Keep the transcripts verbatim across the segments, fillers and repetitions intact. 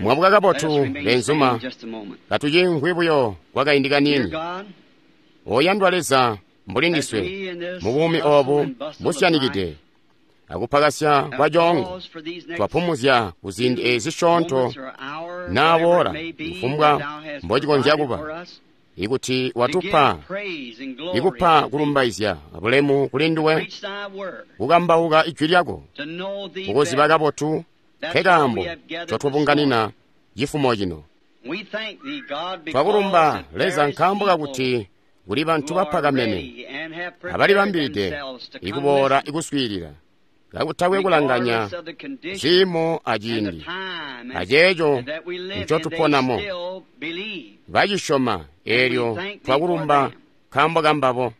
Mwabuka kabotu, benzuma. Katucimvwi buyo kwakaindi kaniini. Oyandwa Leza, mbuli ndiswe mubuumi obu busyanikide akupakasya kwa coongo, twapumuzya kuziindi ezi zisyoonto naaboola kufumbwa mbocikonzya kuba, ikuti watupa ikupa kulumbaizya abulemu kuli nduwe, kukambauka ijwi lyako, kukuziba kabotu nkekaambo ncotubunganina cifumo cino. Twakulumba Leza nkaambo kakuti kuli bantu bapakamene abalibambilide ikuboola ikuswiilila kakutakwe kulanganya ciimo aciindi aceeco ncotuponamo. Bacisyoma eelyo twakulumba nkaambo kambabo.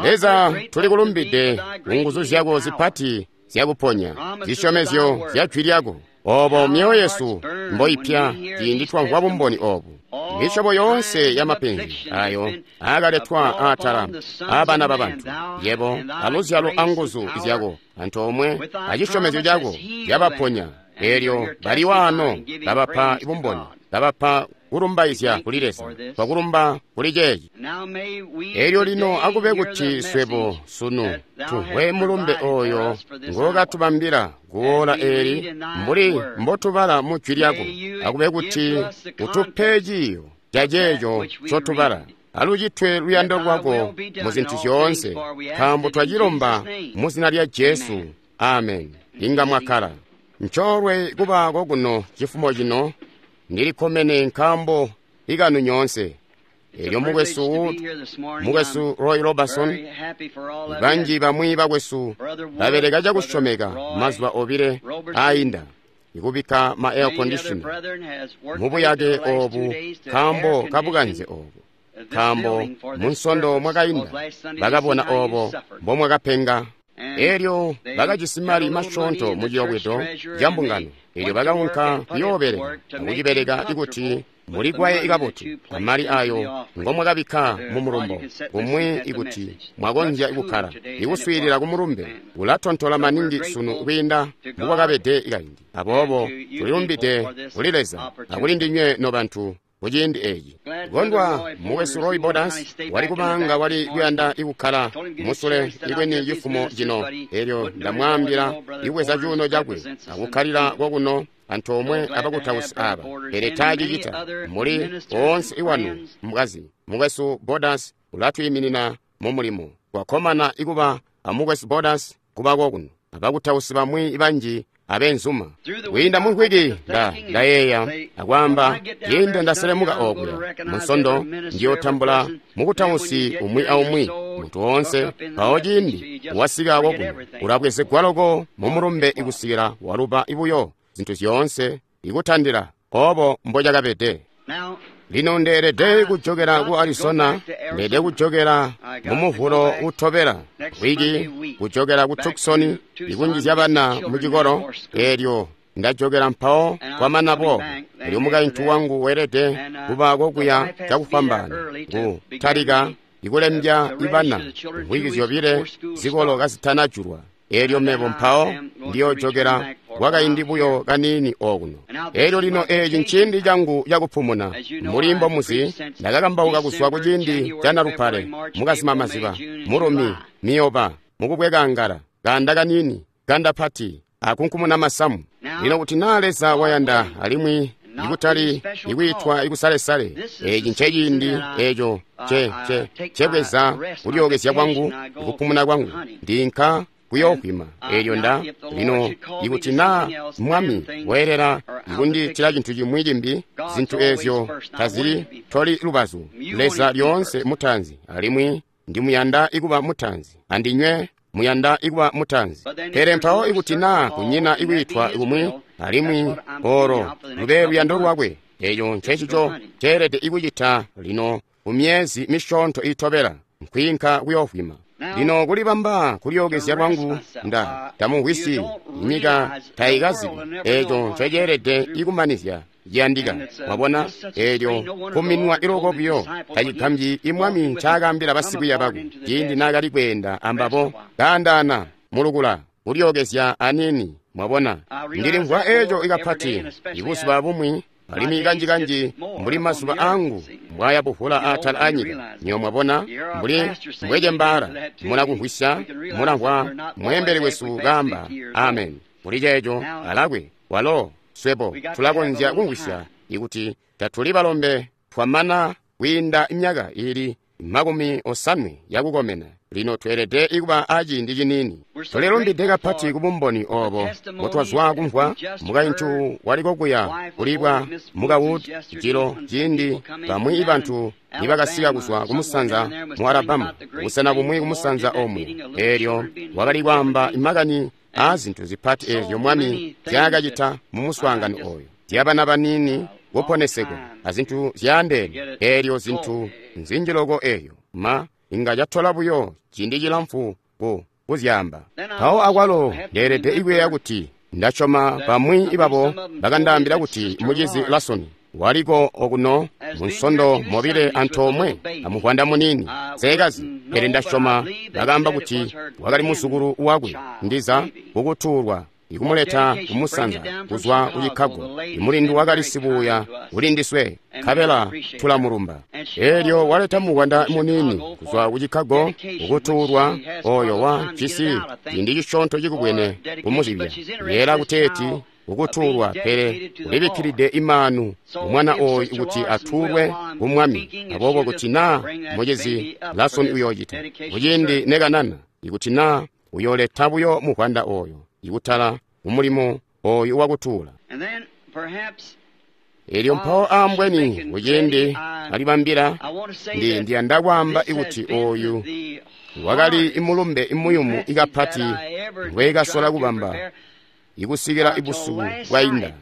Leza, tulikulumbide kunguzu zyako zipati zyakuponya, zisyomezyo zya jwi lyako, obo myoyo yesu mboipya ciindi twamvwa bumboni obu. Misyobo yoonse ya mapenzi ayo aakaletwa aatala aabana babantu, yebo aluzyalo anguzu zyako antoomwe acisyomezyo cako zyabaponya, eelyo bali waano babapa bumboni, babapa kulumbaizya kuli Leza. Twakulumba kuli ceeci. Eelyo lino akube kuti swebo sunu tumvwe mulumbe oyo ngokatubambila kuola eeli mbuli mbotubala mu jwi lyako. Akube kuti utupe ciiyo ca ceeco ncotubala, alucitwe luyando lwako mu zintu zyoonse, nkaambo twacilomba mu zina lya Jesu. Amen. Inga mwakkala. Ncoolwe kuba kokuno cifumo cino. Ndilikkomene nkaambo ikanu nyoonse. Eelyo mukwesu mukwesu Roy Robertson, banji bamwi bakwesu babeleka cakusyomeka mazuba obile aayinda ikubikka ma air conditioner mubuyake oobu nkaambo kabukanze oobu, nkaambo munsondo mwakainda bakabona oobo mbomwakapenga. Eelyo bakajisi mali masyoonto mu ciyobwedo ca mbungano, eelyo bakaunka kuyoobeleka akucibeleka ikuti muligwaye kabotu amali ayo ngomwakabikka mu mulumbo kumwi ikuti mwakonzya kukkala ikuswiilila ku mulumbe ulatontola maningi sunu kwiinda mbukwakabede kaindi. Aboobo tulilumbide kuli Leza akuli ndinywe nobantu kuciindi eeci. Kondwa mukwesu Roy Borders wali kubanga wali kuyanda ikukkala musule ikweni cifumo cino, eelyo ndamwaambila ikubweza cuuno cakwe akukkalila kokuno antoomwe abakutausi aba, pele taacicita. Muli oonse iwanu mkazi mukwesu Borders ulatwiiminina mu mulimo. Twakkomana ikuba amukwesu Borders kuba kokuno abakutausi bamwi banji abenzuma. Kwiinda mu mvwiki nda ndayeeya akwaamba ciindi ndaselemuka okuya munsondo ndiyotambula mukutausi umwi aumwi muntu woonse, mpawo ciindi wasika kokuno ulabwezegwa loko mu mulumbe ikusikila waluba ibuyo zintu zyoonse ikutandila obo mbocakabede. Lino ndeelede kujokela ku Arizona, ndeelede kujokela mu muvulo utobela wiki, kujokela ku Tucson ikunjizya bana mu cikolo. Eelyo ndajokela mpawo kwamana boobo, elyo mukaintu wangu weelede kuba kokuya cakufwambaana kutalika ikulembya ibana mvwiki zyobile zikolo kazitanajulwa. Eelyo mebo mpawo ndiyojokela kwakaindi buyo kaniini okuno. Eelyo lino eeci nciindi cangu cakupumuna. Mbuli mbomuzi, ndakakambauka kuzwa kuciindi ca Nalupale, mukazimamaziba, mulumi, miyoba, mukubweka ngala, kanda kaniini, ganda pati, akunkumuna masamu. Lino kuti naa Leza wayanda alimwi ikutali ikwiitwa ikusalesale, eeci nceciindi eeco ce ce cebweza kulyookezya kwangu, ikupumuna kwangu, ndinka kuyohwima. Eelyo nda lino ikuti naa Mwami weelela ikundiitila cintu cimwi cimbi, zintu eezyo tazili toli lubazu. Leza lyoonse mutaanzi, alimwi ndimuyanda ikuba mutaanzi, andinywe muyanda ikuba mutaanzi. Pele mpawo ikuti naa kunyina ikwiitwa kumwi, alimwi olo lube luyando lwakwe, eeco ncecico ceelede ikucita lino mu myezi misyoonto itobela, nkwiinka kuyohwima. Lino kulibamba kulyookezya lwangu nda tamumvwisi, inyika taikazibi eeco nceceelede ikumanizya ciyandika. Mwabona, eelyo kuminwa iloko buyo tacigambyi imwami ncaakaambila basikwiiya bakwe ciindi naakali kweenda ambabo kaandaana mulukula kulyookezya aniini Mwabona, ndilimvwa eco ikapati ibuzuba bumwi, alimwi kanjikanji mbuli mazuba angu mbwaya buvula atala anyika. Nyo mwabona, mbuli mbwecembaala, mula kumvwisya, mulamvwa mweembeli wesu kaamba amen kuli ceeco alakwe walo swebo tulakonzya kumvwisya ikuti tatuli balombe twamana kwiinda myaka ili makumi osanwe yakukomena. Lino tweelede ikuba aciindi ciniini. Tulilumbide kapati kubumboni obo mbotwazwa kumvwa mukaintu waliko kuya kulibwa muka Wood jilo ciindi bamwi bantu nibakasika kuzwa kumusanza mu Alabama, busena bumwi kumusanza omwe. Eelyo wakali kwaamba makani aa zintu zipati eezyo Mwami zyaakacita mu muswaangano oyo, zyabana baniini kuponesegwa azintu zyaandeene. Eelyo zintu nzinji loko eyo ma inga catola buyo ciindi cilamfu ku kuzyaamba. Mpawo akwalo ndeelede ikuyeeya kuti ndasyoma bamwi babo bakandaambila kuti mucizi Lasoni waliko okuno munsondo mobile antoomwe amuvwanda muniini seekazi, pele ndasyoma bakaamba kuti wakali muzukulu wakwe ndiza kukutuulwa ikumuleta kumusanza kuzwa ku Chicago. Imulindu wakali sibuuya ulindiswe, nkabela tulamulumba. Eelyo waleta muvwanda muniini kuzwa ku Chicago kukutuulwa oyo wa cisi ciindi cisyoonto cikubwene kumuzibya yeela kuteeti kukutuulwa, pele ulibikkilide imaanu umwana oyu kuti atuulwe ku Mwami. Aboobo kuti naa mucizi Lasoni uyoocita kuciindi nekanana, ikuti naa uyooleta buyo muvwanda oyo ikutala kumulimo oyu wakutuula. Elyo mpawo ambweni kuciindi alibambila, ndi ndiyanda kwaamba ikuti oyu wakali imulumbe imuyumu ikapati ngwekasola kubamba ikusikila ibusuku bwainda.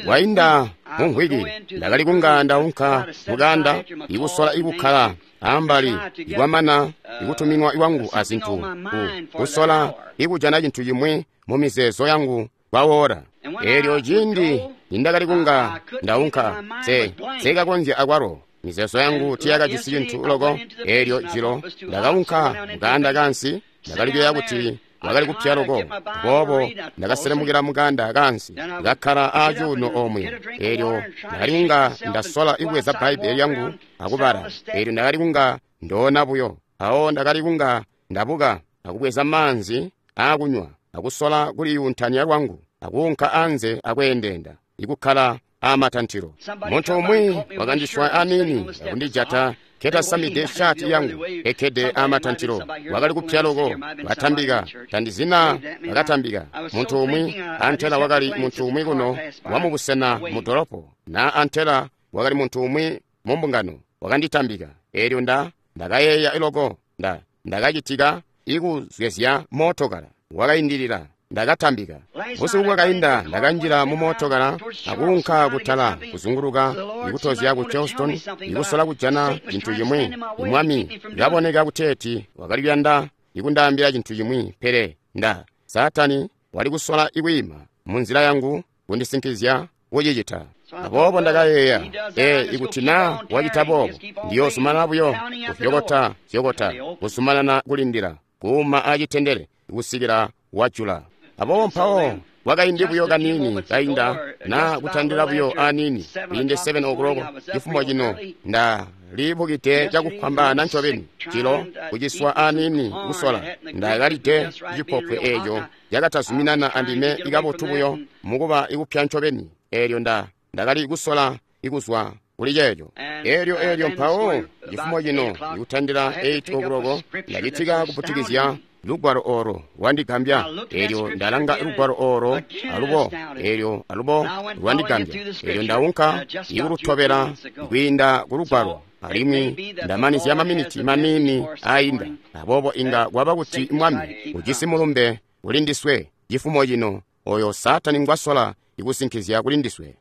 Bwainda mumvwiki ndakali kunga ndaunka mukanda ikusola ikukkala ambali ikwamana ikutuminwa iwangu azintu ku kusola ikujana cintu cimwi mu mizeezo yangu kwawoora. Eelyo ciindi nindakali kunga ndaunka, se sekakonzya akwalo mizeezo yangu tiyakajisi cintu loko. Eelyo jilo ndakaunka mukanda kansi, ndakali kuyeeya kuti wakali kupya loko, aboobo ndakaselemukila mukanda kansi kakkala aacuuno omwe. Eelyo ndakali kunga ndasola ikubweza Bbaibbele lyangu akubala. Eelyo ndakali kunga ndoona buyo. Awo ndakali kunga ndabuka akubweza maanzi aakunywa akusola kuliyuntanya lwangu akuunka anze akweendeenda ikukkala aamatantilo. Muntu umwi wakandiswa aniini akundijata nketasamide shaati yangu ekkede aamatantilo. Wakali kupya loko, batambika tandizina bakatambika. Muntu umwi antela wakali muntu umwi kuno wamubusena mu dolopo, na antela wakali muntu umwi mu mbungano wakanditambika. Eelyo nda ndakayeeya iloko nda ndakacitika ikuzwezya mootokala wakaindilila. Ndakatambika. Busiku bwakainda ndakanjila mu mootokala akuunka kutala kuzunguluka ikutozya ku Charleston ikusola kujana cintu cimwi. Mwami kaboneka kuteeti wakali kuyanda ikundaambila cintu cimwi, pele nda Saatani wali kusola ikwiima munzila yangu kundisinkizya kucicita. Aboobo ndakayeeya, ee, ikuti naa wacita boobo, ndiyoozumanana buyo kuzyokota zyokota, kuzumanana kulindila, kuuma acitendele kusikila wajula. Aboobo mpawo wakaindi buyo kaniini kainda na kutandila buyo aniini kwiinde seven o'clock cifumo cino, ndalibukide cakufwambaana ncobeni cilo kuciswa aniini kusola. Ndakalide cipopwe eeco cakatazuminana andime ikabotu buyo mukuba ikupya ncobeni. Eelyo nda ndakali kusola ikuzwa kuli ceeco. Eelyo eelyo mpawo cifumo cino ikutandila eight o'clock ndacitika kuputikizya lugwalo oro lwandigambya. Eelyo ndalanga lugwalo oro alubo, eelyo alubo lwandigambya. Eelyo ndaunka ikulutobela kwiinda ku lugwalo, alimwi ndamanizya maminiti maniini ainda. Aboobo inga kwaba kuti Mwami ujisi mulumbe kulindiswe cifumo cino oyo Saatani ngwasola ikusinkizya kulindiswe.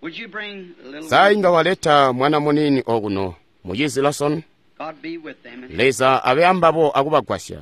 Sa inga waleta mwana muniini okuno, mucizi Lawson? Leza abe ambabo akubagwasya.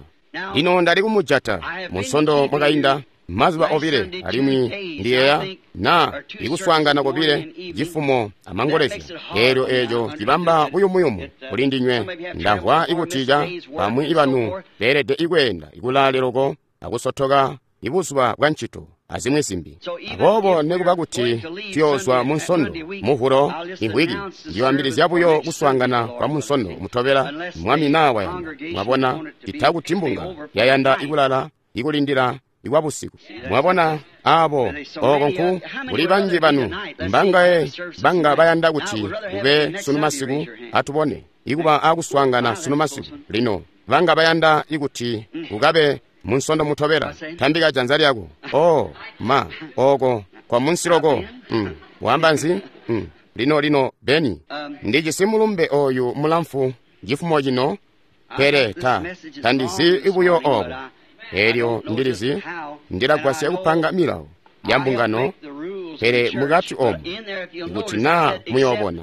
Lino ndali kumujata munsondo mwakainda mazuba obile, alimwi ndiyeeya na ikuswaangana kobile cifumo amangolezya. Eelyo eeco cibamba buyumuyumu kuli ndinywe. Ndamvwa ikuti ca bamwi banu beelede ikweenda ikulaale loko akusotoka ibuzuba bwa ncito azimwi zimbi. Aboobo nekuba kuti tuyoozwa Munsondo, Muvulo, imvwiki, ndiyoambilizya buyo kuswaangana kwa Munsondo mutobela, Mwami naa wayanda. Mwabona, cita kuti mbunga yayanda ikulala, ikulindila ikwa busiku. Mwabona, abo oko nku kuli banji banu mbangaye banga bayanda kuti kube sunu masiku. Atubone ikuba akuswaangana sunu masiku. Lino banga bayanda ikuti kukabe Munsondo mutobela, tambika janza lyako. Oh ma, oko kwa munsiloko. Mm. Wamba nzi? Mm. Lino lino Beni, ndijisi mulumbe oyu mulamfu cifumo cino, pele ta tandizi ibuyo obo. Elyo ndilizi ndilagwasya kupanga milawo ya mbungano, pele mukati omu ikuti naa muyoobona,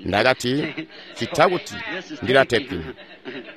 ndakati cita kuti ndilatepinga.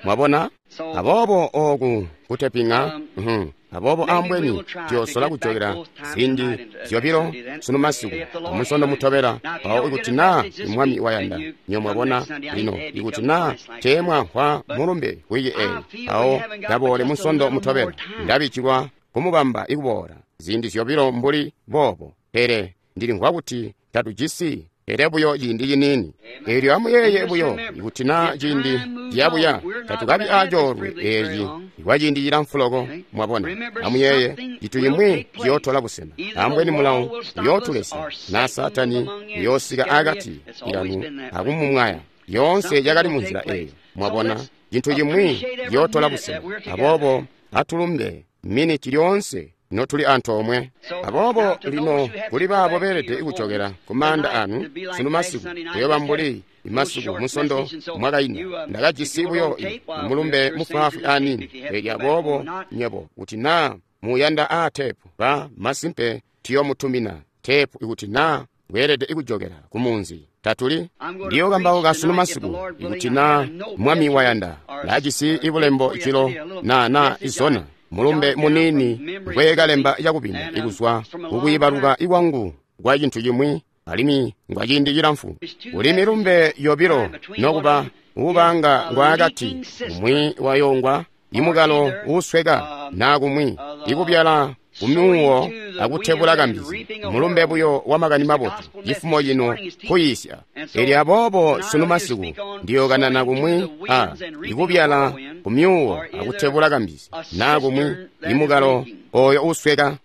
Mwabona? Aboobo oku kutepinga, mm-hmm. Aboobo ambweni tuyosola kujokera ziindi zyobilo sunu masiku amunsondo mutobela. Mpawo ikuti naa Mwami wayanda, nyo mwabona. Lino ikuti naa teemwamvwa mulumbe wiki eyi, mpawo kaboole munsondo mutobela. Ndabijilwa kumubamba ikuboola ziindi zyobilo mbuli boobo, pele ndilimvwa kuti tatujisi pele buyo ciindi ciniini. Eelyo amuyeeye buyo, ikuti naa ciindi ciyabuya tatukabi acoolwe eeci kwa ciindi cilamfu loko. Mwabona, amuyeeye cintu cimwi ciyootola busena. Ambweni mulawo uyootulesya, naa Saatani uyoosika akati kanu akumumwaya. Yoonse yakali munzila eeyo. Mwabona, cintu cimwi ciyootola busena. Aboobo atulumbe miniti lyoonse notuli antoomwe. Aboobo lino kuli baabo beelede kujokera ku maanda anu sunu masiku, kuyoba mbuli imasiku Munsondo mwakainda. Ndakajisi buyo mulumbe mufwaafwi aniini. Elyo aboobo nyebo kuti naa muyanda aa teepu, ba masimpe tuyomutumina teepu ikuti naa weelede kujokera ku munzi. Tatuli ndiyokambauka sunu masiku ikuti naa Mwami wayanda. Ndajisi ibulembo cilo na na izona mulumbe munini ngwekalemba cakubina ikuzwa kukwiibaluka ikwangu kwa cintu cimwi, alimwi ngwa ciindi cilamfu. Kuli milumbe yobilo nokuba ubanga ngwaakati, umwi wayongwa imukalo uusweka, naa kumwi ikubyala kumyuwo akutebula kambizi. Mulumbe buyo wa makani mabotu cifumo cino kuyiisya. Elyo aboobo sunu masiku ndiyokanana kumwi a ikubyala kumyuwo akutebula kambizi, naa kumwi imukalo oyo uusweka.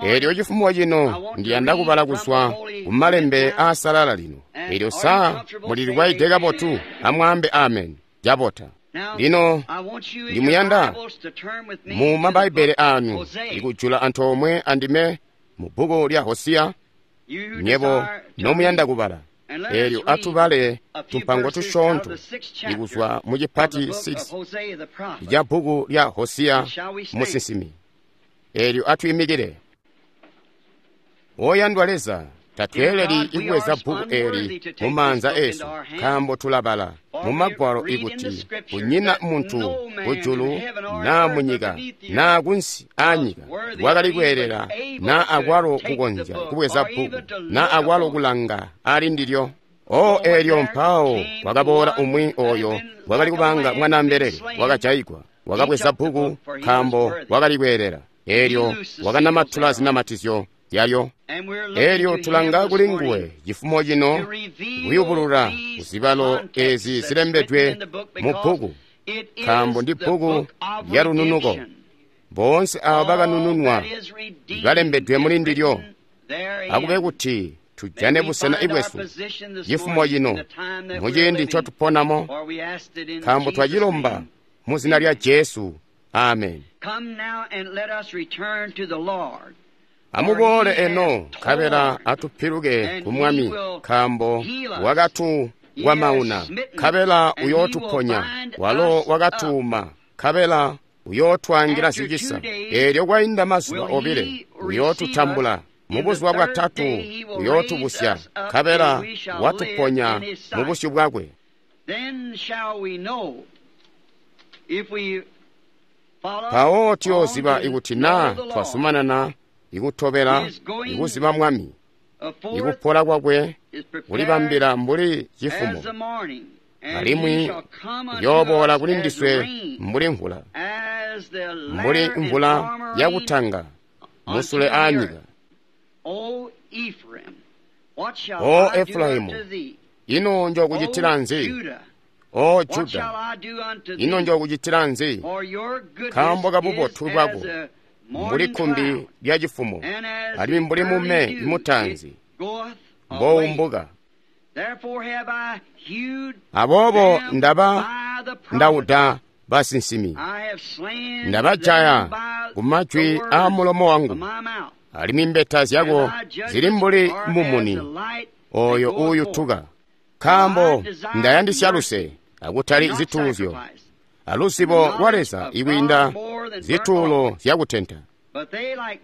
Elyo cifumo cino ndiyanda kubala kuzwa kumalembe aasalala lino. Elyo saa mulilwaide kabotu, amwaambe amen. Cabota. Lino ndimuyanda mu mabaibbele anu ikujula antoomwe andime mu bbuku lya Hosiya, nyebo nomuyanda kubala. Elyo atubale tumpango tusyoonto ikuzwa mu cipati six ca bbuku lya Hosiya musinsimi. Elyo atwiimikile. Oyandwa Leza, tatweeleli ikubweza bbuku eli mu maanza esu, nkaambo tulabala mu magwalo ikuti kunyina muntu kujulu naa munyika naa kunsi aanyika wakali kweelela naa akwalo kukonzya kubweza bbuku naa akwalo kulanga ali ndilyo. O eelyo mpawo wakaboola umwi oyo wakali kubanga mwanaambelele wakajayigwa, wakabweza bbuku nkaambo wakali kweelela. Eelyo wakanamatula zinamatizyo yalyo. Elyo tulanga kuli nguwe cifumo cino kuyubulula kuzibalo ezi zilembedwe mu bbuku, nkaambo ndi bbuku lya lununuko. Boonse abo bakanununwa balembedwe muli ndilyo. Akube kuti tujane busena ibwesu cifumo cino muciindi ncotuponamo, nkaambo twacilomba mu zina lya Jesu. Amen. Amuboole eno, nkabela atupiluke ku Mwami, nkaambo wakatukwamauna, nkabela uyootuponya. Walo wakatuuma, nkabela uyootwaangila zicisa. Eelyo kwainda mazuba obile uyootutambula, mubuzuba bwatatu uyootubusya, nkabela watuponya mu busyu bwakwe. Mpawo tuyooziba ikuti naa twazumanana ikutobela ikuziba Mwami, ikupola kwakwe kulibambila mbuli cifumo, alimwi uyooboola kuli ndiswe mbuli mvula, mbuli mvula yakutanga musule aanyika. O Efraimu, ino njokucitila nzi? O Juda, ino njokucitila nzi? Nkaambo kabubotu bwako mbuli kkumbi lya cifumo, alimwi mbuli mume imutanzi mbowumbuka. Aboobo ndaba ndauda basinsimi, ndabajaya kumajwi aamulomo wangu, alimwi mbeta zyako zili mbuli mumuni oyo uuyutuka. Nkaambo ndayandisya luse akutali zituuzyo, aluzibo lwa Leza ikwiinda zituulo zyakutenta.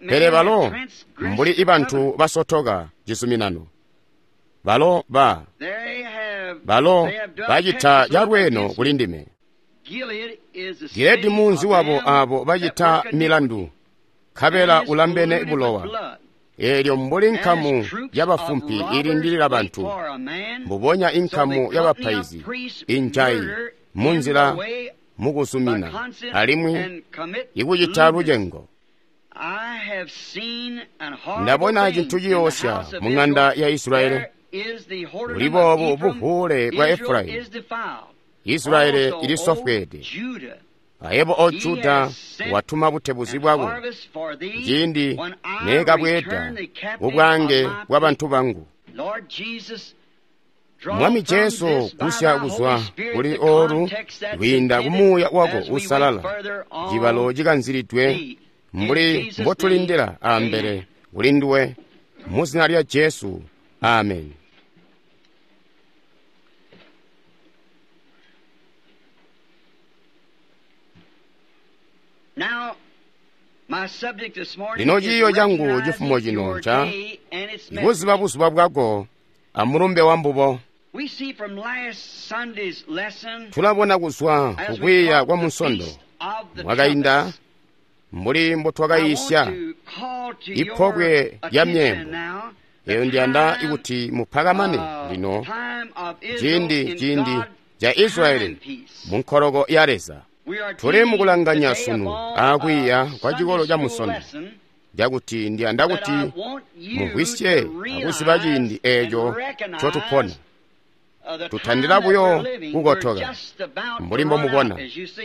Pele balo mbuli ibantu basotoka cizuminano, balo ba balo bacita calweeno kuli ndime. Giledi munzi wabo abo bacita milandu, nkabela ulambene bulowa. Eelyo mbuli nkamu yabafumpi ilindilila bantu, mbubonya inkamu y'abapaizi injayi munzila mukuzumina alimwi ikucita lucengo. Ndabona cintu ciyoosya mu ŋanda ya Israeli, buli boobu buvuule bwa Efraimu. Israeli ilisofweede. Ayebo O Juda watuma butebuzi bwako ciindi neekabweeda kubwaange bwabantu bangu. Mwami Jesu, gusya kuzwa kuli olu kwiinda kumuuya wako usalala cibalo cikanzilidwe mbuli mbotulindila ambele kuli nduwe, mu zina lya Jesu, amen. Lino ciiyo cangu cifumo cino nca ikuziba buzuba bwako amulumbe wambubo. Tulabona kuzwa kukwiiya kwa Munsondo mwakainda mbuli mbotwakayiisya ipobwe lya myeembo. Eyo ndiyanda ikuti mupakamane lino ciindi ciindi ca Israeli munkoloko ya Leza. Tuli mukulanganya sunu aakwiiya kwa cikolo ca Munsondo, cakuti ndiyanda kuti mumvwisye akuziba ciindi eeco ncotupona. Tutandila buyo kukotoka mbuli mbomubona,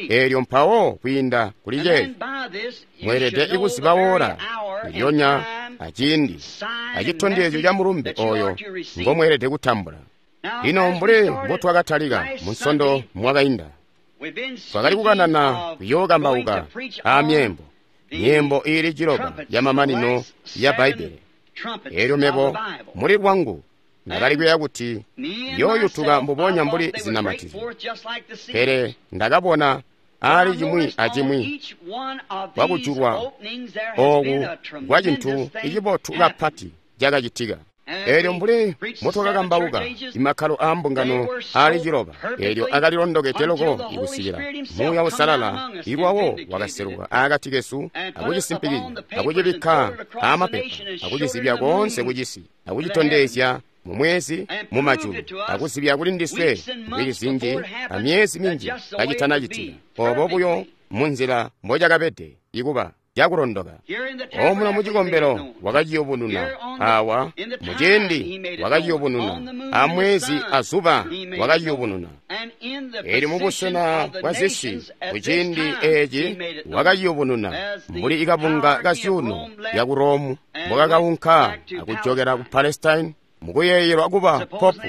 eelyo mpawo kwiinda kuli ceeco mweelede ikuziba woola lyonya aciindi acitondezyo ca mulumbe oyo ngomweelede kutambula. Lino mbuli mbotwakatalika Munsondo mwakainda, twakali kukanana kuyookambauka aamyeembo, myeembo iili ciloba yamamanino ya Bbaibbele. Eelyo mebo muli lwangu ndakali kuyeeya kuti yooyutuka mbubonya mbuli zinamatizyo, pele ndakabona aali cimwi acimwi kwakujulwa ooku kwa cintu icibotu kapati cakacitika. Eelyo mbuli mbotwakakambauka imakkalo aambungano aali ciloba, eelyo akalilondokede loko ikusikila Muuya Uusalala ilwawo wakaseluka aakati kesu akucisimpikizya akucibikka aamapepa akucizibya koonse kucisi akucitondezya mumwezi mumajulu akuzibya kuli ndiswe mvwiki zinji amyezi minji kacitanacitika, obo buyo munzila mbocakabede ikuba cakulondoka. Omuno mucikombelo wakaciyubununa, awa muciindi wakaciyubununa, amwezi azuba wakaciyubununa, eelyo mubusena bwa zisi kuciindi eeci wakaciyubununa mbuli ikabunga ka zyuuno lyaku Romu mbokakaunka akujokela ku Palestine mukuyeeyelwa kuba popu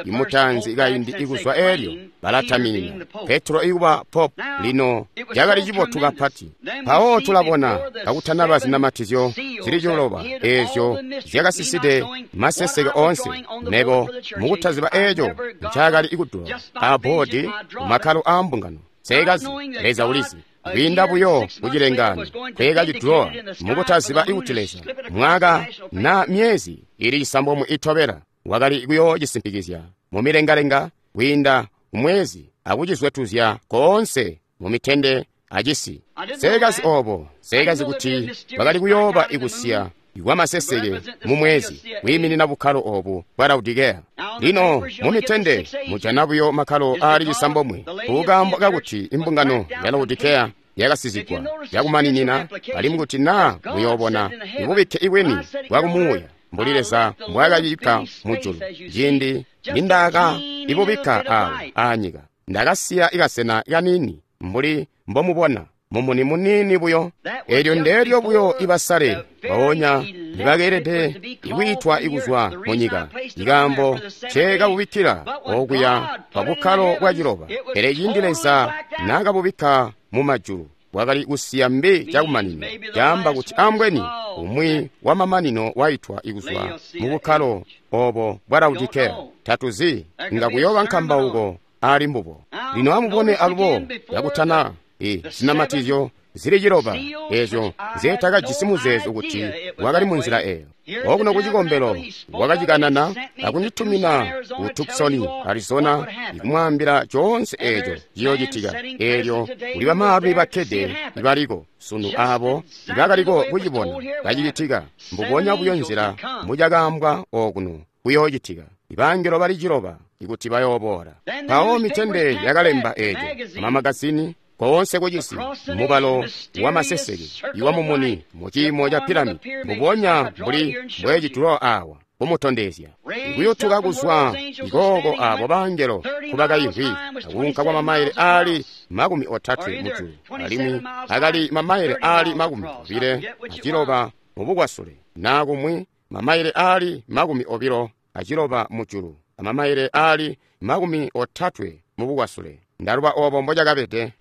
imutanzi kaindi ikuzwa eelyo balataminina Petro ikuba popu. Lino cakali cibotu kapati. Mpawo tulabona kakutanaba zinamatizyo zili ciloba eezyo zyakasiside maseseke oonse, mebo mukutaziba eeco ncaakali ikudula aboodi kumakkalo aambungano. Seekazi Leza ulizi kwiinda buyo kucilengano kweekacidulowa mukutaziba ikuti Leza mwaka na myezi ili cisambomwe itobela wakali kuyoocisimpikizya mumilengalenga kwiinda kumwezi akucizwetuzya koonse mumitende acisi. Seekazi obo, seekazi kuti bakali kuyooba ikusiya kwamaseseke mumwezi kwiiminina bukkalo obu bwa Laodikeya. Lino mumitende mujana buyo makkalo aali cisambomwe kukaambo kakuti imbungano ya Laodikeya yakasizigwa yakumaninina, alimwi kuti naa muyoobona ibubikke ibwini bwakumuuya mbuli Leza mbwaakabikka mujulu. Ciindi nindaka ibubikka awo aanyika, ndakasiya ikasena kaniini mbuli mbomubona, mumuni muniini buyo. Eelyo ndeelyo buyo ibasale mpoonya nibakeelede ikwiitwa ikuzwa munyika, ikaambo nceekabubikkila okuya pa bukkalo bwa ciloba. Pele ciindi Leza naakabubikka mumajulu, bwakali kusiya mbi cakumanina, caamba kuti ambweni umwi wamamanino waitwa ikuzwa mu bukkalo obo bwa Laodikeya. Tatuzi, nga kuyooba nkambauko ali mbubo. Lino amubone alubo yakutana i zinamatizyo zili ciloba ezyo nzetakajisi muzeezo kuti wakali munzila eyo. Okuno ku cikombelo wakacikanana akunditumina ku Tucson, Arizona, ikumwaambila coonse eeco ciyoocitika. Eelyo kuli bamaalumi bakkede ibaliko sunu aabo ibakaliko kucibona kacicitika mbubonya buyo nzila mucakaambwa okuno kuyoocitika. Ibangelo bali ciloba ikuti bayooboola. Mpawo mitende yakalemba eeco amamagazini koonse kucisi, mubalo wa maseseke iwa mumuni muciimo ca piramidi, mbubonya mbuli mbwecitulo awa kumutondezya ikuyutuka kuzwa ikooko abo bangelo kubakaimvwi akuunka kwa mamaile aali makumi otatwe mujulu, alimwi akali mamaile aali makumi obile aciloba mubukwasule, naa kumwi mamaile aali makumi obilo aciloba mujulu amamaile aali makumi otatwe mubukwasule. Ndaluba obo mbocakabede,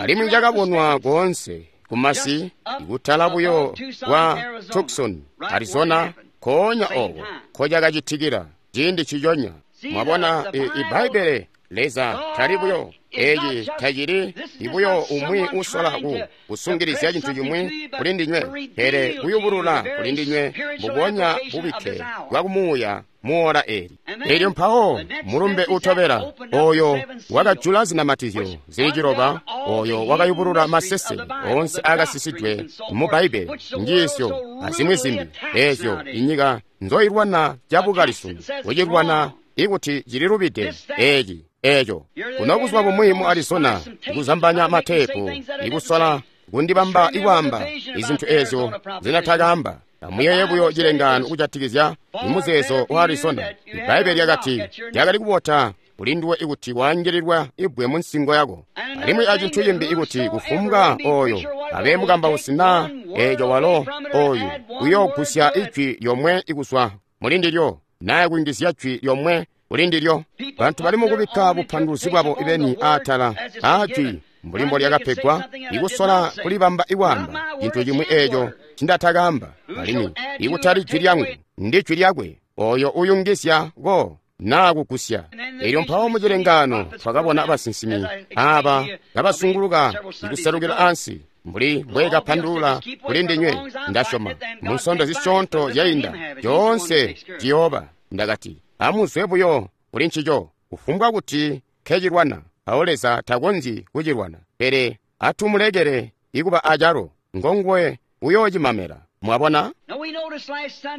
alimwi cakabonwa koonse kumasi ikutala buyo kwa Tucson, Arizona, koonya oko nkocakacitikila ciindi ciconya. Mwabona, Ibbaibbele Leza tali buyo eci tacili ibuyo umwi usola ku kusungilizya cintu cimwi kuli ndinywe, pele kuyubulula kuli ndinywe mbubonya bubikke bwa kumuuya muola eli. Elyo mpawo mulumbe utobela oyo wakajula zinamatizyo zili ciloba, oyo wakayubulula masese oonse akasisidwe mu Bbaibbele, njiisyo azimwi zimbi ezyo inyika nzoilwana cabukali sunu, kucilwana ikuti cililubide eci eco. Kuno kuzwa bumwi mu Arizona ikuzambanya mateepu, ikusola kundibamba ikwaamba izintu ezyo zinatakaamba. Amuyeye buyo cilengaano kujatikizya imuzeezo wa Arizona. Ibbaibbele lyakati lyakali kubota kulinduwe ikuti waangililwa ibbwe mu nsingo yako. Alimwi acintu cimbi ikuti kufumbwa oyo abe mukambausi naa eco walo oyu uyoogusya ijwi lyomwe ikuzwa mulindilyo naa kuyungizya jwi lyomwe kulindilyo. Bantu bali mukubikka bupanduluzi bwabo beni aatala aajwi mbuli mbolyakapegwa, ikusola kulibamba ikwaamba cintu cimwi eeco ncindatakaamba, alimwi ikutali jwi lyangu, ndi jwi lyakwe oyo uyungizya ko naa kugusya. Elyo mpawo mucilengaano twakabona basinsimi aaba kabasunguluka ikuselukila ansi mbuli mbwekapandulula kuli ndinywe, ndasyoma mu nsondo zisyoonto zyainda coonse ciyooba. Ndakati, amuzwe buyo kuli ncico, kufumbwa kuti nkecilwana, mpawo Leza takonzyi kucilwana, pele atumulekele ikuba acalo, ngonguwe uyoocimamela. Mwabona?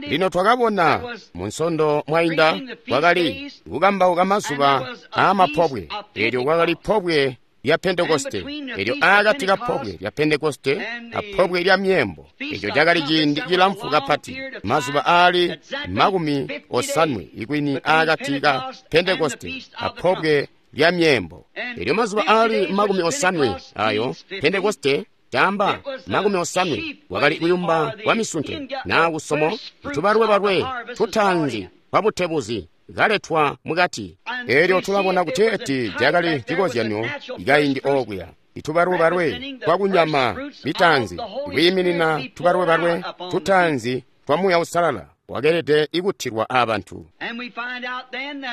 Lino twakabona mu nsondo mwainda kwakali kukambauka mazuba aamapobwe. Eelyo kwakali pobwe lya Pentekoste. Eelyo aakati ka pobwe lya Pentekoste apobwe lya Myeembo, eco cakali ciindi cilamfu kapati, mazuba aali makumi osanwe ikwini aakati ka Pentekoste apobwe lya Myeembo. Eelyo mazuba aali makumi osanwe ayo Pentekoste caamba makumi osanwe wakali kuyumba kwa misunte naa kusomo tubalwebalwe tutaanzi kwa butebuzi kaletwa mukati. Eelyo tulabona kuti eti cakali cikozyanyo ikaindi okuya itubalwebalwe kwa kunyama mitaanzi kwiiminina tubalwebalwe tutaanzi twa Muuya Uusalala wakeelede ikutilwa abantu.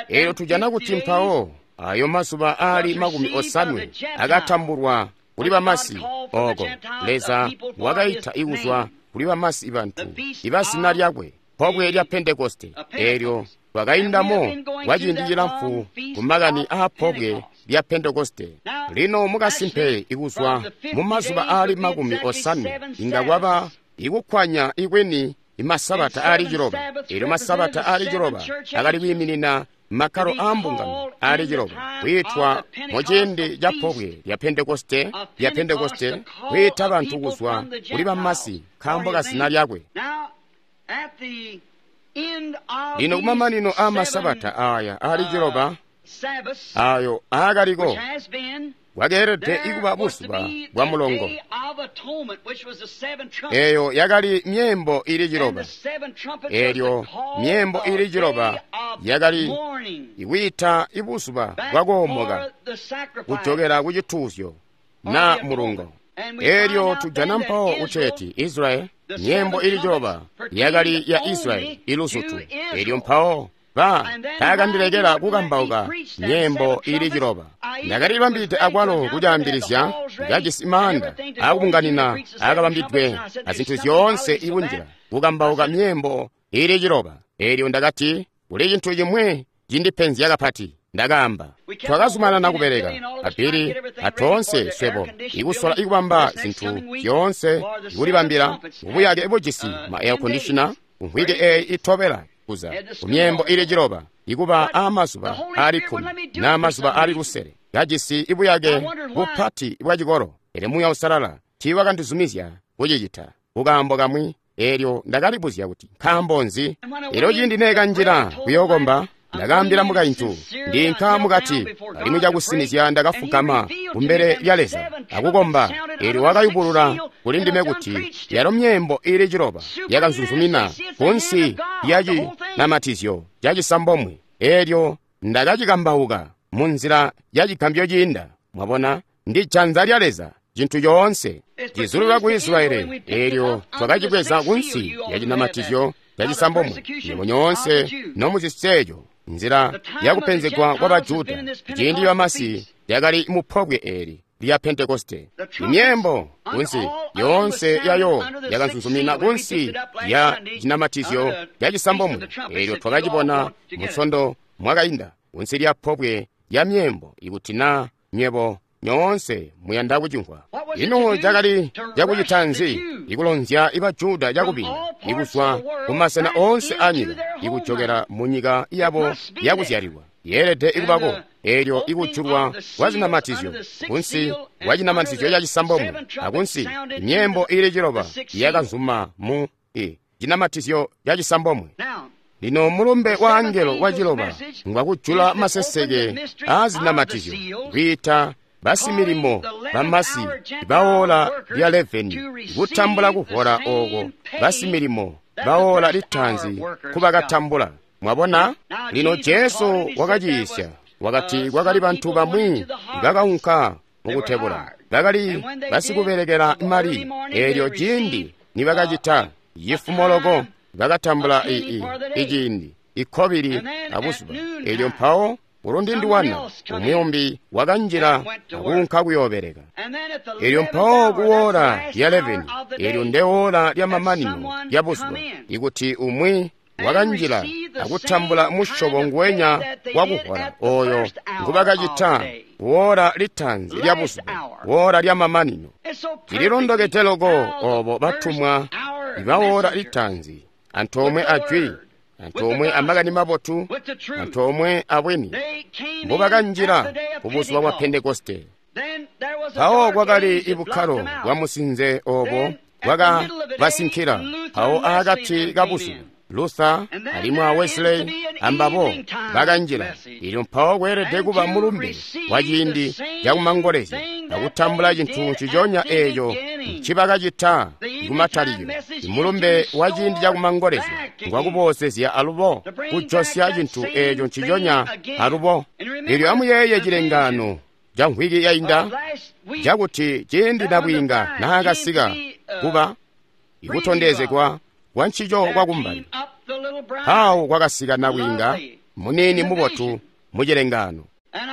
Eelyo tujana kuti mpawo ayo mazuba aali makumi osanwe akatambulwa kuli bamasi oko Leza wakaita ikuzwa kuli bamasi bantu ibazina lyakwe, pobwe lya Pentekoste. Eelyo twakaindamo kwa ciindi cilamfu ku makani aa pobwe lya Pentekoste. Lino mukasimpe ikuzwa mu mazuba aali makumi osanwe inga kwaba ikukwanya ikwini imasabata aali ciloba. Eelyo masabata aali ciloba akali kwiiminina makkalo aambungano aali ciloba, kwiitwa muciindi ca pobwe lya Pentekoste, lya Pentekoste, kwiita bantu kuzwa kuli bamasi nkaambo ka zina lyakwe. Lino kumamanino aamasabata aaya aali ciloba ayo aakaliko, bwakeelede kuba buzuba bwa mulongo. Eyo yakali myeembo ili ciloba. Elyo myeembo ili ciloba yakali ikwiita ibuzuba bwakoomoka kujokela ku cituuzyo na mulungo. Elyo tujana mpawo kuteeti Israyeli, myeembo ili ciloba yakali ya Israyeli iluzutu. Elyo mpawo ba taakandilekela kukambauka myeembo ili ciloba. Ndakalibambide akwalo kucaambilizya, kajisi maanda aakubunganina aakabambidwe azintu zyoonse ikunjila kukambauka myeembo ili ciloba. Elyo ndakati, kuli cintu cimwi cindipenzya kapati. Ndakaamba, twakazumanana kubeleka abili atoonse swebo ikusola ikubamba zintu zyoonse ikulibambila ubuyake bujisi ma air conditioner kumvwiki eyi itobela kuza kumyeembo ili ciloba ikuba aamazuba aali kkumi na mazuba aali lusele kajisi ibuyake bupati bwa cikolo. Pele Muuya Uusalala tiiwakandizumizya kucicita kukaambo kamwi. Elyo ndakalibuzya kuti nkaambo nzi. Elyo ciindi neekanjila kuyookomba, ndakaambila mukaintu, ndiinka mukati, alimwi cakusinizya ndakafugama kumbele lya Leza akukomba. Elyo wakayubulula kuli ndime kuti yalo myeembo ili ciloba yakanzunzumina kunsi lya cinamatizyo cacisambomwe. Elyo ndakacikambauka munzila ya cigambyo ciinda. Mwabona, ndi janza lya Leza, cintu coonse cizulula ku Israeli. Elyo twakacibweza kunsi lya cinamatizyo cacisambomwe. Nywebo nyoonse nomuziseeco nzila yakupenzegwa kwa Bajuda ciindi bamasi yakali mupobwe eli lya Pentekoste. Imyeembo kunsi yoonse yayo yakanzunzumina kunsi ya cinamatizyo cacisambomwe. Elyo twakacibona musondo mwakainda kunsi lya pobwe lya myeembo. Ikuti na nywebo nyoonse muyanda kucimvwa. Ino cakali cakucita nzi? Ikulonzya ibajuda cakubina ikuzwa kumasena oonse anyika ikujokela munyika yabo yakuzyalilwa. Yeelede ikubako. Elyo ikujulwa kwa zinamatizyo kunsi kwa cinamatizyo cacisambomwe akunsi myeembo ili ciloba yakanzuma mu i cinamatizyo cacisambomwe. Lino mulumbe wa angelo wa ciloba ngwakujula maseseke aa zinamatizyo, kwiita basimilimo bamasi bawola lya leveni kutambula kuhola oko basimilimo bawola litaanzi kubakatambula. Mwabona? Lino Jesu wakaciisya, wakati kwakali bantu bamwi bakaunka mukutebula, bakali basikubelekela mali. Elyo ciindi nibakacita yifumoloko bakatambula iciindi ikkobili abuzuba. Elyo mpawo ulundindiwana umuyumbi wakanjila akuunka kuyoobeleka. Elyo mpawo kuwola lya leveni, elyo ndewola lya mamanino lya buzuba, ikuti umwi wakanjila akutambula musyobo nguwenya wakuhola oyo ngubakacita wola litaanzi lya buzuba, wola lya mamanino. Cililondokede loko obo batumwa ibawola litaanzi antoomwe ajwi, antoomwe amakani mabotu, antoomwe abwini, mbubakanjila kubuzuba bwa Pentekoste. Mpawo kwakali ibukkalo bwa musinze obo bwakabasinkila. Mpawo aakati kabuzuba Luther alimwi a Wesley ambabo bakanjila. Elyo mpawo kweelede kuba mulumbe wa ciindi cakumangolezya akutambula cintu nciconya eeco ncibakacita kumatalikilo. Imulumbe wa ciindi cakumangolezya ngwakuboozezya alubo kujosya cintu eeco nciconya alubo. Elyo amuyeeye cilengaano ca mvwiki yainda cakuti ciindi nabwiinga naakasika kuba ikutondezegwa kwa ncico kwakumbali, mpawo kwakasika nabwiinga muniini mubotu mucilengaano.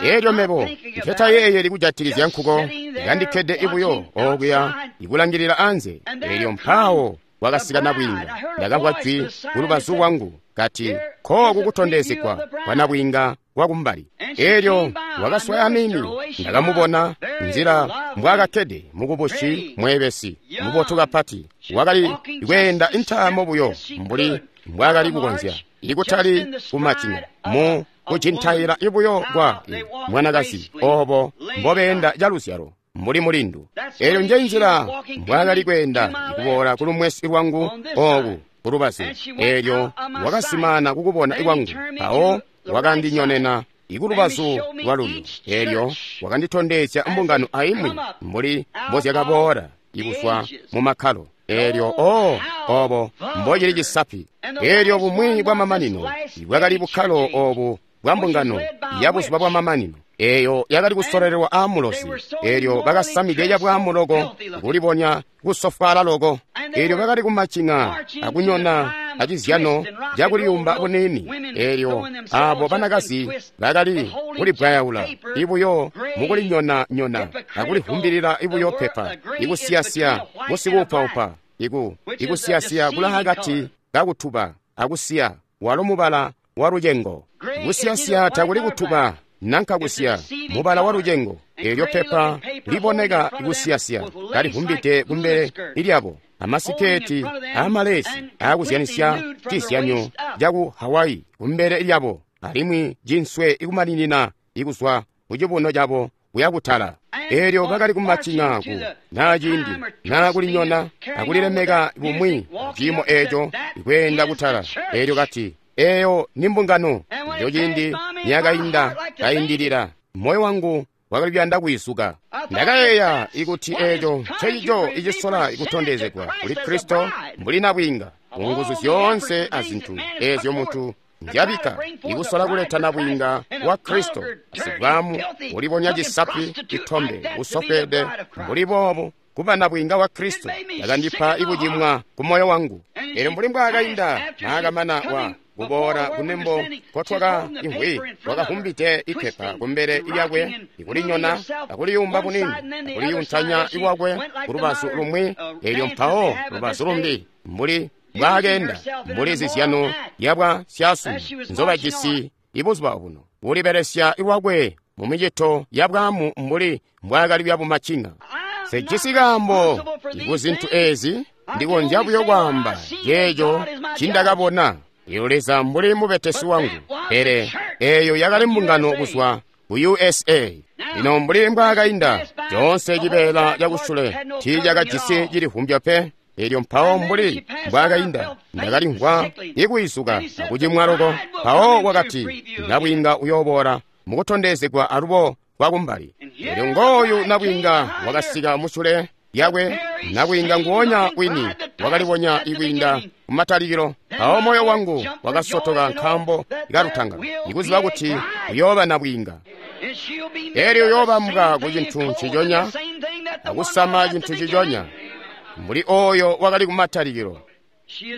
Elyo mebo nketayeeyeli kujatikizya nkuko, ngandikkede ibuyo okuya ikulangilila anze. Elyo mpawo kwakasika nabwiinga. Ndakamvwa jwi kulubazu lwangu kati, kooku kutondezegwa kwa nabwiinga kwakumbali. Elyo wakaswaya mimi, ndakamubona nzila mbwaakakkede mukubushi mweebesi mubotu kapati. Wakali kweenda intaamo buyo mbuli mbwaakali kukonzya, ikutali kumacina mu kucintaila ibuyo kwa mwanakazi obo mbobeenda caluzyalo mbuli mulindu. Elyo nje nzila mbwaakali kweenda kuboola kulumwesi lwangu oku kulubazu. Elyo wakasimana kukubona kwangu, mpawo wakandinyonena ikulubazu lwalulyo. Elyo wakanditondezya mbungano aimwi mbuli mbozyakaboola ikuzwa mu makkalo. Elyo o obo mbocili cisapi. Elyo bumwi bwa mamanino bwakali bukkalo obu bwa mbungano ya buzuba bwa mamanino, eyo yakali kusololelwa aamulozi. Elyo bakasamide cabwaamu loko, kulibonya kusofwaala loko. Elyo bakali kumacing'a akunyona acizyano cakuliyumba buniini. Elyo abo banakazi bakali kulibwayaula ibuyo mukulinyona-nyona akulivumbilila ibuyo pepa, ikusiyasiya busikuupaupa, iku ikusiyasiya kulaakati kakutuba akusiya walo mubala wa lucengo. Kusiyasiya takuli kutuba nanka kusiya, mubala wa lucengo. Elyo pepa liboneka kusiyasiya kalivumbide kumbele lyabo, amasiketi amalesi aakuzyanisya cizyanyo caku Hawaii kumbele lyabo, alimwi cinswe ikumaninina ikuzwa kucibuno cabo kuya kutala. Elyo bakali kumacing'a ku naa ciindi naa kulinyona akulilemeka bumwi ciimo eeco ikweenda kutala. Elyo kati, eyo ni mbungano. Elyo ciindi niyakainda kaindilila, moyo wangu wakali kuyanda kwiisuka. Ndakayeeya ikuti eeco ncecico icisola ikutondezegwa kuli Kristo mbuli nabwiinga, munguzu zyoonse azintu eezyo muntu nzyabika ikusola kuleta nabwiinga wa Kristo, asibwamu ulibonya cisapi itombe usofweede mbuli boobo kuba nabwiinga wa Kristo. Yakandipa ikucimwa ku moyo wangu. Elyo mbuli mbwaakainda naakamana wa kuboola kunembo kotwaka imvwi, wakavumbide ipepa kumbele lyakwe, ikulinyona akuliyumba bunini akuliyuntanya iwakwe kulubazu lumwi, elyo mpawo lubazu lumbi, mbuli mbwaakeenda mbuli zizyano yabwa syasunu nzobajisi ibuzuba obuno, kulibelesya iwakwe mu micito yabwaamu mbuli mbwaakali byabumacinga. Sejisi kaambo kuzintu ezi, ndikonzya buyo kwaamba ceeco cindakabona. Iyo Leza mbuli mubetesi wangu, pele eyo yakali mbungano kuzwa ku U S A. Lino mbuli mbwaakainda, coonse cibeela cakusule tiicakajisi cilivumbya pe. Elyo mpawo mbuli mbwaakainda, ndakalimvwa ikwiisuka akucimwa loko. Mpawo wakati, nabwiinga uyooboola mukutondezegwa alubo kwakumbali. Elyo ngooyu nabwiinga wakasika musule lyakwe, nabwiinga nguonya wini wakalibonya ikwiinda kumatalikilo. Mpawo moyo wangu wakasotoka nkaambo kalutanga, ikuziba kuti uyooba nabwiinga. Elyo uyoobambwa ku cintu nciconya akusama cintu ciconya mbuli oyo wakali kumatalikilo.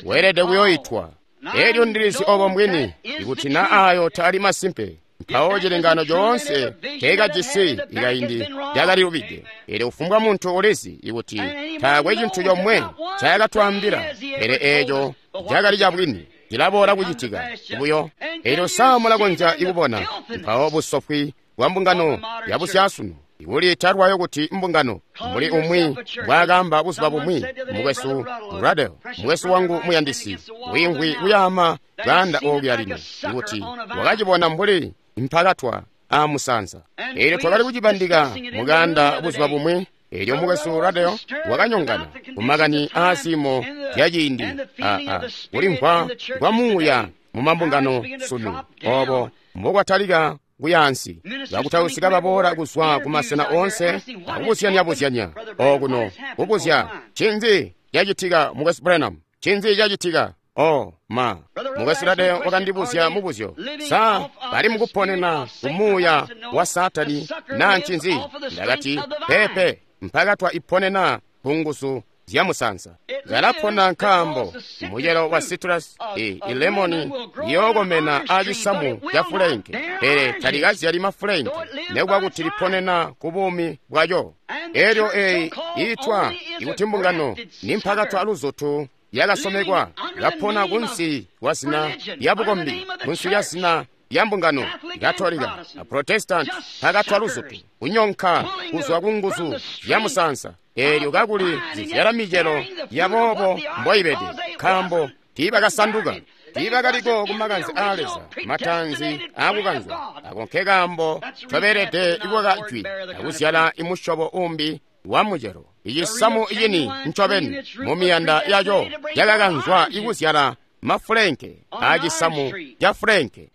Weelede kuyoyitwa. Elyo ndilizi obo mbwini, ikuti na ayo taali masimpe, mpawo cilengano coonse teekajisi ikaindi lyakalilubide. Elyo kufumbwa muntu ulizi ikuti taakwe cintu comwe ncaakatwaambila, pele eeco cakali cabwini, cilaboola kucitika buyo. Elyo sa mulakonzya ikubona mpawo busofwi bwa mbungano yabusyasunu, ikuliita lwayo kuti mbungano, mbuli umwi mbwaakaamba buzuba bumwi, mukwesu Ruddell, mukwesu wangu muyandisi, wiimvwi kuyaama bwaanda ookuya lino, ikuti wakacibona mbuli mpakatwa aamusanza. Elyo twakali kucibandika mukaanda buzuba bumwi. Elyo mukwesu Ruddell wakanyongana kumakani aaziimo zyaciindi aa kulimvwa kwa muuya mu mambungano sunu, obo mbokwatalika kuyaansi. Bakutausi kababoola kuzwa kumasena oonse akubuzyanya-buzyanya okuno, kubuzya, ncinzi cacitika mukwesu Branham? Ncinzi cacitika? Oh ma, mukwesu Ruddell wakandibuzya mubuzyo, sa bali mukuponena kumuuya wa Saatani naa ncinzi? Ndakati, peepe, mpakatwa iponena ku nguzu zya musanza. Kalapona nkaambo mucelo wa citrus i ilemoni liyookomena aacisamu ca fulenke, pele talikazyali mafulenke, nekuba kuti liponena ku buumi bwaco. Elyo eyi iitwa ikuti mbungano ni mpakatwa luzutu yakasomekwa, kapona kunsi kwa zina lya bukombi, kunsi lya zina lya mbungano Katolika a Protestant, mpakatwa luzutu kunyonka kuzwa ku nguzu zya musanza. Elyo kakuli zizyala micelo yaboobo mboibede, nkaambo tiibakasanduka. Tiibakaliko ku makanze aa Leza, mataanzi aakukanzwa. Ako nkekaambo ncobeelede ikukaka Jwi akuzyala imusyobo umbi wa mucelo. Icisamu cini ncobeni mu miyanda yaco cakakanzwa ikuzyala mafulenke aacisamu ca fulenke.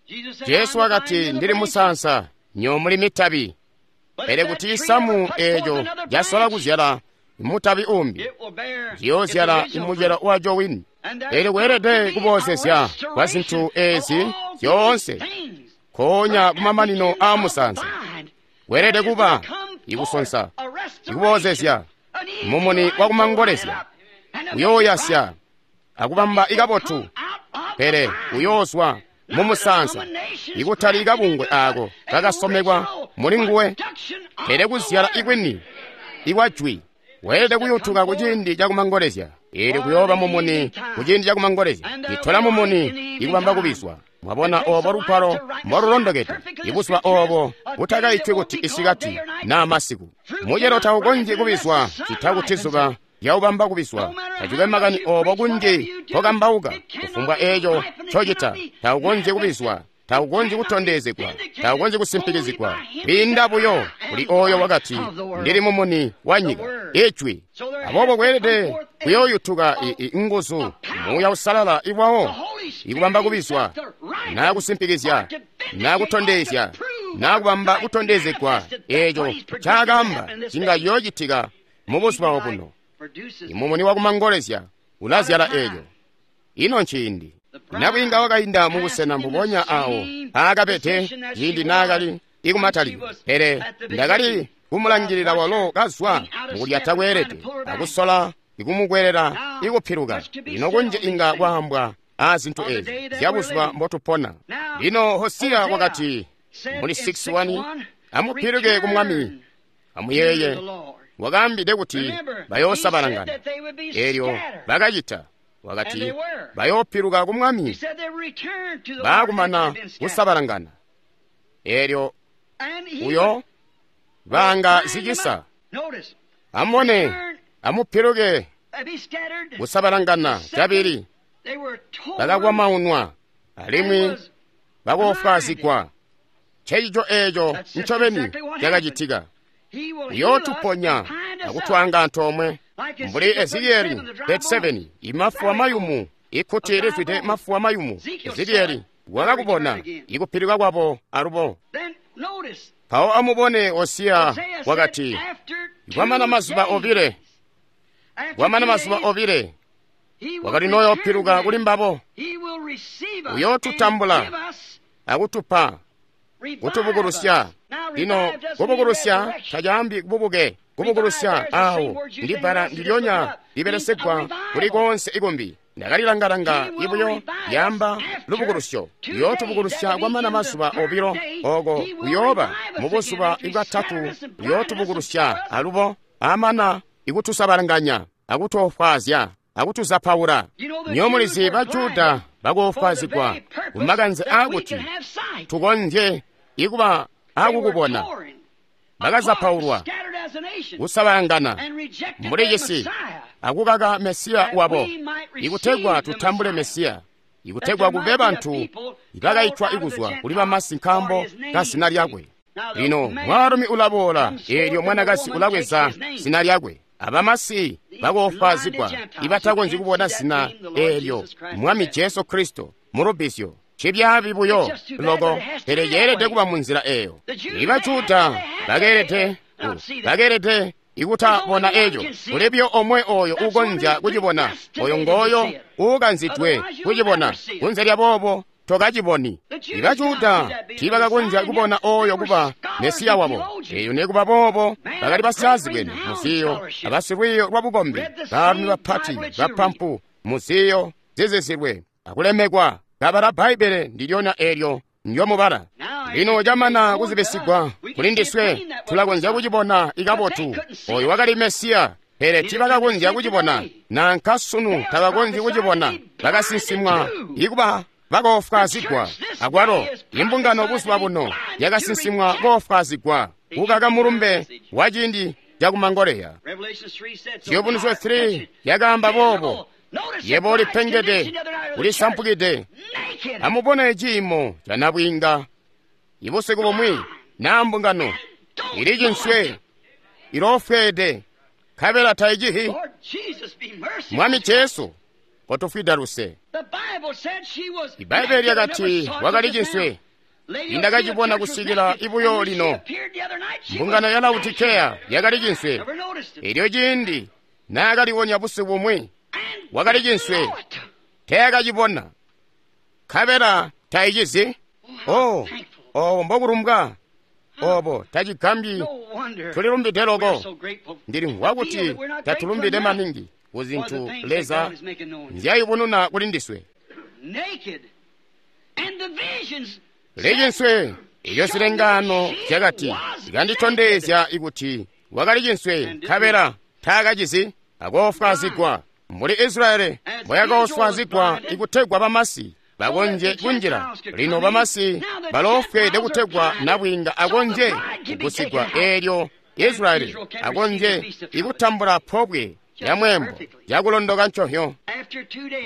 Jesu wakati, ndili musaansa, nyo muli mitabi. Pele kuti cisamu eeco casola kuzyala mutabi umbi, ciyoozyala imucelo waco wini. Pele kweelede kuboozezya kwa zintu eezi zyoonse nkoonya kumamanino aa musaansa. Kweelede kuba ikusonsa, ikuboozezya, mumuni wakumangolezya, uyooyasya akubamba ikabotu, pele uyoozwa mumusaansa, ikutali kabungwe aako kakasomekwa muli nguwe, pele kuzyala ikwini ikwa jwi. Weelede kuyutuka kuciindi cakumangolezya. Eelyo kuyooba mumuni kuciindi cakumangolezya. Itola mumuni ikubamba kubizwa. Mwabona oobo lugwalo mbolulondokede, ibuzuba oobo butakaitwi kuti isikati naa masiku. Mucelo taukonzyi kubizwa cita kuti zuba lyaubamba kubizwa. Tacikwe makani oobo kunji nkokambauka, kufumbwa eeco ncocita, taukonzyi kubizwa, taukonzyi kutondezegwa, taukonzyi kusimpikizigwa. Kwiinda buyo kuli ooyo wakati, ndili mumuni wa nyika, Ijwi. Aboobo kweelede kuyooyutuka nguzu, Muuya Uusalala iwawo, ikubamba kubizwa, naa kusimpikizya, naa kutondezya, naa kubamba kutondezegwa eeco ncaakaamba cinga ciyoocitika mubuzuba obuno. Imumuni wakumangolezya ulazyala eeco. Ino nciindi nabwiinga wakainda mubusena mbubonya awo aakabede ciindi naakali ikumatalikilo, pele ndakali kumulangilila walo kazwa mukulyata kweelede akusola ikumukwelela ikupiluka. Lino kunji inga kwaambwa aazintu eezi zyabuzuba mbotupona. Lino Hosiya wakati muli six one, amupiluke ku Mwami, amuyeeye wakaambide kuti bayoosabalangana. Eelyo bakacita. Wakati bayoopiluka ku Mwami baakumana kusabalangana. Eelyo uyo baanga zicisa. Amubone, amupiluke kusabalangana cabili. Bakakwamaunwa alimwi bakoofwaazigwa. Ncencico eeco ncobeni cakacitika. Uyootuponya akutwaanga antoomwe mbuli Ezekieli thirty-seven, imafuwa mayumu, ikkuti lizwide mafuwa mayumu. Ezekieli wakakubona ikupiluka kwabo alubo. Mpawo amubone Hosiya wakati, kwamana mazuba obile, kwamana mazuba obile, wakati noyoopiluka kuli mbabo, uyootutambula akutupa kutubukulusya. Lino kubukulusya tacaambi kububuke. Kubukulusya awo ndi bbala ndilyonya libelesegwa kuli koonse ikumbi. Ndakalilangalanga ibuyo lyaamba lubukulusyo. Uyootubukulusya kwamana mazuba obilo, oko kuyooba mubuzuba bwatatu uyootubukulusya alubo, amana ikutusabalanganya akutofwaazya akutuzapaula. Nyomulizi ba Juda bakoofwaazigwa kumakanze aakuti tukonzye ikuba akukubona. Bakazapaulwa, kusabalangana mbuli cisi, akukaka Mesiya wabo, ikutegwa tutambule Mesiya, ikutegwa kube bantu ibakaitwa ikuzwa kuli bamasi nkaambo ka zina lyakwe. Lino mwaalumi ulaboola, eelyo mwanakazi ulabweza zina lyakwe. Abamasi bakoofwaazigwa ibatakonzyi kubona zina eelyo Mwami Jesu Kristo mulubizyo. Cibyaabi buyo loko, pele yeelede kuba munzila eeyo. Iba Juda bakeelede bakeelede ikutabona eeco. Kuli buyo omwe oyo uukonzya kucibona, oyo ngooyo uukanzidwe kucibona. Kunze lya boobo tokaciboni. Iba Juda tiibakakonzya kubona oyo kuba Mesiya wabo. Eeyo nekuba boobo bakali basyaazibwene muziyo abasilwiiyo lwa bukombi, baalumi bapati bapampu muziyo zizizilwe akulemekwa. Kabala Bbaibbele ndilyona eelyo ndyomubala. Lino camana kuzibisigwa kuli ndiswe, tulakonzya kucibona ikabotu. Oyo wakali Mesiya, pele tiibakakonzya kucibona. Nanka sunu tabakonzyi kucibona. Bakasinsimwa ikuba bakoofwaazigwa. Akwalo imbungano buzuba buno yakasinsimwa koofwaazigwa kukaka mulumbe wa ciindi cakumangoleya. Ciyubunuzyo three yakaamba boobo. Yebo ulipengede, ulisampukide. Amubone ciimo ca nabwiinga. Ibusiku bumwi naa mbungano ili cinswe, iloofweede, nkabela taicihi. Mwami Jesu, kotufwida luse. Ibbaibbele lyakati wakali cinswe. Indakacibona kusikila ibuyo lino. Mbungano ya Laodikeya yakali cinswe. Elyo ciindi naakaliwonya busiku bumwi, wakali cinswe, teekacibona, nkabela taicizi. Oh, obo mbokulumbwa, obo tacigambyi. Tulilumbide loko. Ndilimvwa kuti tatulumbide maningi ku zintu Leza nzyayubununa kuli ndiswe. Licinswe elyo zilengano zyakati zikanditondezya ikuti wakali cinswe, nkabela taakacizi, akoofwaazigwa mbuli Israyeli mboyakaofwaazigwa ikutegwa bamasi bakonje kunjila. Lino bamasi baloofweede kutegwa nabwiinga akonje kugusigwa, eelyo Israyeli akonje ikutambula pobwe lya mweembo lyakulondoka nconhyo.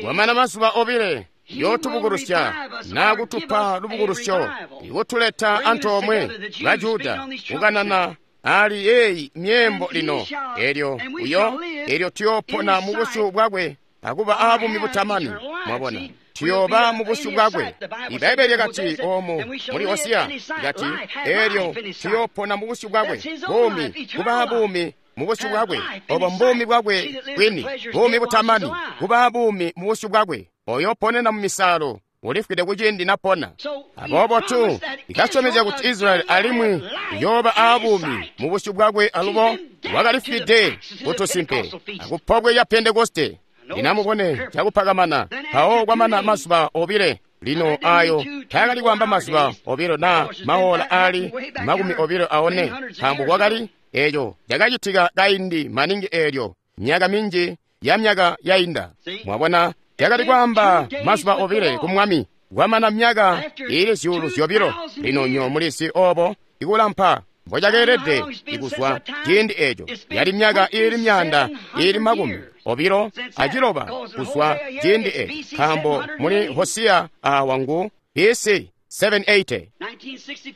Kwamana mazuba obile yootubukulusya naa kutupa lubukulusyo, ikutuleta antoomwe ba Juda kukanana ali yeeyi myeembo lino. Elyo uyo elyo tuyoopona mu busyu bwakwe akuba aabumi butamani. Mwabona, tuyooba mu busyu bwakwe. Ibbaibbele lyakati oomu muli Hosiya likati, elyo tuyoopona mu busyu bwakwe, buumi, kuba buumi mu busyu bwakwe. Obo mbuumi bwakwe bwini, buumi butamani, kuba buumi mu busyu bwakwe. Oyo ponena mu misalo ulifwide kuciindi napona. Aboobo tu ikasyomezya kuti Israyeli alimwi uyooba aabuumi mu busyu bwakwe alubo wakalifwide kutusimpe akupobwe lya Pentekoste. Linamubone cakupakamana mpawo kwamana mazuba obile. Lino ayo taakali kwaamba mazuba obilo naa maola aali makumi obilo aone, nkaambo kwakali eeco cakacitika kaindi maningi eelyo myaka minji ya myaka yainda. Mwabona, yakali kwaamba mazuba obile ku Mwami kwamana myaka iili zyuulu zyobilo. Lino nyo mulisi obo ikulampa mbocakeelede ikuzwa ciindi eeco, yali myaka iili myaanda iili makumi obilo aciloba kuzwa ciindi eeco, nkaambo muli Hosiya awa ngu B C seven eighty.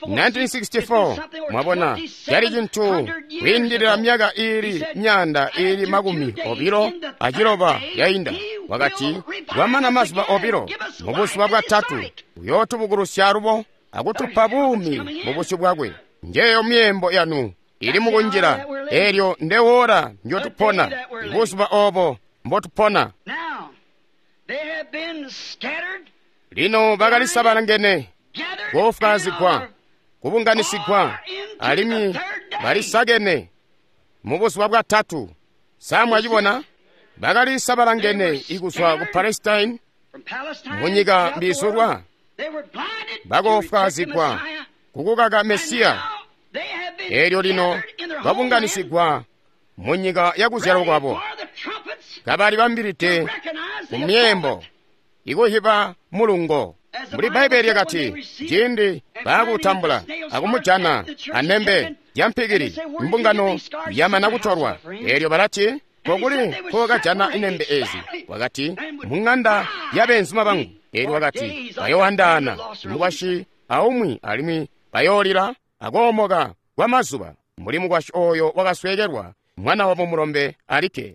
nineteen sixty-four. Mwabona, cali cintu kwiindilila myaka iili myaanda iili makumi obilo aciloba yainda. Wakati kwamana mazuba obilo, mu buzuba bwatatu uyootubukulusya alubo akutupa buumi mu busyu bwakwe. Njeeyo myeembo yanu ili mukunjila. Eelyo ndewola ndyotupona, ibuzuba obo mbotupona. Lino bakalisabalangene, koofwaazigwa, kubunganisigwa, alimwi balisakene mu buzuba bwatatu. Sa mwacibona? Bakalisabalangene ikuzwa ku Palestine, munyika mbizulwa, bakoofwaazigwa kukukaka Mesiya. Eelyo lino babunganisigwa munyika yakuzyalwa kwabo, kabali bambilide ku myeembo ikuhiba mulungo. Mbuli Bbaibele lyakati, ciindi baakutambula akumujana anembe yampikili, mbungano yamana kutolwa. Eelyo balati, kokuli nkokajana inembe ezi? Wakati, muŋanda yabeenzuma bangu. Eelyo wakati, bayoandaana mukwasyi aumwi alimwi bayoolila akoomoka kwamazuba, mbuli mukwasyi oyo wakasweekelwa mwana wabo mulombe alikke.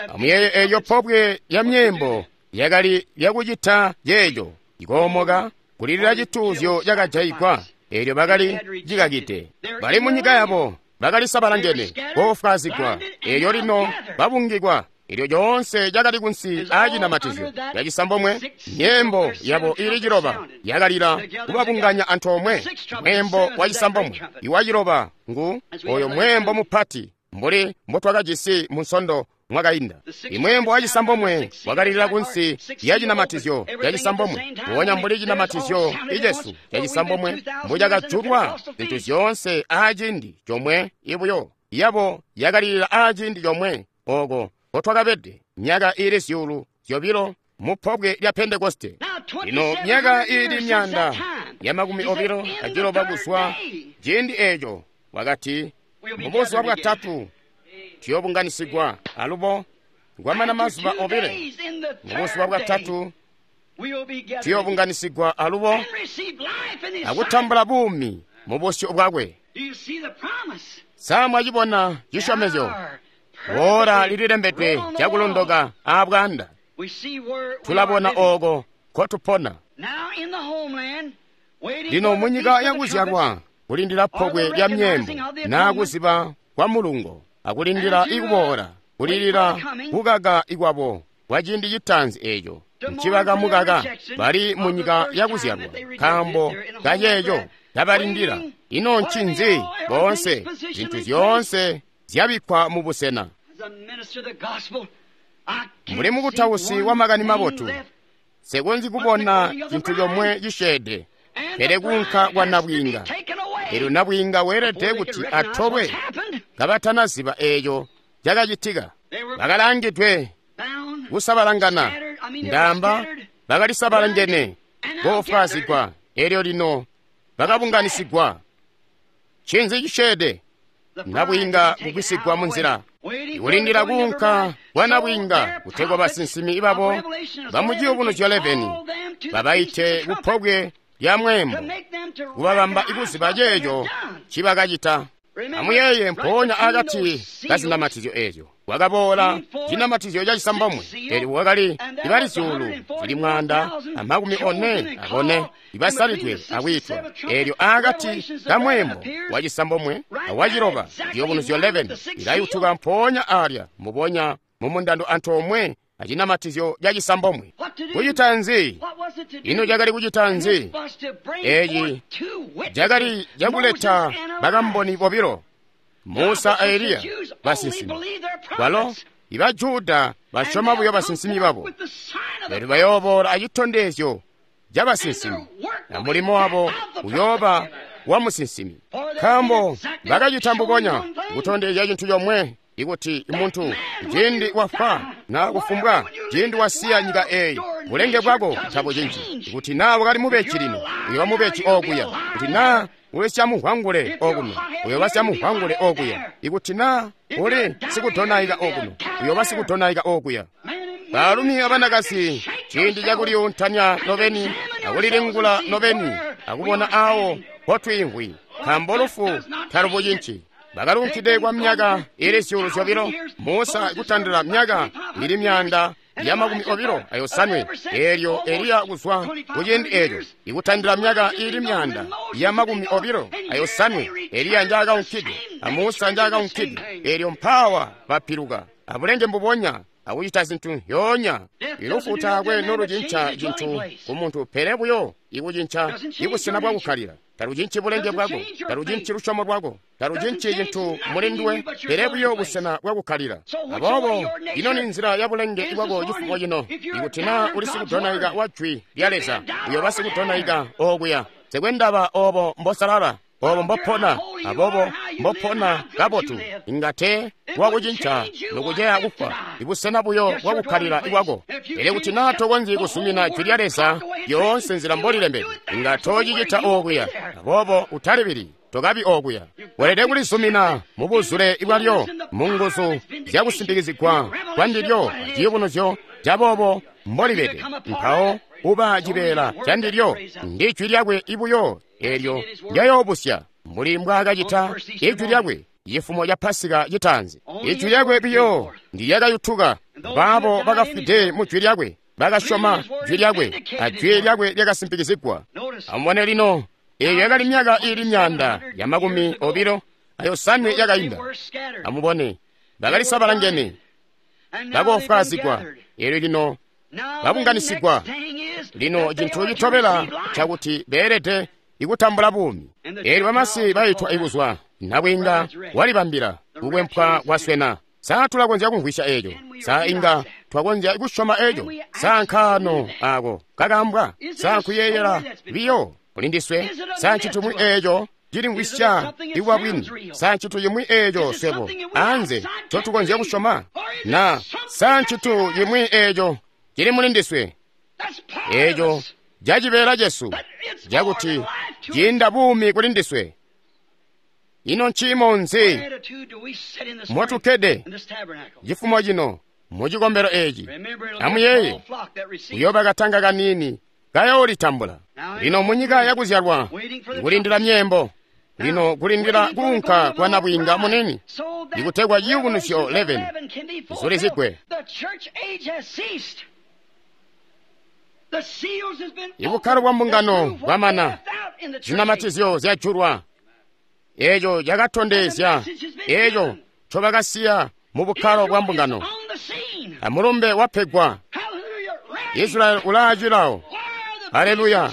Amuyeeye eelyo pobwe lya myeembo yakali lyakucita yeeyo ikoomoka kulilila cituuzyo cakajayigwa. Eelyo bakali cikakide, bali munyika yabo, bakali sabalangene, koofwaazigwa. Eelyo lino babungikwa. Eelyo lyoonse cakali kunsi aacinamatizyo yacisambomwe, myeembo yabo ili ciloba yakalila kubabunganya antoomwe. Mweembo wa cisambomwe iwa ciloba ngu oyo mweembo mupati mbuli mbotwakajisi mu Nsondo mwakainda. Imweembo wa cisambomwe wakalilila kunsi ya cinamatizyo ya cisambomwe, mpoonya mbuli cinamatizyo icesu ca cisambomwe mbucakajulwa zintu zyoonse aaciindi comwe ibuyo, yabo yakalilila aaciindi comwe oko nkotwakabede myaka iili zyuulu zyobilo mu pobwe lya Pentekoste. Lino myaka iili myaanda ya makumi obilo aciloba kuzwa ciindi eeco, wakati mubuzuba bwatatu tuyoobunganisigwa alubo Kwamana mazuba obile, mubuzuba bwatatu tuyoobunganisigwa alubo akutambula buumi mu busyu bwakwe. Sa mwacibona cisyomezyo? Ora lililembedwe cakulondoka aabwaanda. Tulabona ooko nkotupona. Lino munyika yakuzyalwa, kulindila pobwe lya myeembo naa kuziba kwa mulungo, akulindila ikuboola, kulilila kukaka ikwabo kwa ciindi citaanzi eeco ncibakamukaka bali munyika yakuzyalwa nkaambo kaceeco kabalindila. Ino ncinzi? Boonse zintu zyoonse zyabikkwa mubusena. Mbuli mukutausi wa makani mabotu, nsikonzyi kubona cintu comwe cisyeede pele kuunka kwa nabwiinga. Eelyo nabwiinga weelede kuti atolwe kabatanaziba eeco cakacitika. Bakalangidwe kusabalangana, ndaamba bakalisabalangene koofwaazigwa, eelyo lino bakabunganisigwa. Ncinzi cisyeede? Nabwiinga kugwisigwa munzila. Kulindila kuunka kwa nabwiinga kutegwa basinsimi babo bamuciyubunuzyo eleveni babaite kupobwe lya mweembo, kubabamba ikuziba ceeco ncibakacita. Amuyeeye, mpoonya akati kazinamatizyo eezyo kwakaboola cinamatizyo cacisambomwe, eelyo kwakali ibali zyuulu zili mwaanda amakumi one abone ibasalidwe akwiitwa. Eelyo akati kamweembo wacisambomwe awaciloba, ciyubunuzyo eleveni ilayutuka mpoonya aalya mubonya mumundando antoomwe acinamatizyo cacisambomwe. Kucita nzi? Ino cakali kucita nzi? Eeci cakali cakuleta bakamboni bobilo, Musa a Eliya, basinsimi. Balo iba Juda basyoma buyo basinsimi babo, lero bayooboola acitondezyo cabasinsimi, na mulimo wabo uyooba wa musinsimi, nkaambo bakacita mbubonya kutondezya cintu comwe. Ikuti muntu ciindi wafwa na kufumbwa ciindi wasiya nyika eyi, bulenge bwako tabucinci. Ikuti naa wakali mubeji lino, uyooba mubeji okuya. Kuti naa uli syamuhwangule okuno, uyooba syamuhwangule okuya. Ikuti naa uli sikudonaika okuno, uyooba sikudonaika okuya. Baalumi abanakazi, ciindi cakuliyuntanya nobeni akulilingula nobeni akubona awo mpotwiimvwi, nkaambo lufu talubucinci. Bakalunkide kwa myaka ili zyuulu zyobilo, Musa kutandila myaka ili myaanda ya makumi obilo ayosanwe, eelyo Eliya kuzwa kuciindi eeco ikutandila myaka ili myaanda ya makumi obilo ayosanwe, Eliya njaakaunkide a Musa njaakaunkide, eelyo mpaawa bapiluka abulenge mbubonya akucita zintu zyoonya. Ilufu taakwe nolucinca cintu kumuntu, pele buyo ikucinca ibusena bwakukkalila. Talucinci bulenge bwako, talucinci lusyomo lwako, talucinci cintu mulinduwe, pele buyo busena bwakukkalila. Aboobo ino ni nzila ya bulenge bwako cifumo cino. Ikuti naa uli sikudonaika wa jwi lya Leza, uyooba sikudonaika okuya. Nsikwendaba oobo mbosalala, oobo mbopona, aboobo mbopona kabotu, inga tee wakucinca nokuceya kufwa, ibusena buyo bwakukkalila bwako. Pele kuti naa tokonzyi kuzumina jwi lya Leza yoonse nzila mbolilembedwe, inga toocicita okuya. Aboobo utalibili, tokabi okuya. Weelede kulizumina mubuzule bwalyo, munguzu zyakusimpikizigwa kwandilyo aciyubunuzyo caboobo mbolibede. Mpawo uba cibeela candilyo, ndi jwi lyakwe ibuyo eelyo ndyayoobusya, mbuli mbwaakacita ijwi lyakwe cifumo ca Pasika citaanzi. Ijwi lyakwe biyo ndilyakayutuka, baabo bakafwide mu jwi lyakwe bakasyoma jwi lyakwe, ajwi lyakwe lyakasimpikizigwa. Amubone lino, eeyo yakali myaka iili myaanda ya makumi obilo ayosanwe yakainda. Amubone, bakalisabalangene, bakoofwaazigwa, eelyo lino babunganisigwa. Lino cintu citobela cakuti beelede ikutambula buumi. Eelyo bamasi baitwa ikuzwa, nabwiinga walibambila, kukwempwa kwaswena. Sa tulakonzya kumvwisya eeco? Sa inga twakonzya kusyoma eeco? Sa nkaano aako kakambwa? Sa nkuyeeyela biyo kulindiswe? Sa ncintu cimwi eeco cilimvwisya ikuba bwini? Sa ncintu cimwi eeco swebo anze ncotukonzya kusyoma? Na sa ncintu cimwi eeco cili mulindiswe, eeco cacibeela cesu cakuti ciinda buumi kulindiswe? Ino nciimo nzi motukkede cifumo cino mu cikombelo eci. Amuyeeye, kuyooba katanga kaniini kayoolitambula. Lino munyika yakuzyalwa, kulindila myeembo. Lino kulindila kuunka kwa nabwiinga munini, ikutegwa ciyubunuzyo eleven zulizigwe. Ibukkalo bwa mbungano bwamana, zinamatizyo zyajulwa. Eco cakatondezya eco ncobakasiya mu bukkalo bwa mbungano. Amulumbe wapegwa. Israeli ulaacilawo. Aleluya!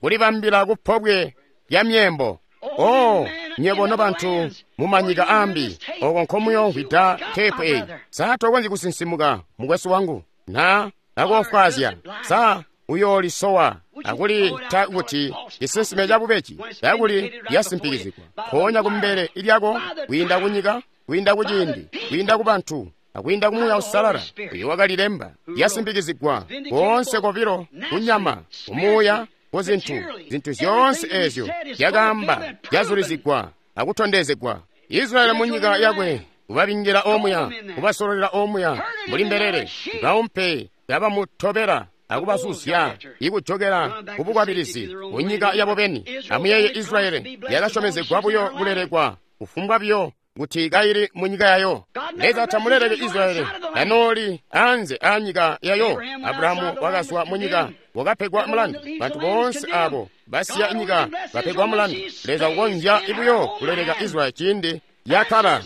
Kulibambila kupobwe lya myeembo. Oh, nywebo nobantu mumanyika ambi, oko nkomuyomvwida teepu eyi. Sa tokonzyi kusinsimuka, mukwesu wangu, na akofwaazya? Sa uyoolisowa akulita kuti cisinsime cabubeji kakuli lyasimpikizigwa mpoonya kumbele lyako, kwiinda kunyika, kwiinda kuciindi, kwiinda ku bantu, akwiinda ku Muuya Uusalala uyo wakalilemba, lyasimpikizigwa koonse kobilo kunyama, kumuuya, ku zintu, zintu zyoonse ezyo zyakaamba zyazulizigwa akutondezegwa. Israeli munyika yakwe, kubabingila omuya, kubasololela omuya mbuli mbelele, baumpe kabamutobela akubazuzya ikujokela kubukwabilizi kunyika yabo beni. Amuyeeye, Israeli yakasyomezegwa buyo kulelekwa kufumbwa buyo kuti kaili munyika yayo. Leza tamuleleke Israeli kanooli anze a nyika yayo. Abrahamu wakazwa munyika, wakapegwa mulandu. Bantu boonse abo basiya nyika bapegwa mulandu. Leza ukonzya buyo kuleleka Israeli ciindi yakkala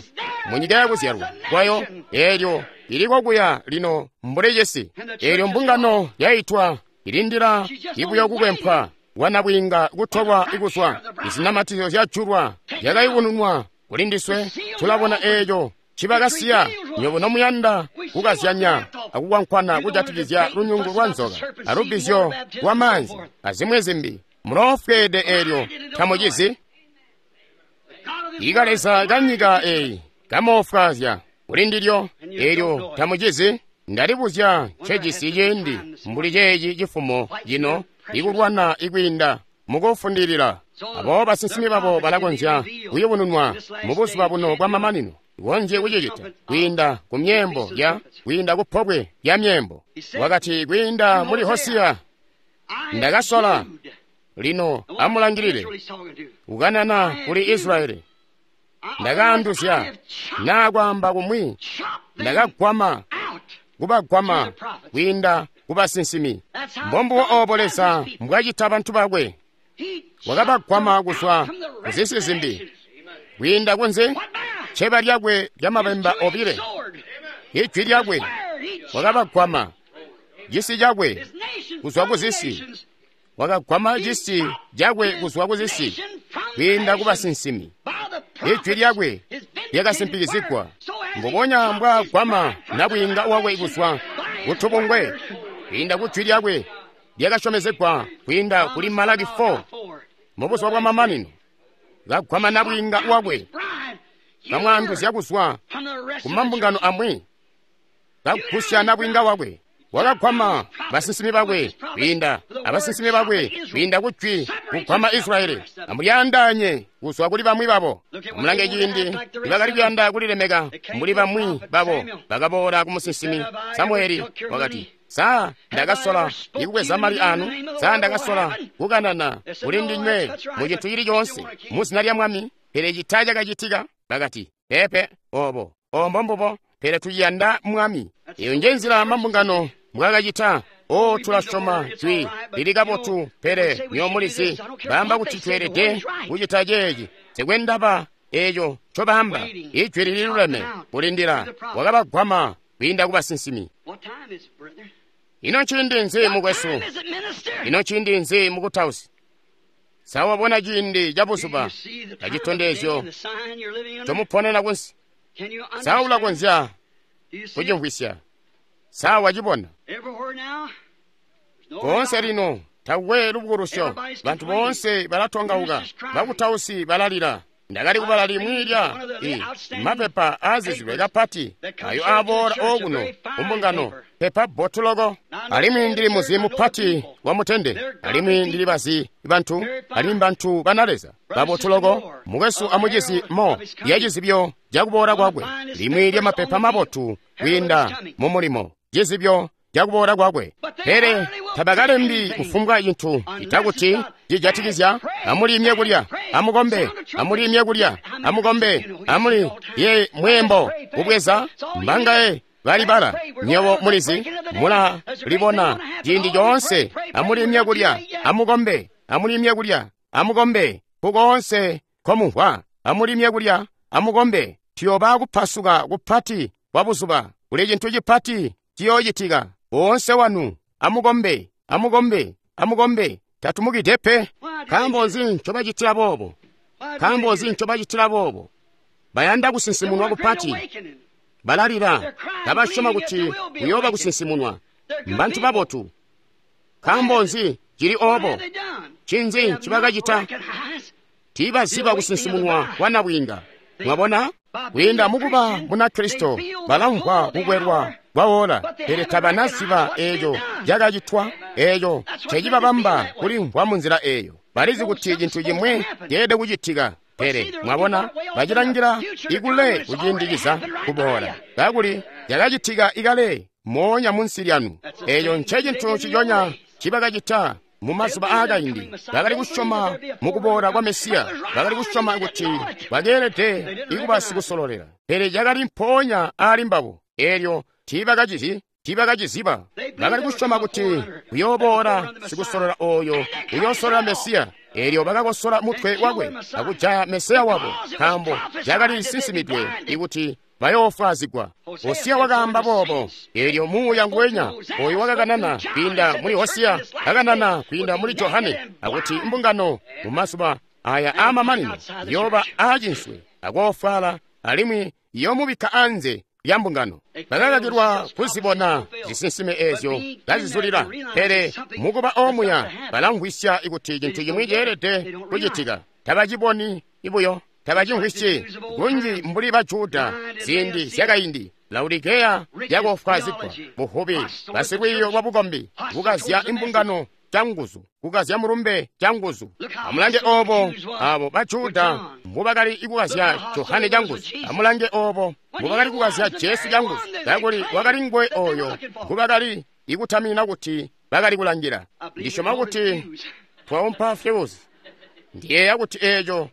munyika yakuzyalwa kwayo, eelyo iliko kuya lino mbuli cisi. Eelyo mbungano yaitwa ilindila ibuyo kukwempwa kwa nabwiinga kutolwa ikuzwa. Izinamatizyo zyajulwa zyakayubununwa kuli ndiswe. Tulabona eeco cibakasiya. Nywebo nomuyanda kukazyanya akukwankwana kujatikizya lunyungu lwa nzoka alubbizyo lwa maanzi azimwi zimbi, muloofweede eelyo tamucizi. Ikaleza kanyika eyi kamoofwaazya kuli ndilyo eelyo tamucizi. Ndalibuzya ncejisi ciindi mbuli ceeci cifumo cino ikulwana ikwiinda mukufundilila. Aboobo basinsimi babo balakonzya kuyubununwa mubuzuba buno bwamamanino, konzye kucicita kwiinda ku myeembo ya kwiinda ku pobwe lya myeembo. Wakati kwiinda muli Hosiya, ndakasola. Lino amulangilile kukanana kuli Israeli. Ndakaanduzya naa kwaamba kumwi, ndakagwama kubagwama kwiinda kubasinsimi. Mbombubo oobo Leza mbwacita bantu bakwe. Wakabagwama kuzwa kuzisi zimbi kwiinda kunze cceba lyakwe lyamabemba obile, ijwi lyakwe. Wakabagwama cisi cakwe kuzwa kuzisi, wakagwama cisi cakwe kuzwa kuzisi kwiinda kubasinsimi. Ijwi lyakwe lyakasimpikizigwa mbubonya mbwagwama nabwiinga wakwe kuzwa kutubungwe kwiinda kujwi lyakwe lyakasyomezegwa kwiinda kuli Malaki four mubuzuba bwamamanino. Kagwama nabwiinga wakwe, kamwaanduzya kuzwa kumambungano amwi, kagusya nabwiinga wakwe. Wakagwama basinsimi bakwe kwiinda abasinsimi bakwe kwiinda kujwi kugwama Israeli. Amulyaandaanye kuzwa kuli bamwi babo. Amulange ciindi nibakali kuyanda kulilemeka mbuli bamwi babo, bakaboola ku musinsimi Samueli. Wakati, sa ndakasola ikubweza mali anu? Sa ndakasola kukanana kuli ndinywe mu cintu cili coonse mu zina lya Mwami? Pele cita cakacitika. Bakati, pepe, obo ombo mbubo, pele tuyanda Mwami. Eyo nje nzila mambungano mbwakacita. O, tulasyoma jwi lili kabotu, pele nyomulizi baamba kuti tweelede kucita ceeci. Nsikwe ndaba eco ncobaamba, ijwi lililuleme. Kulindila wakabagwama kwiinda kubasinsimi. Ino nciindi nzi, mukwesu? Ino nciindi nzi, mukutausi? Sa wabona ciindi ca buzuba acitondezyo ncomuponena kunsi? Sa ulakonzya kucimvwisya? Sa wacibona? Koonse lino takwe lubukulusyo. Bantu boonse balatongauka, bakutausi balalila. Ndakali kubala limwi lya i mapepa aazizilwe kapati ayo aaboola okuno kumbungano, pepa bbotu loko. Alimwi ndili muzi mupati wa mutende, alimwi ndili bazi bantu, alimwi bantu bana Leza babotu loko, mukwesu amucizi mo ya cizibyo cakuboola kwakwe, limwi lya mapepa mabotu kwiinda mu mulimo, cizibyo cakuboola kwakwe. Pele tabakalembi kufumbwa cintu citakuti cijatikizya amuliimye kulya, amukombe, amuliimye kulya, amukombe, amuli ye mweembo kubweza mbangaye balibala. Nywebo mulizi, mula libona ciindi coonse. Amuliimye kulya, amukombe, amuliimye kulya, amukombe, kukoonse komumvwa, amuliimye kulya, amukombe. Tuyoba kupasuka kupati kwa buzuba, kuli cintu cipati ciyoocitika. Boonse wanu amukombe, amukombe, amukombe. Tatumukide pe. Nkaambo nzi ncobacitila boobo? Nkaambo nzi ncobacitila boobo? Bayanda kusinsimunwa kupati. Balalila, tabasyoma kuti kuyooba kusinsimunwa. Mbantu babotu. Nkaambo nzi cili oobo? Ncinzi ncibakacita? Tiibaziba kusinsimunwa kwa nabwiinga. Mwabona? Kwiinda mukuba Munakristo, balamvwa kukwelwa kwawola, pele tabanaziba eeco cakacitwa, eeco ncecibabamba kulimvwa munzila eeyo. Balizi kuti cintu cimwi ceelede kucitika, pele mwabona, bacilangila ikule kuciindikiza kuboola, kakuli cakacitika ikale moonya munsi lyanu. Eeco ncecintu ciconya cibakacita mumazuba aakaindi. Bakali kusyoma mukuboola kwa Mesiya, bakali kusyoma kuti bakeelede ikuba sikusololela, pele cakali mpoonya aali mbabo. Eelyo tiibakacizi, tiibakaciziba. Bakali kusyoma kuti kuyooboola sikusolola ooyo uyoosolola Mesiya. Eelyo bakakosola mutwe wakwe akujaya Mesiya wabo, nkaambo cakali sinsimidwe ikuti bayoofwazigwa. Hosiya wakaamba boobo. Eelyo muuya nguwenya oyo wakakanana kwiinda muli Hosiya kakanana kwiinda muli Johane, akuti mbungano mumazuba aya aamamanino yooba aacinswe akoofwala, alimwi yoomubikka anze lya mbungano. Bakakakilwa kuzibona zisinsime eezyo kazizulila, pele mukuba omuya balamvwisya kuti cintu cimwi ceelede kucitika. Tabaciboni ibuyo, tabacimvwisyi kunji mbuli ba Juda ziindi zyakaindi. Laodikeya yakoofwaazigwa, buhubi, basilwiiyo lwa bukombi, kukazya imbungano canguzu, kukazya mulumbe canguzu. Amulange oobo abo ba Juda mbubakali kukazya Johane canguzu. Amulange oobo mbubakali kukazya Jesu canguzu, kakuli wakali nguwe ooyo ngubakali ikutaminina kuti bakali kulangila. Ndisyoma kuti twaumpa fyuzi. Ndiyeeya kuti eeco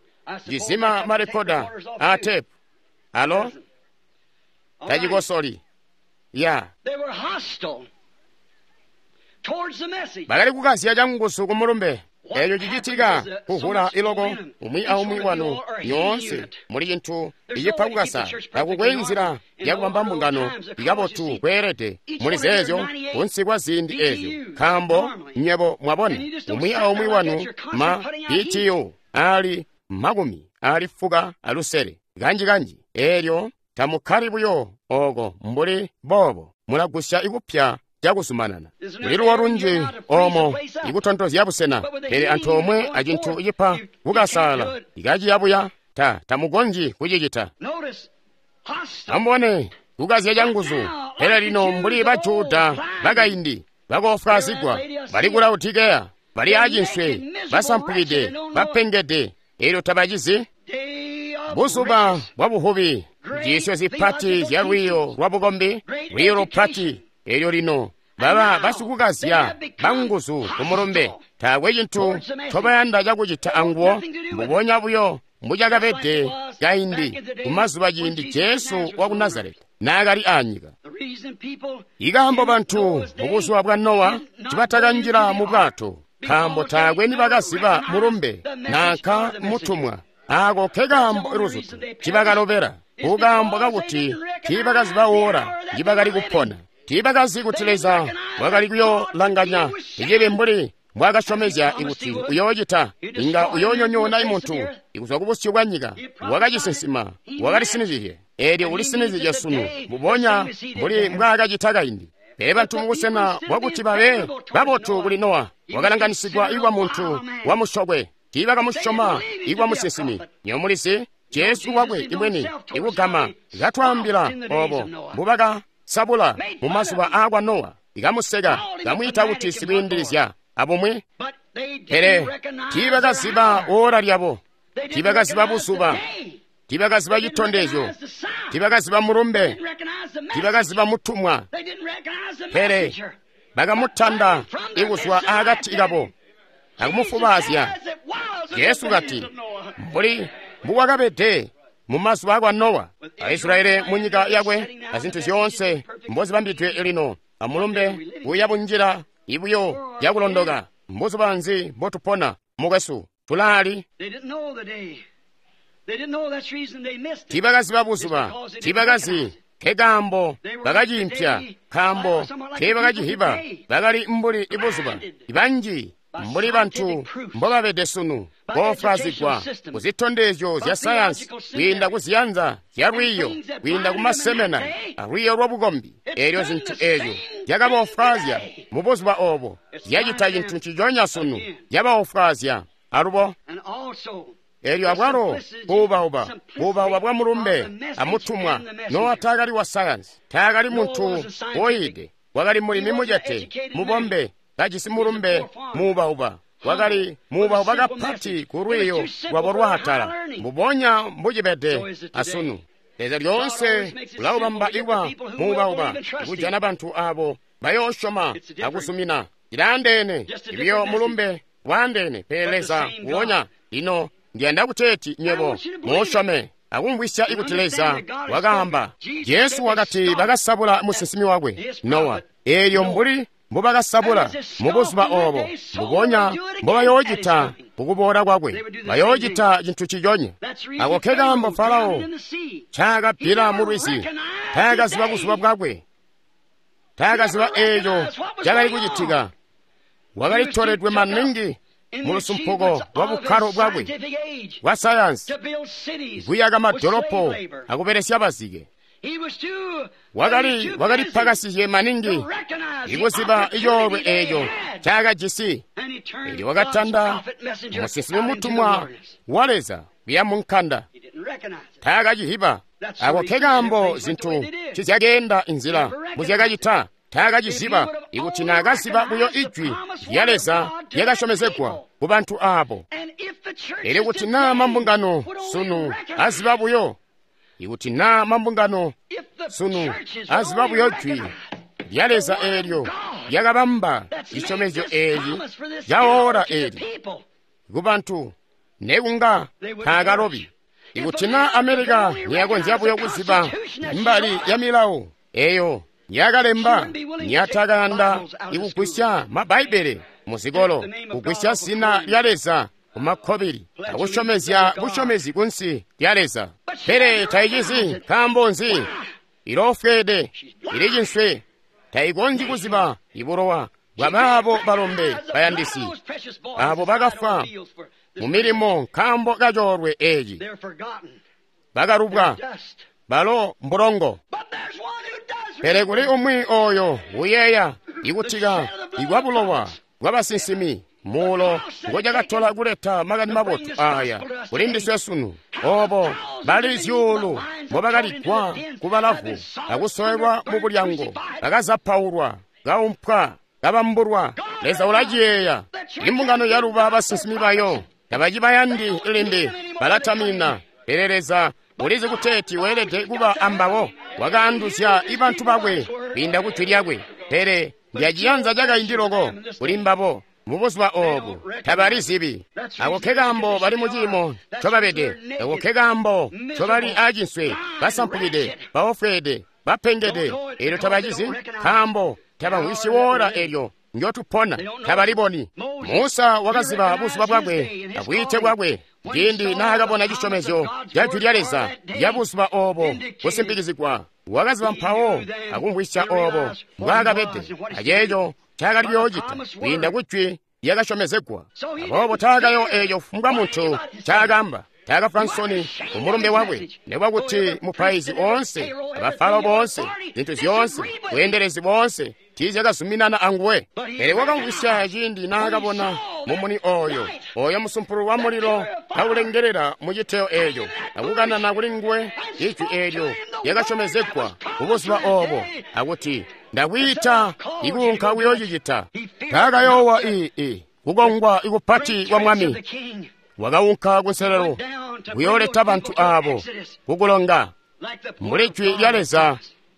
cizima marekoda a tepu. Alo? Tacikosoli. Ya. Bakali kukazya canguzu ku mulumbe. Eeco cicitika kuhula iloko umwi aumwi wanu nyoonse muli cintu icipa kukasa. Takukwe nzila yakubamba mbungano ikabotu kweelede muli zeezyo kunsi kwa ziindi eezyo, nkaambo nywebo mwabona umwi aumwi wanu ma B T U ali makumi ali fuka alusele kanji-kanji. Eelyo tamukkali buyo ooko mbuli boobo, mulagusya ikupya cakuzumanana. Kuli luwo lunji oomo ikutontozya busena, pele antoomwe acintu cipa kukasaala ikaciyabuya ta tamukonzyi kucicita. Amubone kukazya canguzu. Pele lino mbuli ba Juda bakaindi bakoofwaazigwa, bali ku Laodikeya, bali acinswe, basampukide, bapengede, eelyo tabacizi buzuba bwa buhubi, njiisyo zipati zya lwiiyo lwa bukombi, lwiiyo lupati. Eelyo lino baba basikukazya banguzu ku mulumbe. Taakwe cintu ncobayanda cakucita anguwo, mbubonya buyo mbucakabede kaindi kumazuba ciindi Jesu waku Nazareti naakali aanyika. Ikaambo bantu mubuzuba bwa Nowa ncibatakanjila mu bwato, nkaambo taakwe nibakaziba mulumbe nanka mutumwa. Aako ke kaambo luzutu ncibakalobela, kukaambo kakuti tiibakaziba woola njibakali kupona. Tiibakazi kuti Leza wakali kuyoolanganya icibi mbuli mbwaakasyomezya ikuti uyoocita, inga uyoonyonyoona imuntu ikuzwa kubusyu bwa nyika. Wakacisinsima, wakalisinizizye. Eelyo ulisinizizye sunu mbubonya mbuli mbwaakacita kaindi. Pele bantu mubusena bwakuti babe babotu kuli Nowa, wakalanganisigwa ikwa muntu wamusyokwe. Tiibakamusyoma ikwa musinsimi. Nywebo mulizi Jesu wakwe imweni ikugama katwaambila oobo mbubaka sabula mu mazuba aakwa Nowa, ikamuseka, kamwiita kuti sikwiindilizya abumwi. Pele tiibakaziba oora lyabo, tiibakaziba buzuba, tiibakaziba citondezyo, tiibakaziba mulumbe, tiibakaziba mutumwa. Pele bakamutanda ikuzwa akati kabo akumufubaazya. Jesu kati, mbuli mbukwakabede mu mazuba akwa Nowa, Aisraeli mu nyika yakwe azintu zyoonse mbozibambidwe lino amulumbe buya bunjila ibuyo yakulondoka. Mbuzuba nzi mbotupona mukwesu? Tulaali? Tiibakaziba buzuba, tiibakazi nkekaambo bakaciimpya, nkaambo teebakacihiba. Bakali mbuli ibuzuba banji mbuli bantu mbobabede sunu, boofwaazigwa kuzitondezyo zya sayansi, kwiinda kuziyanza zya lwiiyo, kwiinda kumasemena alwiiyo lwabukombi. Eelyo zintu eezyo zyakaboofwaazya mu buzuba oobo, zyacita cintu nciconya sunu, zyabaofwaazya alubo. Eelyo abwalo buubauba, buubauba bwa mulumbe amutumwa. Nowa taakali wa sayansi, taakali muntu woyide, wakali mulimi mucete, mubombe, kajisi mulumbe muubauba. Wakali muubauba kapati ku lwiiyo lwabo lwaatala, mbubonya mbucibede asunu. Leza lyoonse ulaubamba ikuba muubauba, kujana bantu abo bayoosyoma akuzumina. Ilaandeene ibiyo mulumbe waandeene, pele Leza nguonya. Lino ndiyanda kuteeti nywebo muusyome akumvwisya ikuti Leza wakaamba. Jesu wakati bakasabula musinsimi wakwe Nowa, eelyo mbuli mbubakasabula mu buzuba oobo, mbubonya mbobayoocita kukuboola kwakwe, bayoocita cintu ciconya. Ako nkekaambo Farao ncaakabbila mu lwizi, taakaziba buzuba bwakwe, taakaziba eeco cakali kucitika. Wakali toledwe maningi mu lusumpuko lwa bukkalo bwakwe bwa sayansi, kuyaka madolopo akubelesya bazike. Wakali wakalipakasizye maningi ikuziba icoolwe eeco ncaakajisi. Eelyo wakatanda musinsimi mutumwa wa Leza kuya mu nkanda, taakacihiba. Ako nkekaambo zintu ncizyakeenda inzila mbuzyakacita. Taakaciziba. Ikuti naakaziba buyo ijwi lya Leza lyakasyomezegwa ku bantu aabo. Elyo kuti naa mambungano sunu aziba buyo, ikuti naa mambungano sunu aziba buyo jwi lya Leza eelyo lyakabamba cisyomezyo eeci ca oora eeli ku bantu, nekunga taakalobi. Ikuti naa Amerika niyakonzya buyo kuziba mbali ya milawo eyo yakalemba, niyatakayanda ikugwisya mabbaibele muzikolo, kugwisya zina lya Leza kumakkobili, akusyomezya busyomezi kunsi lya Leza. Pele tayicizi. Nkaambo nzi? Iloofweede, ili cinswe, tayikonzyi kuziba ibulowa bwa baabo balombe bayandisi abo bakafwa mu milimo nkaambo kacoolwe eeci, bakalubwa, balo mbulongo. Pele kuli umwi oyo uyeeya ikutika ikwa bulowa bwabasinsimi muulo ngocakatola kuleta makani mabotu aaya kuli ndiswe sunu. Obo bali zyuulu mbobakaligwa kubalavu akusowelwa mu bulyango, bakazapaulwa, kaumpwa, kabambulwa. Leza ulaciyeeya. Imbungano yaluba basinsimi bayo, tabacibayandi limbi, balatamina. Pele Leza ulizi kuteeti weelede kuba ambabo. Wakaanduzya ibantu bakwe kwiinda ku jwi lyakwe, pele ndyaciyanza cakaindi loko kuli mbabo. Mu buzuba oobu tabalizibi. Ako nkekaambo bali mu ciimo ncobabede. Ako nkekaambo ncobali aacinswe, basampukide, baofweede, bapengede. Eelyo tabacizi, nkaambo tabamvwisyi woora eelyo ndyotupona, tabaliboni. Musa wakaziba buzuba bwakwe abwiite bwakwe ciindi naakabona cisyomezyo ca jwi lya Leza lya buzuba oobo kusimpikizigwa. Wakaziba mpawo akumvwisya oobo mbwaakabede aceeco ncaakali kuyoocita kwiinda ku jwi lyakasyomezegwa. Aboobo taakayo eeco kufumbwa muntu ncaakaamba. Taakafwa nsoni kumulumbe wakwe, nikuba kuti mupaizi oonse, abafalo boonse, zintu zyoonse, bweendelezi boonse tiizyakazuminana anguwe. Pele wakamvwisya ciindi naakabona mumuni ooyo, ooyo musumpulu wa mulilo kaulengelela mu citeyo eeco, akukanana kuli nguwe ijwi eelyo lyakasyomezegwa kubuzuba obo, akuti ndakwiita ikuunka kuyoocicita. Taakayoowa i i kukongwa ikupati kwa mwami, wakaunka kunselelo kuyooleta bantu aabo kukulonga mbuli jwi lya Leza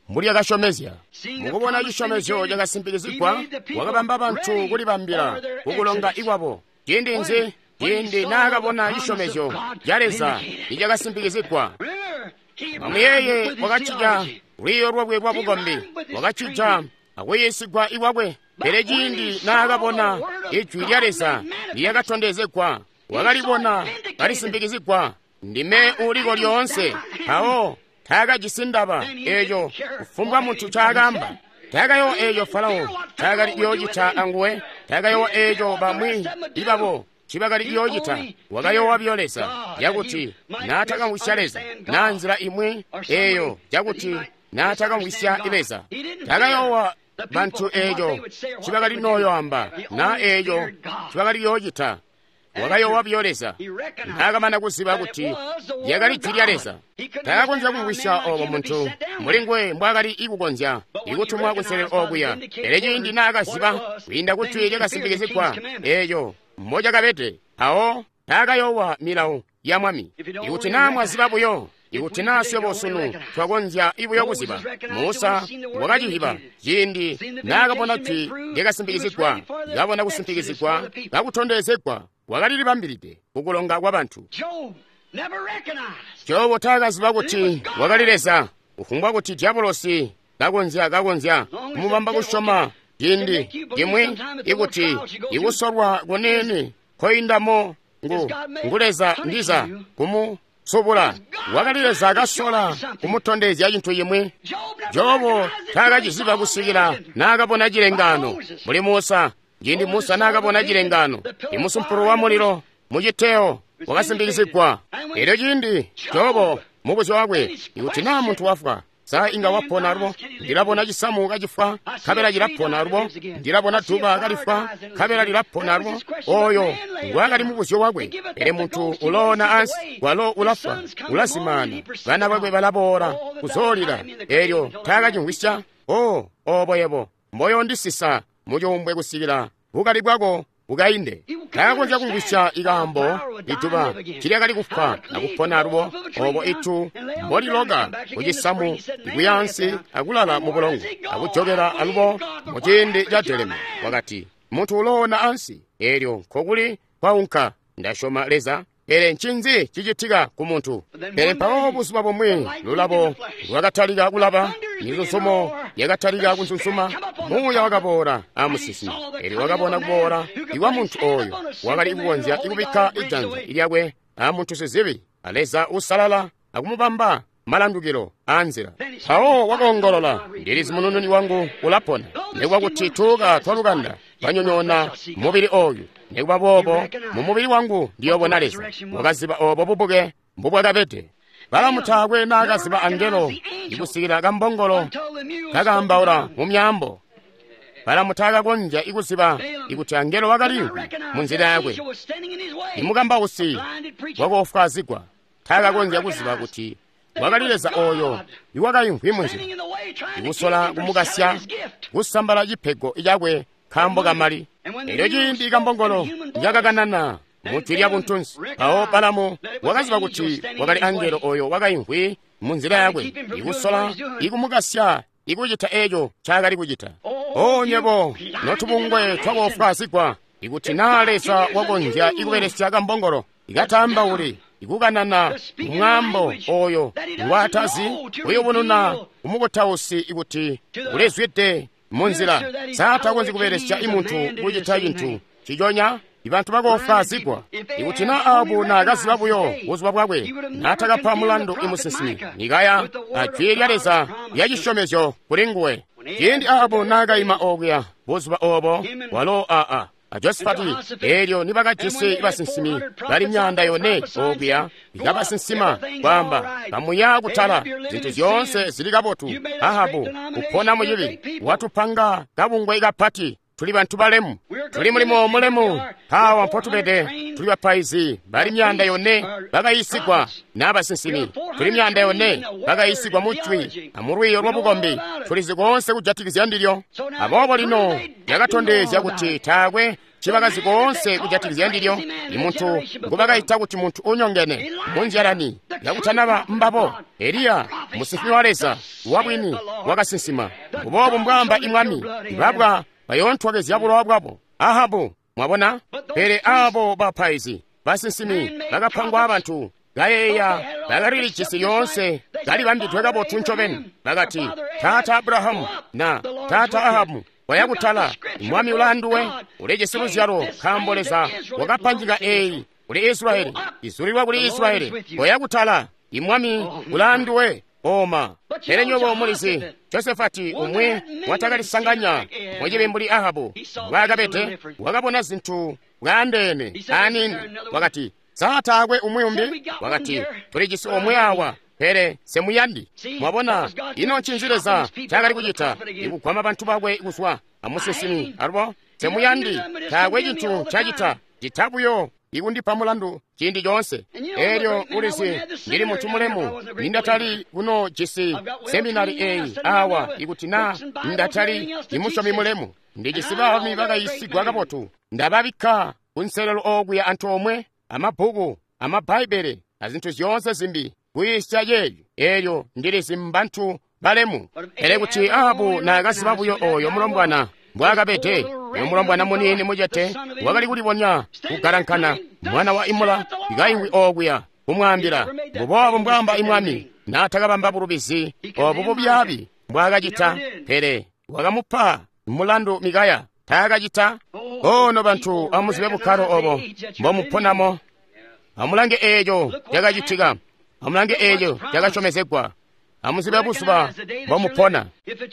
mbulyakasyomezya. Mukubona cisyomezyo cakasimpikizigwa, wakabamba bantu kulibambila kukulonga ikwabo. Ciindi nzi? Ciindi naakabona cisyomezyo ca Leza icakasimpikizigwa. Amuyeeye, wakacija lwiiyo lwakwe lwa bukombi, wakacija akuyiisigwa ikwakwe. Pele ciindi naakabona ijwi lya Leza lyakatondezegwa, wakalibona kalisimpikizigwa, ndime uliko lyoonse. Mpawo taakajisi ndaba eeco kufumbwa muntu ncaakaamba. Taakayowa eeco Farao ncaakali kuyoocita anguwe. Taakayowa eeco bamwi ibabo ncibakali kuyoocita. Wakayowa biyo Leza, yakuti naatakamvwisya Leza naa nzila imwi eeyo yakuti naatakamvwisya Leza. Taakayowa bantu eeco ncibakali nooyoamba naa eeco ncibakali kuyoocita. Wakayowa biyo Leza naakamana kuziba kuti lyakali jwi lya Leza. Taakakonzya kumvwisya obo muntu mbuli nguwe mbwaakali ikukonzya ikutumwa kunselelo okuya. Pele ciindi naakaziba kwiinda ku jwi lyakasimpikizigwa eeco mbocakabede, mpawo taakayowa milawo ya mwami. Ikuti naa mwaziba buyo, ikuti naa swebo sunu twakonzya ibuyo kuziba, Musa wakacihiba ciindi naakabona jwi lyakasimpikizigwa, kabona kusimpikizigwa kakutondezegwa, wakalilibambilide kukulonga kwa bantu. Jobu taakaziba kuti wakali Leza, kufumbwa kuti diabolosi kakonzya kakonzya kumubamba kusyoma ciindi cimwi ikuti ikusolwa kuniini koindamo ngu ngu Leza ndiza kumusubula. Wakali Leza kasola kumutondezya cintu cimwi. Jobu taakaciziba kusikila naakabona cilengaano mbuli Musa. Ciindi Musa naakabona cilengaano, imusumpulu wa mulilo muciteyo wakasimpikizigwa. Elyo ciindi Jobu mubuzyo wakwe, ikuti naa muntu wafwa, sa inga wapona alubo? Ndilabona cisamu kacifwa, nkabela cilapona alubo. Ndilabona duba kalifwa, nkabela lilapona alubo. Oyo ngwakali mubuzyo wakwe. Pele muntu uloona ansi, walo ulafwa, ulazimaana, bana bakwe balaboola kuzoolila. Elyo taakacimvwisya. O obo yebo mboyondisisa mucuumbwe kusikila bukali bwako bukainde. Taakonzya kumvwisya ikaambo ituba tilyakali kufwa akupona alubo, obo itu mboliloka kucisamu ikuyaansi akulala mu bulongo akujokela alubo muciindi ca delema. Wakati muntu uloona ansi, elyo nkokuli kwaunka. Ndasyoma Leza, pele ncinzi cicitika ku muntu? Pele mpawo buzuba bumwi lulabo lwakatalika kulaba, mizuzumo yakatalika kunzunsuma, muuya wakaboola amusinsimi. Elyo wakabona kuboola ikwa muntu oyo wakali kukonzya ikubikka ijanza lyakwe amuntu sizibi, a Leza usalala, akumubamba malandukilo aanzila. Mpawo wakoongolola, ndilizi munununi wangu ulapona, nikuba kuti tuuka twalukanda twanyonyoona mubili oyu, nikuba boobo mu mubili wangu ndiyobona Leza. Wakaziba obo bubuke mbubwakabede. Balamu taakwe naakaziba angelo ikusikila kambongolo kakaambaula mu myaambo. Balamu taakakonzya ikuziba ikuti angelo wakaliimvwi munzila yakwe. Imukambausi wakoofwaazigwa taakakonzya kuziba kuti wakali Leza oyo iwakaimvwi munzila, ikusola kumukasya kusambala cipego cakwe nkaambo kamali. Elyo ciindi kambongolo yakakanana mujwi lya buntunsi, mpawo Balamu wakaziba kuti wakali angelo oyo wakaimvwi munzila yakwe, ikusola ikumukasya ikucita eeco ncaakali kucita. O nywebo notubungwe twakoofwaazigwa, ikuti naa Leza wakonzya ikubelesya kambongolo ikataambauli ikukanana mwaambo oyo ngwaatazi, kuyubununa kumukutausi ikuti ulizwide munzila, saatakonzyi kubelesya imuntu kucita cintu ciconya. Ibantu bakoofwaazigwa. Ikuti naa Ahabu naakaziba buyo buzuba bwakwe, naatakapa mulandu imusinsimi Mikaya ajwi lya Leza lya cisyomezyo kuli nguwe. Ciindi Ahabu naakaima okuya buzuba obo, walo aa a Josifati, elyo nibakajisi basinsimi bali myaanda yone okuya, ikabasinsima kwaamba kamuya kutala, zintu zyoonse zili kabotu. Ahabu kupona mucibi, watupanga kabungwe kapati, Tuli bantu balemu. Tuli mulimo mulemu. Awa mpotubede tuli bapaizi bali myaanda yone bakayiisigwa n'abasinsimi. Tuli myaanda yone bakayiisigwa mu jwi amulwiiyo lwabukombi. Tulizi koonse kujatikizya ndilyo. Aboobo lino lyakatondezya kuti taakwe cibakazi koonse kujatikizya ndilyo. Imuntu ngubakaita kuti muntu unyongene munzyalani yakutanaba mbabo. Eliya musinsimi wa Leza wabwini wakasinsima. Mbuboobu mbwaamba imwami, ibabwa bayoontwakezya bulowa bwabo. Ahabu, mwabona? Pele abo bapaizi basinsimi bakapangwa abantu kayeeya bakalilijisi lyoonse kalibambidwe kabotu ncobeni. Bakati, Taata Abrahamu na Taata Ahabu, waya kutala, mwami ulaanduwe, ulijisi luzyalo, nkaambo Leza wakapangika eyi kuli Israyeli, izulilwa kuli Israyeli. Waya kutala, imwami ulaanduwe. Oma. Pele nywebo mulizi, Josefati umwi watakalisanganya mucibi mbuli Ahabu mbwaakabede, wakabona zintu bwaandeene aniini. Wakati, sa taakwe umwi umbi? Wakati, tulijisi omwe awa, pele semuyandi. Mwabona, ino ncinzi Leza ncaakali kucita? Ikugwama bantu bakwe kuzwa amusinsimi. Alubo semuyandi, taakwe cintu ncacita, cita buyo ikundipa mulandu ciindi coonse. Elyo ulizi, ndili muntu mulemu, nindatali kuno jisi seminari eyi awa ikuti na ndatali imusyomi mulemu. Ndijisi baalumi bakayiisigwa kabotu, ndababikka kunselelo okuya antoomwe amabbuku amabbaibele azintu zyoonse zimbi kuyiisya yeeyo. Elyo ndilizi mbantu balemu. Pele kuti Ahabu naakaziba buyo oyo mulombwana mbwaakabede, uyo mulombwana muniini mucete wakali kulibonya kugalankana, mwana wa Imula kaimwi okuya kumwaambila, mbuboobu mbwaamba imwami, naatakabamba bulubizi obu bubyaabi mbwaakacita. Pele wakamupa mulandu Mikaya, taakacita. Ono bantu amuzibe bukkalo obo mbomuponamo. Amulange eeco cakacitika. Amulange eeco cakasyomezegwa. Amuzibe buzuba mbomupona.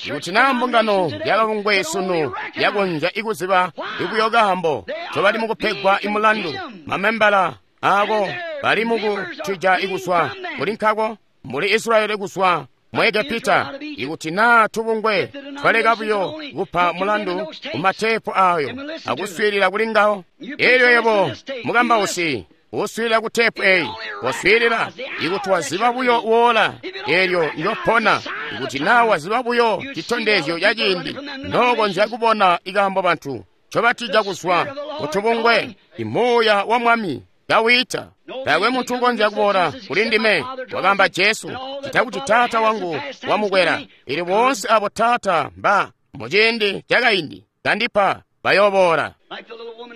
Ikuti naa mbungano yakabungwe sunu yakonzya ikuziba ikuyo kaambo ncobali mukupegwa imulandu, mamembala aako bali mukutija ikuzwa kuli nkako muli Israyeli kuzwa mu Egepita. Ikuti naa tubungwe twaleka buyo kupa mulandu kumateepu ayo akuswiilila kuli ngawo. Elyo yebo mukambausi uswiilila ku teepu eyi, waswiilila ikuti waziba buyo woola elyo njopona. Ikuti naa waziba buyo citondezyo ca ciindi, nookonzya kubona ikaambo bantu ncobatija kuzwa kutubungwe. Imuuya wa Mwami kawiita. Taakwe muntu ukonzya kuboola kuli ndime, wakaamba Jesu, cita kuti Taata wangu wamukwela. Ili boonse abo Taata mba muciindi cakaindi kandipa bayooboola.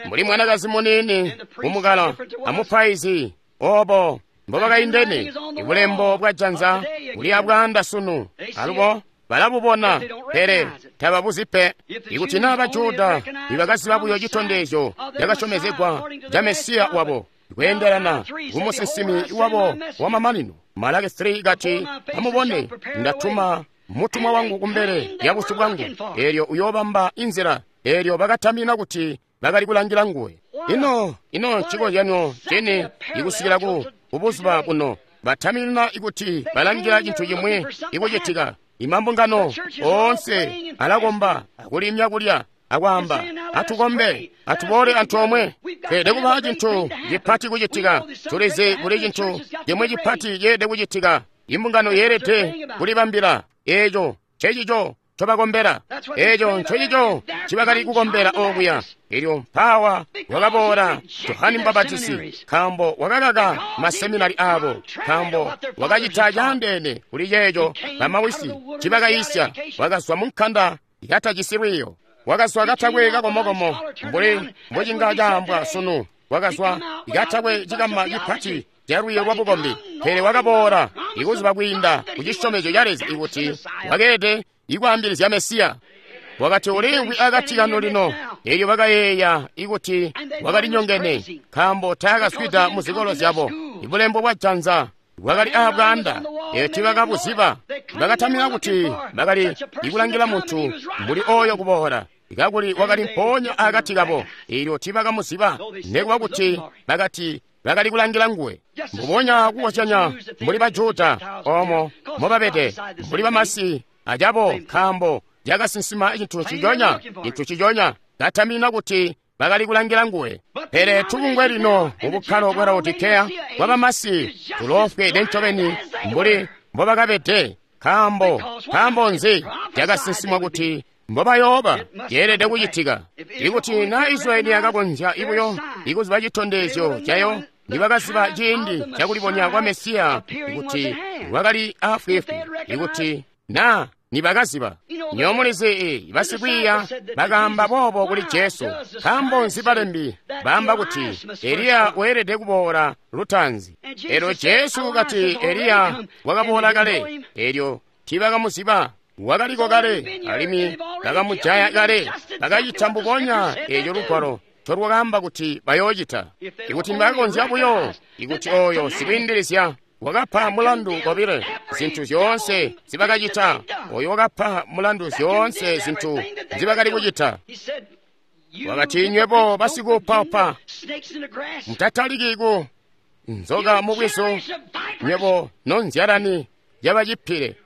Mbuli mwanakazi muniini kumukalo amupaizi, obo mbobakaindene. Ibulembo bwa janza buli abwaanda sunu, alubo balabubona, pele tababuzi pe. Ikuti naa Bajuda nibakaziba buyo citondezyo cakasyomezegwa ca Mesiya wabo kweendelana kumusinsimi wabo wamamanino. Malaki three kati, amubone, ndatuma mutumwa wangu kumbele ya busyu bwangu, elyo uyoobamba inzila. Elyo bakatamina kuti bakali kulangila nguwe. Ino ino ncikozyanyo cini ikusikila ku buzuba buno. Batamina ikuti balangila cintu cimwi ikucitika. Imambungano oonse alakomba akulimya kulya akwaamba, atukombe, atuboole antoomwe. Tweelede kuba cintu cipati kucitika. Tulizi kuli cintu cimwi cipati ceelede kucitika. Imbungano yeelede kulibambila. Eeco ncecico ncobakombela. Eeco ncecico ncibakali kukombela okuya. Elyo mpaawa wakaboola Johane Mubapatizi, nkaambo wakakaka maseminari aabo, nkaambo wakacita caandeene kuli ceeco bamawisi ncibakayiisya. Wakazwa mu nkanda yatajisi lwiiyo, wakazwa katakwe kakomokomo mbuli mbocinga caambwa sunu, wakazwa katakwe cikama cipati ca lwiiyo lwa bukombi. Pele wakaboola ikuziba kwiinda kucisyomezyo ca Leza ikuti wakeelede ikwaambilizya Mesiya. Wakati uliimvwi akati kanu lino. Elyo bakayeeya ikuti wakali nyongene, nkaambo taakaswida muzikolo zyabo. Ibulembo bwa janza bwakali aabwaanda, eyo tiibakabuziba. Bakatamina kuti bakali ikulangila muntu mbuli oyo kuboola, kakuli wakali mpoonya akati kabo. Elyo tiibakamuziba, nekuba kuti bakati bakali kulangila nguwe. Mbubonya kukozyanya mbuli Bajuda omo mobabede, mbuli bamasi acabo, nkaambo cakasinsima cintu ciconya, cintu ciconya. katamina kuti bakali kulangila nguwe. Pele tubungwe lino mu bukkalo bwa Laodikeya bwa bamasi tuloofwede ncobeni mbuli mbobakabede. Nkaambo nkaambo nzi cakasinsimwa kuti mbobayooba yeelede kucitika. Ikuti na Israyeli yakakonzya ibuyo ikuziba citondezyo cayo, nibakaziba ciindi cakulibonya kwa Mesiya kuti wakali afwiifwi, ikuti na nibakaziba. Nyomulizi basikwiiya bakaamba boobo kuli Jesu. Nkaambo nzi balembi baamba kuti Eliya weelede kuboola lutaanzi? Elyo Jesu kati Eliya wakaboola kale, elyo tiibakamuziba. Wakaliko kale, alimwi bakamujaya kale. Bakacita mbubonya eeco lugwalo ncolwakaamba kuti bayoocita. Ikuti nibakakonzya buyo, ikuti oyo sikwiindilizya wakapa mulandu kobile zintu zyoonse zibakacita, oyo wakapa mulandu zyoonse zintu nzibakali kucita. Wakati, nywebo basikuupaupa, mutataliki ku nzoka mubwizu, nywebo nonzyalani yabacipile.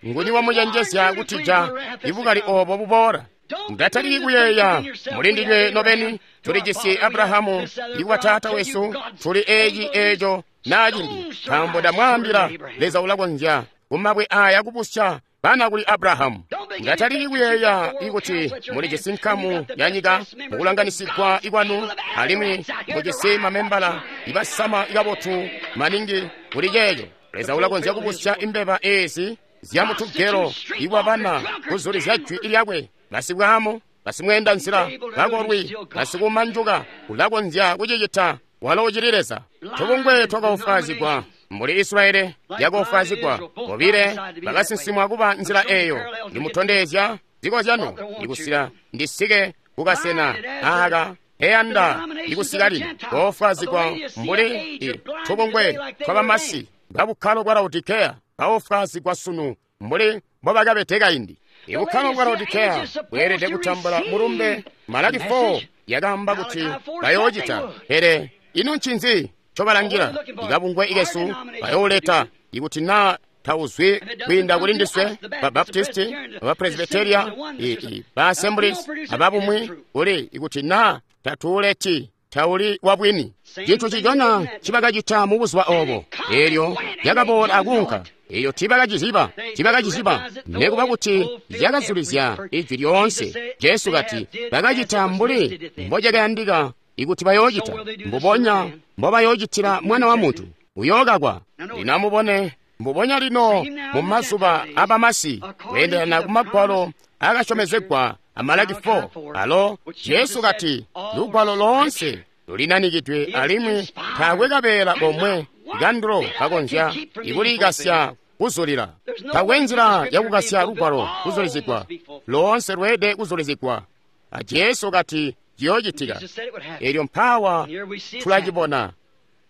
Nguni wamucenjezya kutija ibukali obo buboola? Mutataliki kuyeeya mulindinywe nobeni, tulijisi Abrahamu ikuba taata wesu, tuli eeci eeco naa cimbi. Nkaambo ndamwaambila, Leza ulakonzya kumabwe aya kubusya bana kuli Abrahamu. Mutataliki kuyeeya ikuti mulijisi nkamu ya nyika mukulanganisigwa ikwanu, alimwi mujisi mamembala ibasama ikabotu maningi kuli ceeco. Leza ulakonzya kubusya imbeba eezi zyamutugelo iwabana kuzulizya jwi lyakwe. Basibwaamu, basimweenda nzila, bakolwi, basikumanjuka, ulakonzya kucicita. Walo ucili Leza. Tubungwe twakaofwaazigwa mbuli Israyeli yakaofwaazigwa. Bobile bakasinsimwa kuba nzila eeyo. Ndimutondezya zikozyano ndikusila ndisike kukasena aaka eyanda ndikusika lino. Koofwaazigwa mbuli tubungwe twabamasi babukkalo bwa Laodikeya baofwaazigwa sunu mbuli mbobakabede kaindi. Ibukkalo bwa Laodikeya bweelede kutambula mulumbe. Malaki four yakaamba kuti bayoocita, pele ino ncinzi ncobalangila? Ikabungwe ikesu bayooleta ikuti naa tauzwi kwiinda kuli ndiswe, ba Baptisti, ba Presbyteria, ba Assemblies, ababumwi kuli ikuti naa tatuuleti tauli wabwini. Cintu cijona cibakacita mu buzuba obo, elyo yakaboola akunka. Eyo tiibakaciziba, tiibakaciziba, nekuba kuti yakazulizya ijwi lyoonse. Jesu kati bakacita mbuli mbocakayandika ikuti bayoocita, mbubonya mbobayoocitila Mwana wa Muntu uyookakwa. Lino amubone, mbubonya lino mu mazuba abamasi, kweendelana ku magwalo akasyomezegwa a Malaki four, alo Jesu kati lugwalo loonse lulinanikidwe alimwi taakwe kabeela komwe kandulo kakonzya ikulikasya kuzulila. Taakwe nzila yakukasya lugwalo kuzulizigwa, loonse lweede kuzulizigwa. A Jesu kati ciyoocitika. Elyo mpawa tulacibona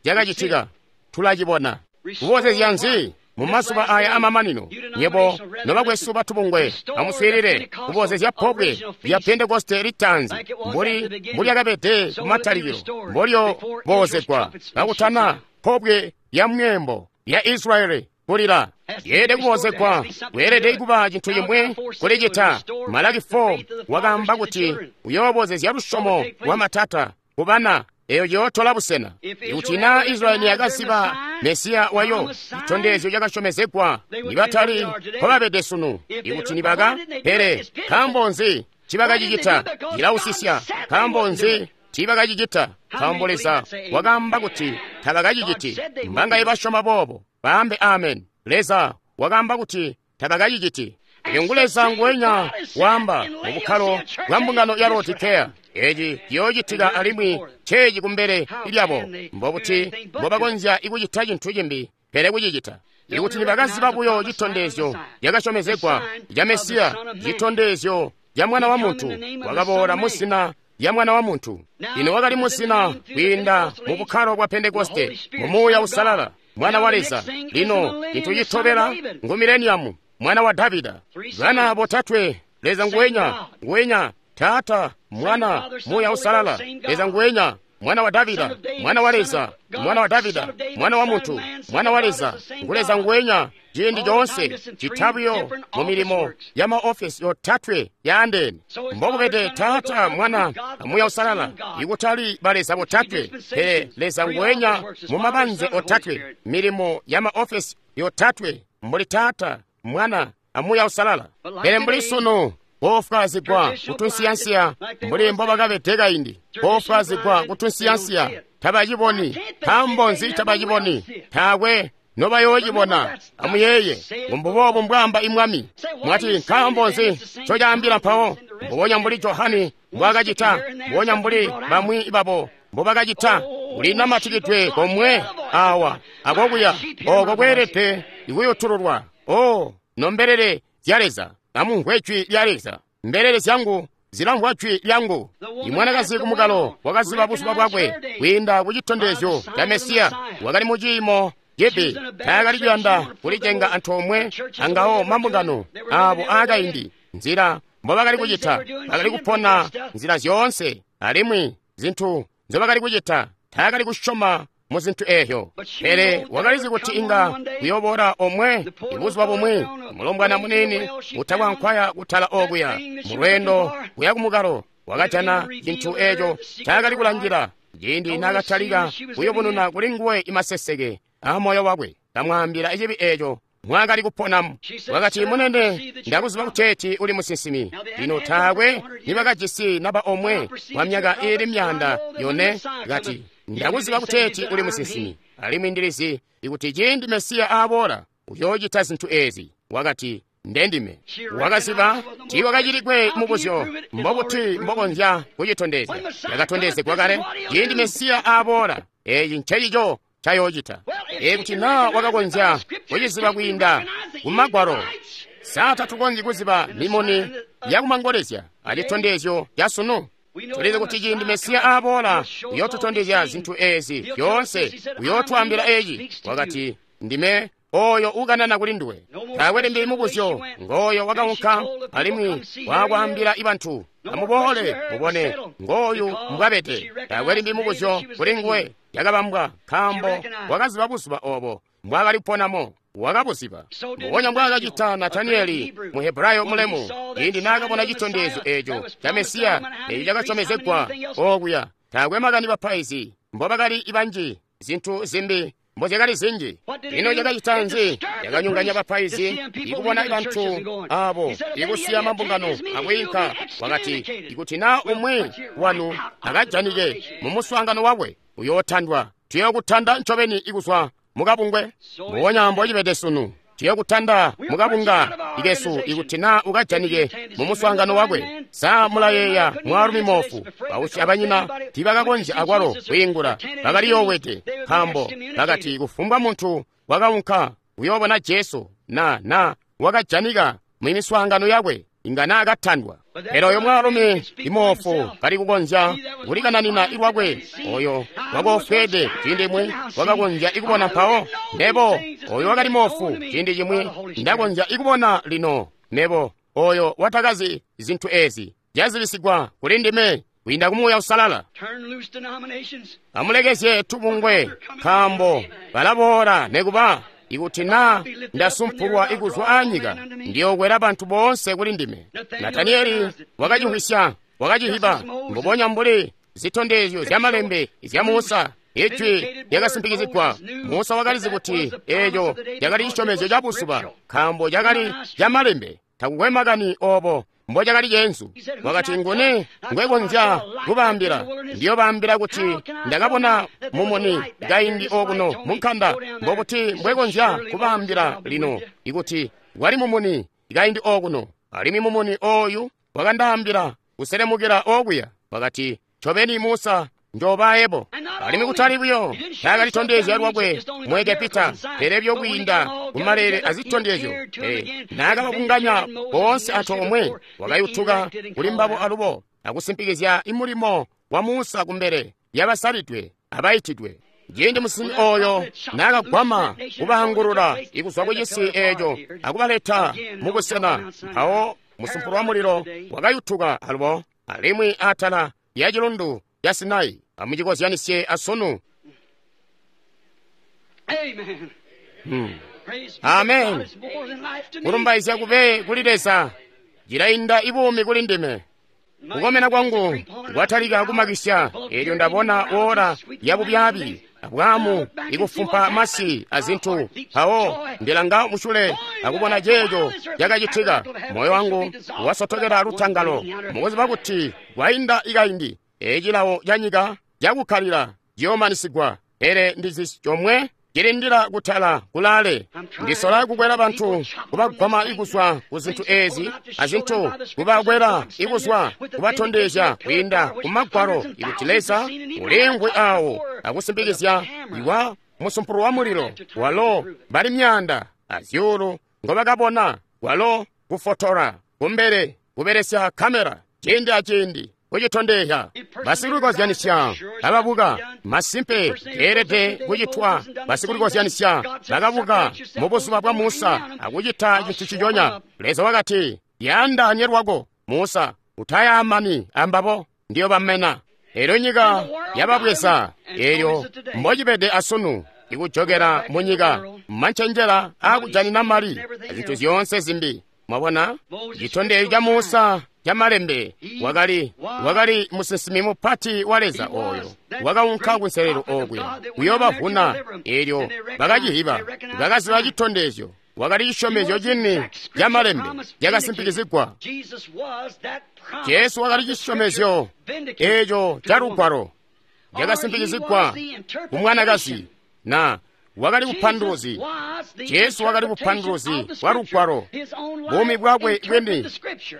cakacitika, tulacibona. Kubozezya nzi mu mazuba aya amamanino? Nyebo nobakwesu batubungwe, amuswiilile. Kubozezya pobwe lya Pentekoste litaanzi mbuli mbulyakabede kumatalikilo, mbolyo boozegwa kakutana pobwe lya mweembo lya Israyeli kulila. Yeelede kuboozegwa, weelede kuba cintu cimwi kulicita. Malaki four wakaamba kuti uyoobozezya lusyomo lwa matata kubana. Eyo yootola busena. Ikuti naa Israyeli yakaziba Mesiya wayo, citondezyo cakasyomezegwa, nibatali mpobabede sunu. Ikuti nibaka, pele nkaambo nzi cibakacicita? Cilausisya. Nkaambo nzi tiibakacicita? Nkaambo Leza wakaamba kuti tabakaciciti. Mbangaye basyoma boobo? Baambe amen. Leza wakaamba kuti tabakaciciti. Elyo ngu Leza nguwenya waamba mu bukkalo bwa mbungano ya Laodikeya. Eci ciyoocitika alimwi ceeci kumbele lyabo. Mbobuti mbobakonzya ikucita cintu cimbi pele kucicita? Ikuti nibakaziba buyo citondezyo cakasyomezegwa ca Mesiya, citondezyo ca Mwana wa Muntu, wakaboola muzina lya Mwana wa Muntu. Lino wakali muzina kwiinda mu bukkalo bwa Pentekoste, mu Muuya Uusalala, Mwana wa Leza. Lino cintu citobela ngu Mileniamu, Mwana wa Davida. Bana botatwe, Leza nguwenya, nguwenya, Taata, Mwana, Muuya Uusalala. Leza nguwenya, Mwana wa Davida, Mwana wa Leza, Mwana wa Davida, Mwana wa muntu, Mwana wa Leza, ngu Leza nguwenya, Ciindi coonse cita buyo mu milimo ya maofesi yotatwe yaandeene. Mbokubede Taata, Mwana, a Muuya Uusalala, ikutali baleza botatwe, pele Leza nguwenya mu mabanze otatwe, milimo ya maofesi yotatwe, mbuli Taata, Mwana, a Muuya Uusalala. Pele mbuli sunu, boofwaazigwa kutunsiyansiya mbuli mbobakabede kaindi, boofwaazigwa kutunsiyansiya, tabaciboni. Nkaambo nzi tabaciboni? Taakwe nobayoocibona. Amuyeeye, mbuboobu mbwaamba imwami. Mwati nkaambo nzi ncocaambila mpawo? Mbubonya mbuli Johane mbwaakacita, mbubonya mbuli bamwi babo mbobakacita, ulinamatikidwe komwe awa akokuya, oko kweelede ikuyutululwa. O nombelele zya Leza, amumvwe jwi lya Leza. Mbelele zyangu zilamvwa jwi lyangu. Imwanakazi kumukalo wakaziba buzuba bwakwe kwiinda ku citondezyo ca Mesiya. Wakali mu ciimo cibi, taakali kuyanda kulicenga antoomwe angawo mambungano abo aakaindi. Nzila mbobakali kucita, bakali kupona nzila zyoonse, alimwi zintu nzobakali kucita, taakali kusyoma mu zintu eezyo. Pele wakalizi kuti inga kuyobora omwe ibuzuba bumwi, mulombwana muniini utakwankwaya kutala okuya mulweendo kuya kumukalo, wakajana cintu eeco ncaakali kulangila. Ciindi naakatalika kuyubununa kuli nguwe imaseseke aamoyo wakwe, kamwaambila cibi eeco mwaakali kuponamu. Wakati, munene, ndakuziba kuteeti uli musinsimi. Lino taakwe nibakajisi naba omwe wa myaka iili myaanda yone. Kati, ndakuziba kuteeti uli musinsimi, alimwi ndilizi ikuti ciindi Mesiya aaboola uyoocita zintu eezi. Wakati, ndendime. Wakaziba tiiwakacilikwe mubuzyo, mbobuti mbokonzya kucitondezya? Yakatondezegwa kale. Ciindi Mesiya aaboola, eeci ncecico cayoocita. Ikuti naa wakakonzya kuciziba kwiinda kumagwalo, sa tatukonzyi kuziba mimuni yakumangolezya acitondezyo ca sunu? Tulizi kuti ciindi Mesiya aaboola uyootutondezya zintu eezi zyoonse, uyootwaambila eeci. Wakati, ndime oyo ukanana kuli nduwe. Taakwe limbi mubuzyo. Ngooyo wakaunka alimwi waakwaambila ibantu, amuboole mubone ngooyu mbwabede. Taakwe limbi mubuzyo kuli nguwe. Yakabambwa nkaambo wakaziba buzuba obo mbwaakali kuponamo. Wakabuziba mbubonya mbwaakacita Nataniyeli Muhebrayo mulemu, ciindi naakabona citondezyo eeco ca Mesiya eeco cakasyomezegwa okuya. Taakwe makani bapaizi mbobakali banji, zintu zimbi mbozyakali zinji. Ino cakacita nzi? Cakanyonganya bapaizi ikubona bantu abo ikusiya mambungano akwiinka. Wakati, ikuti naa umwi wanu akajanike mumuswaangano wakwe, uyootandwa. Tuyookutanda ncobeni ikuzwa mukabungwe. Mbubonya mbocibede sunu, tuyokutanda mukabunga ikesu ikuti naa ukajanike mumuswaangano wakwe. Sa mulayeeya mwaalumi moofu? Bausyi abanyina tiibakakonzya akwalo kwiingula, bakaliyoowede, nkaambo bakati kufumbwa muntu wakaunka kuyoobona Jesu na na wakajanika mumiswaangano yakwe inga naakatandwa. Pele oyo mwaalumi imoofu kali kukonzya kulikananina ilwakwe, oyo wakoofweede ciindi cimwi wakakonzya ikubona mpawo. Nebo oyo wakali moofu ciindi cimwi ndakonzya ikubona lino. Nebo oyo watakazi zintu ezi zyazibisigwa kuli ndime kwiinda ku Muuya Uusalala. Amulekezye tubungwe, nkaambo balaboola nekuba ikuti naa ndasumpulwa ikuzwa aanyika, ndiyokwela bantu boonse kuli ndime. Nataniyeli wakacimvwisya, wakacihiba mbubonya mbuli zitondezyo zyamalembe zya Musa. Ijwi lyakasimpikizigwa. Musa wakalizi kuti eeco cakali cisyomezyo ca buzuba, nkaambo cakali camalembe. Takukwe makani obo mbocakali ceenzu. Wakati, nguni ngwekonzya kubaambila? Ndiyobaambila kuti ndakabona mumuni kaindi okuno munkanda. Mbokuti mbwekonzya kubaambila lino ikuti wali mumuni kaindi okuno, alimwi mumuni ooyu wakandaambila kuselemukila okuya. Wakati, ncobeni Musa njoobaebo. Alimwi kutali buyo taakalitondezya lwakwe mu Egepita, pele buyo kwiinda kumalele azitondezyo. Pele naakababunganya boonse antoomwe, wakayutuka kuli mbabo alubo akusimpikizya imulimo wa Musa kumbele yabasalidwe abaitidwe. Ciindi musinsimi oyo naakagwama kubaangulula ikuzwa kucisi eeco akubaleta mubusena, mpawo musumpulu wa mulilo wakayutuka alubo alimwi atala ya cilundu ya Sinai. Amucikozyanisye asunu. Amen. Hmm. Amen. Kulumbaizya kube kuli Leza, cilainda ibuumi kuli ndime. Kukomena kwangu kwatalika kumakisya, elyo ndabona ora ya bubyabi abwamu ikufumpa masi azintu. Mpawo ndilanga musyule akubona ceeco cakacitika. Moyo wangu wasotokela lutangalo mukuziba kuti kwainda ikaindi ecilawo ca nyika cakukkalila ciyoomanisigwa. Pele ndizi comwe cilindila kutala kulaale. Ndisola kukwela bantu kubagwama ikuzwa ku zintu ezi azintu, kubakwela ikuzwa kubatondezya kwiinda ku magwalo ikuti Leza uliimvwi awo akusimpikizya iwa musumpulu wa mulilo walo bali myaanda azyuulu ngobakabona, walo kufotora kumbele kubelesya kamera ciindi aciindi kucitondezya. Basikulikozyanisya ababuka masimpe keelede kucitwa. Basikulikozyanisya bakabuka mu buzuba bwa Musa akucita cintu ciconya. Leza wakati, "Yaandaanye lwako, Musa, utayaamani ambabo, ndiyo bamena." Elyo nyika yababweza, elyo mbocibede asunu ikujokela mu nyika mancenjela aakujanina mali azintu zyoonse zimbi. Mwabona citondezyo ca Musa ca malembe, wakali wakali musinsimi mupati wa Leza oyo wakaunka kunselelo okuya kuyobavuna. Elyo bakacihiba, bakaziba citondezyo. Wakali cisyomezyo cini ca malembe cakasimpikizigwa. Jesu wakali cisyomezyo eco ca Lugwalo cakasimpikizigwa ku mwanakazi, na wakali bupanduluzi. Jesu wakali bupanduluzi bwa Lugwalo. Buumi bwakwe bwini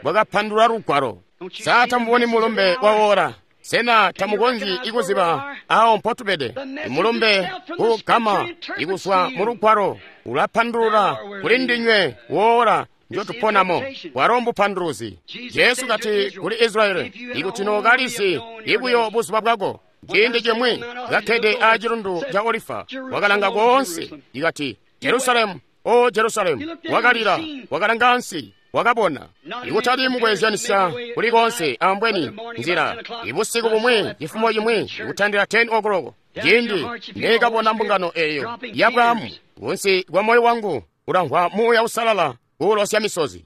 bwakapandulula Lugwalo. Sa tamuboni mulumbe wa ora? Sena tamukonzyi ikuziba awo mpotubede? Mulumbe kugama ikuzwa mu Lugwalo ulapandulula kuli ndinywe wora njotuponamo. Bwalo mbupanduluzi. Jesu kati kuli Israyeli, ikuti nookalizi ibuyo buzuba bwako. Ciindi cimwi kakkede aa cilundu ca Olifa, wakalanga koonse, ikati, "Jerusalemu, o Jerusalemu!" Wakalila, wakalanga ansi, wakabona. Ikutali mukwezyanisya kuli konse ambweni nzila. Ibusiku bumwi, cifumo cimwi, ikutandila ten o'clock, ciindi neekabona mbungano eyo ya bwaamu, kunsi kwa moyo wangu ulamvwa Muuya Usalala kuulosya misozi.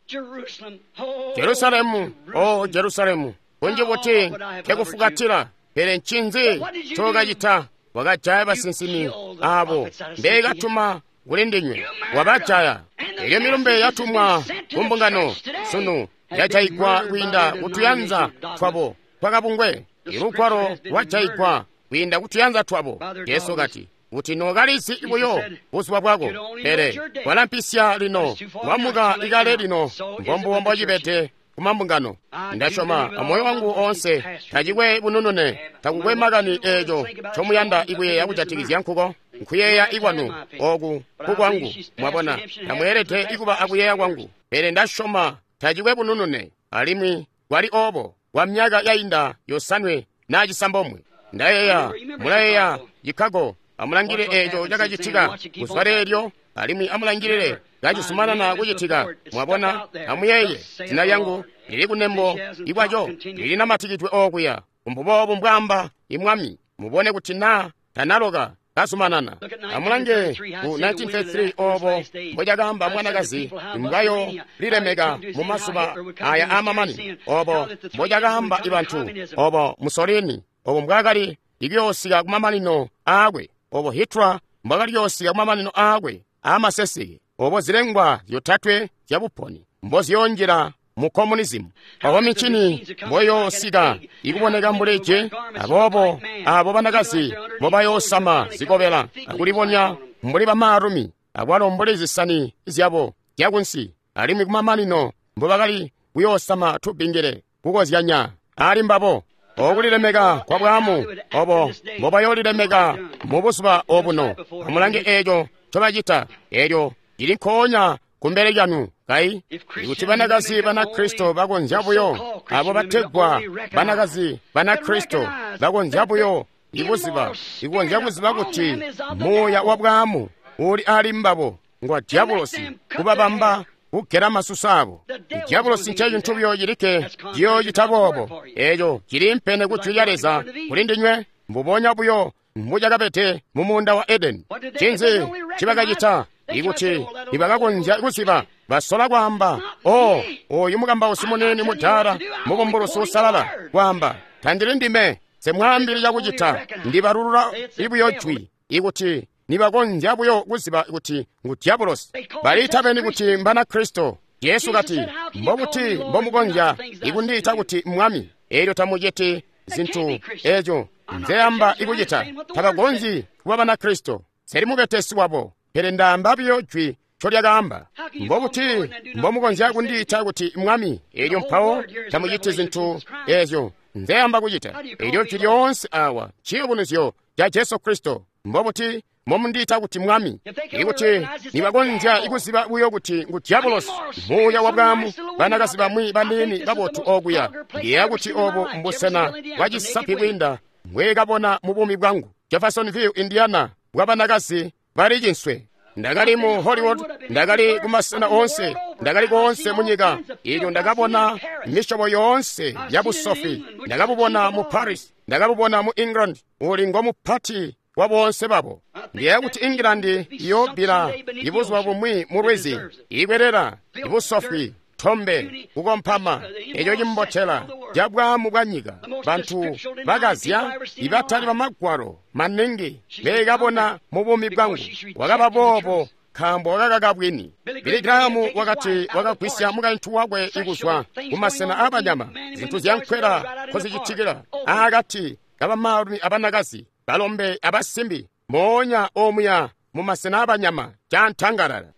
Jerusalemu, o Jerusalemu, kunji buti nkekufukatila, pele ncinzi ncokacita? Wakajaya basinsimi abo mbeekatuma kuli ndinywe, wabajaya. Elyo milumbe yatumwa ku mbungano sunu yajayigwa kwiinda kutuyanza twabo twakabungwe. Ilugwalo lwajayigwa kwiinda kutuyanza twabo. Jesu kati, kuti nookalizi buyo buzuba bwako, pele walampisya lino, wamuka ikale lino. Mbombubo mbocibede kumambungano. Ndasyoma amoyo wangu oonse, tacikwe bununune, takukwe makani eeco ncomuyanda ikuyeeya kujatikizya nkuko. Nkuyeeya ikwanu oku kukwangu, mwabona, tamweelede ikuba akuyeeya kwangu. Pele ndasyoma tacikwe bununune, alimwi kwali oobo kwa myaka yainda yosanwe naa cisambomwe. Ndayeeya, mulayeeya Chicago, amulangilile eeco cakacitika kuzwa leelyo, alimwi amulangilile kacizumanana kucitika. Mwabona, amuyeeye, zina lyangu lili kunembo ikwaco, lilinamatikidwe okuya. Mbuboobu mbwaamba imwami. Mubone kuti naa tanaloka kazumanana. Amulange ku nineteen thirty-three obo mbocakaamba mwanakazi mbwayo lilemeka mu mazuba aya aamamanino, obo mbocakaamba ibantu, obo Mussolini, obo mbwaakali ikuyoosika kumamanino aakwe, obo Hitler mbwaakali kuyoosika kumamanino aakwe aamaseseke, obo zilengwa zyotatwe zyabuponi mboziyonjila mu communism, obo mincini mboyoosika ikuboneka mbuli je, aboobo abo banakazi mbobayoosama zikobela akulibonya mbuli bamaalumi, akwalo mbuli zisani zyabo zyakunsi, alimwi kumamanino mbobakali kuyoosama tubingile kukozyanya ali mbabo. Okulilemeka kwa bwaamu obo mbobayoolilemeka mu buzuba obuno. Amulange eeco ncobacita, elyo cili nkoonya kumbele lyanu. Kai ikuti banakazi Banakristo bakonzya buyo, abo bategwa banakazi Banakristo bakonzya buyo ikuziba, ikukonzya kuziba kuti muuya wa bwaamu uli ali mbabo ngwa dyabulosi, kubabamba kugela masusu abo. Dyabulosi ncecintu buyo cilikke ciyoocita boobo. Eeco ciliimpene ku jwi lya Leza kuli ndinywe, mbubonya buyo mbucakabede mu muunda wa Edeni. Ncinzi ncibakacita? Ikuti nibakakonzya kuziba, basola kwaamba, "Oh, oyu mukambausi munene mudaala, mubumbulusi usalala," kwaamba, "Tandili ndime, semwaambili cakucita, ndibalulula buyo jwi." Ikuti nibakonzya buyo kuziba kuti ngu dyabulosi. Baliita beni kuti mbana Kristo. Jesu kati, "Mbobuti mbomukonzya ikundiita kuti Mwami, elyo tamuciti zintu eco nzeyamba ikucita?" Tabakonzyi kuba bana Kristo. Seli mubetesi wabo, pele ndaamba buyo jwi ncolyakaamba. Mbobuti mbomukonzya kundiita kuti Mwami, elyo mpawo tamuciti zintu ezyo nzeyamba kucita? Elyo jwi lyoonse awa ciyubunuzyo ca Jesu Kristo. Mbobuti mbomundiita kuti Mwami? Ikuti nibakonzya ikuziba buyo kuti ngu dyabulosi, muuya wa bwaamu, banakazi bamwi baniini babotu okuya. Ndiyeeya kuti obu mbusena bwa cisapi kwiinda mbwekabona mu buumi bwangu. Jeffersonville, Indiana, bwa banakazi bali cinswe. Ndakali mu Hollywood, ndakali kumasena oonse, ndakali koonse mu nyika. Ilyo ndakabona misyobo yoonse ya busofi. Ndakabubona mu Paris, ndakabubona mu England, uli ngomupati wa boonse babo. Ndiyeeya kuti England iyobbila ibuzuba bumwi mu lwizi, ikwelela ibusofi, tombe, kukompama, eco cimbotela ca bwaamu bwa nyika. Bantu bakazya ibatali bamagwalo maningi bekabona mu buumi bwangu. Wakaba boobo nkaambo wakakaka bwini. Billy Graham wakati wakagwisya mukaintu wakwe ikuzwa kumasena aabanyama, zintu zyankwela nkozicitikila aakati kabamaalumi abanakazi, balombe abasimbi, moonya omuya mu masena abanyama cantangalala.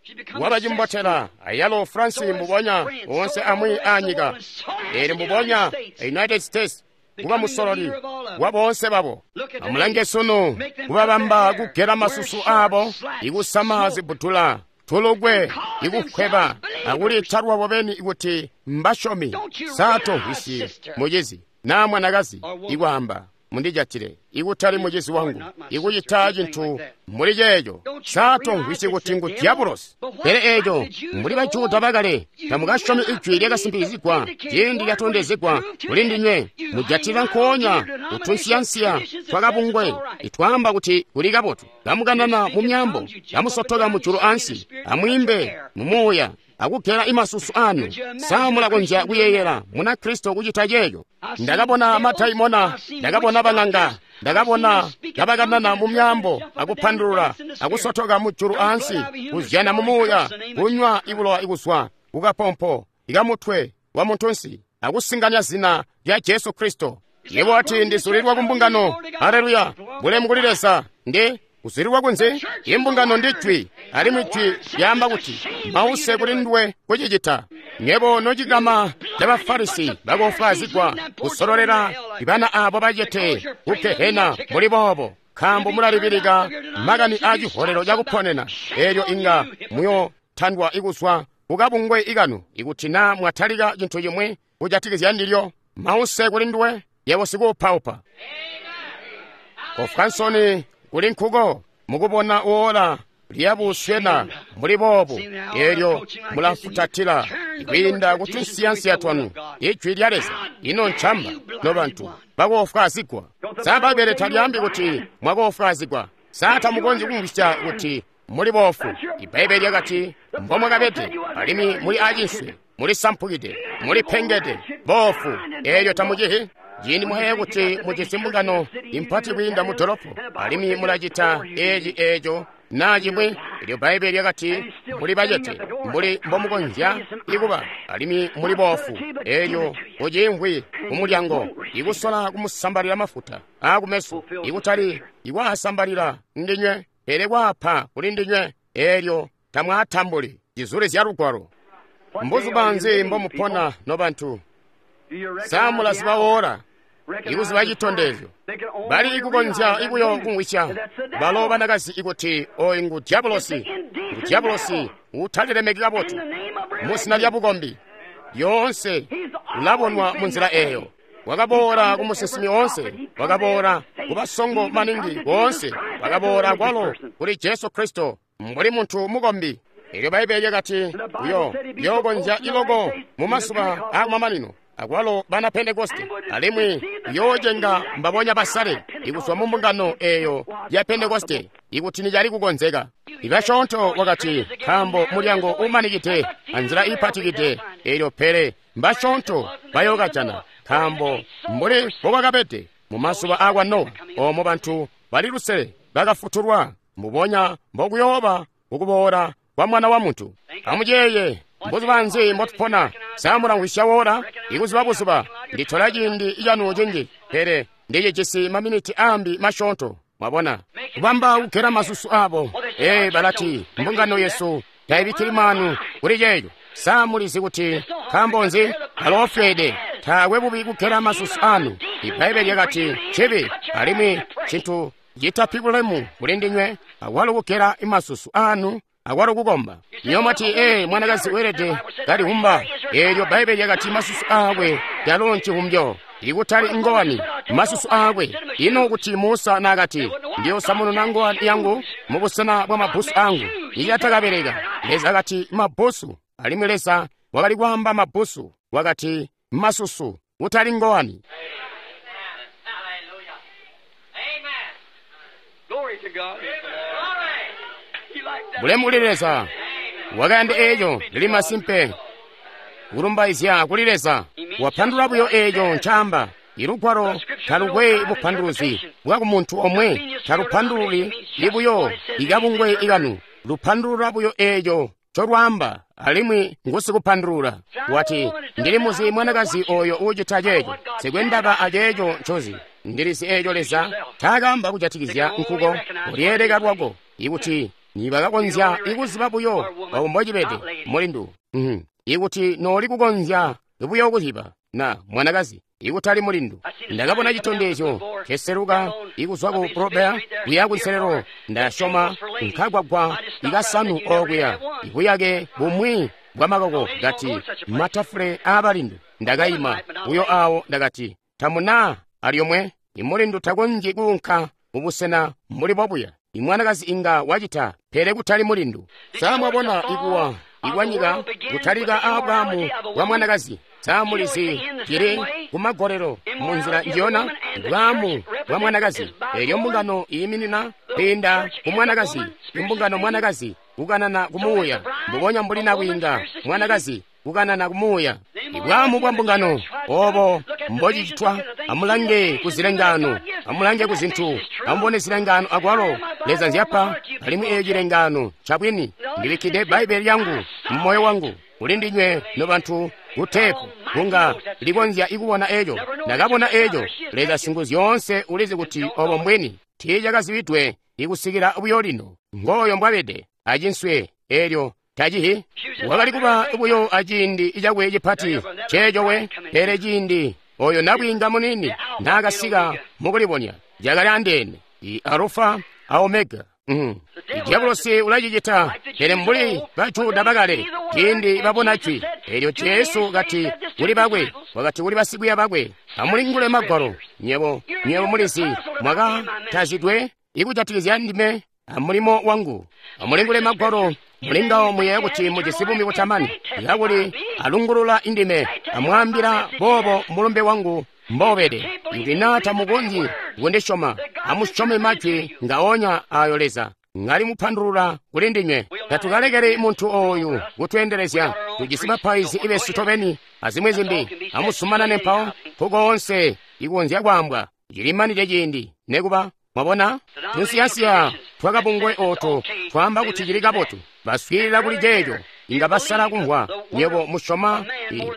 Wabacimbotela ayalo France mbubonya, onse amwi aanyika, eli mbubonya United States kuba musololi wa boonse babo. Amulange sunu, kubabamba kugela masusu abo, ikusama zibutula, tulugwe, ikukweba, akuliita lwabo beni kuti mbasyomi. Satomvwisyi mucizi naa mwanakazi ikwaamba, "Mundijatile, ikutali mucizi wangu, ikucita cintu muli ceeco." Satomvwisyi kuti ngu dyabulosi. Pele eco mbuli Bajuda bakale, tamukasyomi ijwi lyakasimpikizigwa ciindi lyatondezegwa kuli ndinywe. Mujatila nkoonya kutunsiyansiya twakabungwe itwaamba kuti kuli kabotu. Kamukanana mu myambo, kamusotoka mujulu ansi, amwiimbe mu muuya, akugela imasusu anu. Sa mulakonzya kuyeeyela muna Kristo kucita ceeco? Ndakabona madaimona, ndakabona bang'anga, ndakabona kabakanana mu myambo, akupandulula, akusotoka mujulu ansi, kuzyana mu muuya, kunywa ibulowa ikuzwa kukapompo ikamutwe wa muntunsi, akusinganya zina lya Jesu Kristo. Yebo ati, "Ndizulilwa ku mbungano." Haleluya! Bulemu kuli Leza. Ndi kuzulilwa kunzi? Imbungano ndi jwi, alimwi jwi lyaamba kuti mause kuli nduwe kucicita. Nyebo nocikama ca Bafarisi bakofwaazigwa kusololela ibana abo bacete ku Gehena muli boobo, nkaambo mulalibilika makani aa ciholelo cakuponena. Elyo inga muyotandwa ikuzwa kukabungwe ikanu ikuti naa mwatalika cintu cimwi kujatikizya ndilyo. Mause kuli nduwe, yebo sikuupaupa. Kofwansoni kuli nkuko mukubona woola lyabuswena mbuli boobu, elyo mulafutatila kwiinda kutunsiyansiya twanu ijwi lya Leza. Ino ncamba nobantu bakofwaazigwa. Sa Bbaibbele talyaambi kuti mwakofwaazigwa? Sa tamukonzyi kumvwisya kuti muli boofu? Ibbaibbele lyakati mbomwakabede, alimwi muli acinswe, muli sampukide, muli pengede, boofu, elyo tamucihi. Ciindi mwayeeya kuti mujisi mbungano impati kwiinda mu dolopo, alimwi mulacita eci eco naa cimwi, elyo Bbaibbele lyakati muli bacete mbuli mbomukonzya ikuba, alimwi muli boofu, elyo kuciimvwi kumulyango ikusola kumusambalila mafuta aakumeso, ikutali ikwaasambalila ndinywe, pele kwaapa kuli ndinywe, elyo tamwaatambuli. Cizule zya Lugwalo. Mbuzuba nzi mbomupona nobantu? Sa mulaziba woola, ikuziba citondezyo? Bali ikukonzya ikuyo kumvwisya balo banakazi ikuti oyu ngu dyabulosi, ngu dyabulosi utalilemeki kabotu muzina lya bukombi. Lyoonse ulabonwa munzila eyo. Wakaboola ku musinsimi oonse, wakaboola ku basongo maningi boonse, wakaboola kwalo kuli Jesu Kristo mbuli muntu mukombi. Elyo Bbaibbele lyakati uyo yokonzya iloko mu mazuba aakumamanino, akwalo bana Pentekoste, alimwi yoocenga mbabonya basale ikuzwa mu mbungano eyo ya Pentekoste ikuti nicali kukonzeka. Ibasyoonto wakati, nkaambo mulyango umanikide anzila iipatikide, eelyo pele mbasyoonto bayookajana, nkaambo mbuli mbokwakabede mumazuba aakwa Nowa, oomo bantu bali lusele bakafutulwa, mbubonya mbokuyooba kukuboola kwa Mwana wa Muntu. Amuyeeye, mbuzuba nzi mbotupona? Sa mulamvwisya woola? Ikuziba buzuba nditola ciindi canu cinji, pele ndicijisi maminiti ambi masyoonto. Mwabona, kubamba kugela masusu abo. Ee, balati mbungano yesu tayibikkili maanu kuli ceeco. Sa mulizi kuti nkaambo nzi? Baloofweede. Taakwe bubi kugela masusu anu. Ibbaibbele lyakati cibi, alimwi cintu citapi bulemu kuli ndinywe, akwalo kugela masusu anu, akwalo kukomba. Niyo mwati, ee, mwanakazi weelede kalihumba. Eelyo Bbaibbele lyakati masusu aakwe yalo ncihumbyo, ikutali ngowani, masusu aakwe. Ino kuti Musa naakati, ndiyosamununa ngowani yangu mubusena bwa mabbusu angu, icatakabeleka. Leza akati mabbusu, alimwi Leza wakali kwaamba mabbusu, wakati masusu, kutali ngowani. Bulemu kuli Leza. Wakayanda eeco lili masimpe. Kulumbaizya kuli Leza. Wapandulula buyo eeco ncaamba. Ilugwalo talukwe bupanduluzi bwa kumuntu omwe, talupandululi libuyo ikabungwe ikanu, lupandulula buyo eeco ncolwaamba, alimwi ngusikupandulula. Wati, ndili muzi mwanakazi oyo uucita ceeco, sikwendaba aceeco ncozi. Ndilizi eeco Leza taakamba kujatikizya nkuko, ulyeeleka lwako, ikuti nibakakonzya ikuziba buyo obo mbocibede mulindu. Mm. Ikuti nooli kukonzya buyo kuziba na mwanakazi, ikutali mulindu. Ndakabona citondezyo keseluka ikuzwa ku Probea kuya kunselelo, ndasyoma nkagwagwa ikasanu okuya, ibuyake bumwi bwa makoko kati matafule aabalindu. Ndakayima buyo awo, ndakati tamuna alyomwe. Imulindu takonzyi kuunka mubusena mbuli bobuya. Imwanakazi inga wacita, pele kutali mulindu. Sa mwabona ikuwa ikwanyika kutalika aabwamu bwa mwanakazi? Sa mulizi cili kumagolelo munzila njiyona bwamu bwa mwanakazi. Eelyo mbungano iyiminina kwiinda ku mwanakazi, imbungano mwanakazi kukanana kumuuya, mbubonya mbuli nakwiinga mwanakazi kukanana kumuuya. Ibwamu bwa mbungano obo mbocicitwa. Amulange ku zilengano, amulange ku zintu, amubone zilengano akwalo Leza nzyapa, alimwi eeyo cilengano cabwini. Ndibikkide Bbaibbele lyangu mumoyo wangu kuli ndinywe nobantu kuteepu kunga likonzya ikubona eeco. Ndakabona eeco. Leza Singuzyoonse ulizi kuti obo mbwini. Tiicakazibidwe ikusikila buyo lino. Ngooyo mbwabede acinswe eelyo tacihi. Wakali kuba buyo aciindi cakwe cipati ceeco we, pele ciindi oyo nabwiinga munini naakasika mukulibonya cakali andeene, i Alufa a Omega. Mm. Diabolosi ulacicita, pele mbuli Bajuda bakale ciindi babona jwi eelyo Jesu kati kuli bakwe, wakati kuli basikwiiya bakwe, amulingule magwalo, nyebo nyebo mulizi mwakatazidwe ikujatikizya ndime amulimo wangu. Amulingule magwalo, mulingawo muyeeya kuti mujisi buumi butamani, kakuli alungulula indime, amwaambila boobo mulumbe wangu mbobede. Ikuti naa tamukonzyi kundisyoma, amusyome majwi ngaonya ayo Leza ngali mupandulula kuli ndinywe. Tatukalekeli muntu ooyu kutweendelezya. Tujisi bapaizi besu tobeni azimwi zimbi. Amusumanane mpawo nkukoonse ikonzya kwaambwa. Cilimanide ciindi nekuba. Mwabona, tunsiyasiya twakabungwe ooto twaamba kuti cili kabotu. Baswiilila kuli ceeco, inga basala kumvwa. Nywebo musyoma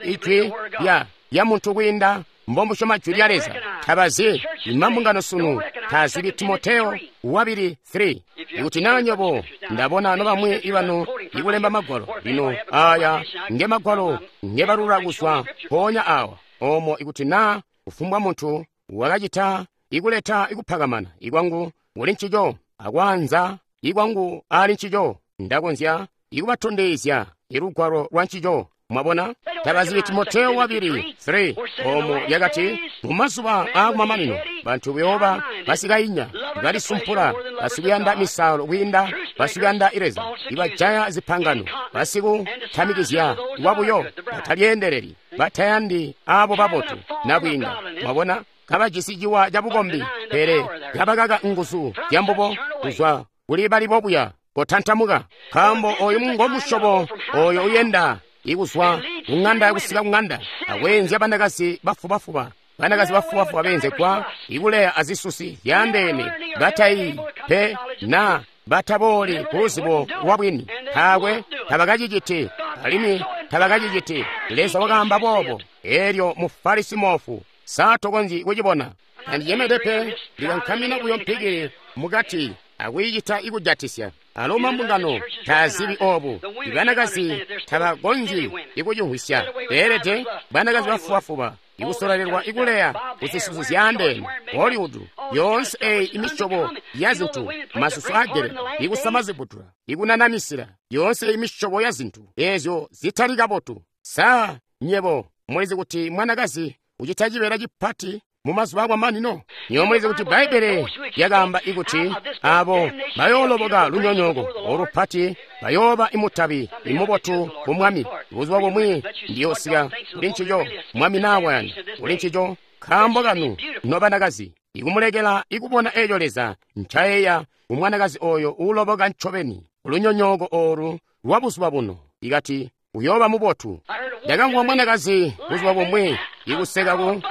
ijwi lya lya muntu kwiinda mbomusyoma jwi lya Leza. Tabazi imambungano sunu tazibi Timoteo wabili three. Ikuti naa nywebo ndabona nobamwi ibanu ikulemba magwalo lino, aya nge magwalo ngebalula kuzwa mpoonya awa omo. Ikuti naa kufumbwa muntu wakacita ikuleta ikupakamana ikwangu kuli ncico akwaanza ikwangu ali ncico, ndakonzya ikubatondezya ilugwalo lwa ncico. Mwabona, tabazibi Timoteo wabili three omo lyakati, mumazuba aakumamanino bantu buyooba basikainya, balisumpula, basikuyanda misaalo kwiinda basikuyanda Leza, ibajaya zipangano, basikutamikizya lwabuyo, batalyeendeleli, batayandi aabo babotu nabwiinga. Mwabona, kabajisi ciwa cabukombi, pele kabakaka nguzu zyambubo kuzwa kuli bali bobuya. Kotantamuka, nkaambo oyu ngo musyobo oyo uyenda ikuzwa kung'anda kusika kung'anda akweenzya banakazi bafubafuba, banakazi bafubafuba beenzegwa ikuleya azisusi zyaandeene, batayi pe na batabooli ku luzibo lwa bwini. Taakwe tabakaciciti, alimwi tabakaciciti. Leza wakaamba boobo. Elyo Mufarisi moofu, sa tokonzyi kucibona? Tandiyemede pe, ndikankamina buyo mpikili mukati akwiicita ikujatisya. Alo mambungano taazibi obu. Ibanakazi tabakonzyi ikucimvwisya. Beelede banakazi bafubafuba ikusololelwa ikuleya kuzisusi zyaandeene, Hollywood, yoonse eyi imisyobo ya zintu, masusu agele, ikusama zibutula, ikunanamisila, yoonse imisyobo ya zintu ezyo zitali kabotu. Sa nyebo mulizi kuti mwanakazi ucita cibeela cipati mu mazuba akwamanino? Nywebo mulizi kuti Bbaibbele lyakaamba ikuti abo bayooloboka lunyonyooko olupati bayooba imutabi imubotu ku Mwami. Buzuba bumwi ndiyoosika kuli ncico, Mwami naawayanda kuli ncico, nkaambo kanu nobanakazi, ikumulekela ikubona eeco Leza ncayeeya ku mwanakazi oyo uuloboka ncobeni lunyonyooko olu lwa buzuba buno. Ikati uyooba mubotu. Ndakamvwa mwanakazi buzuba bumwi ikuseka ku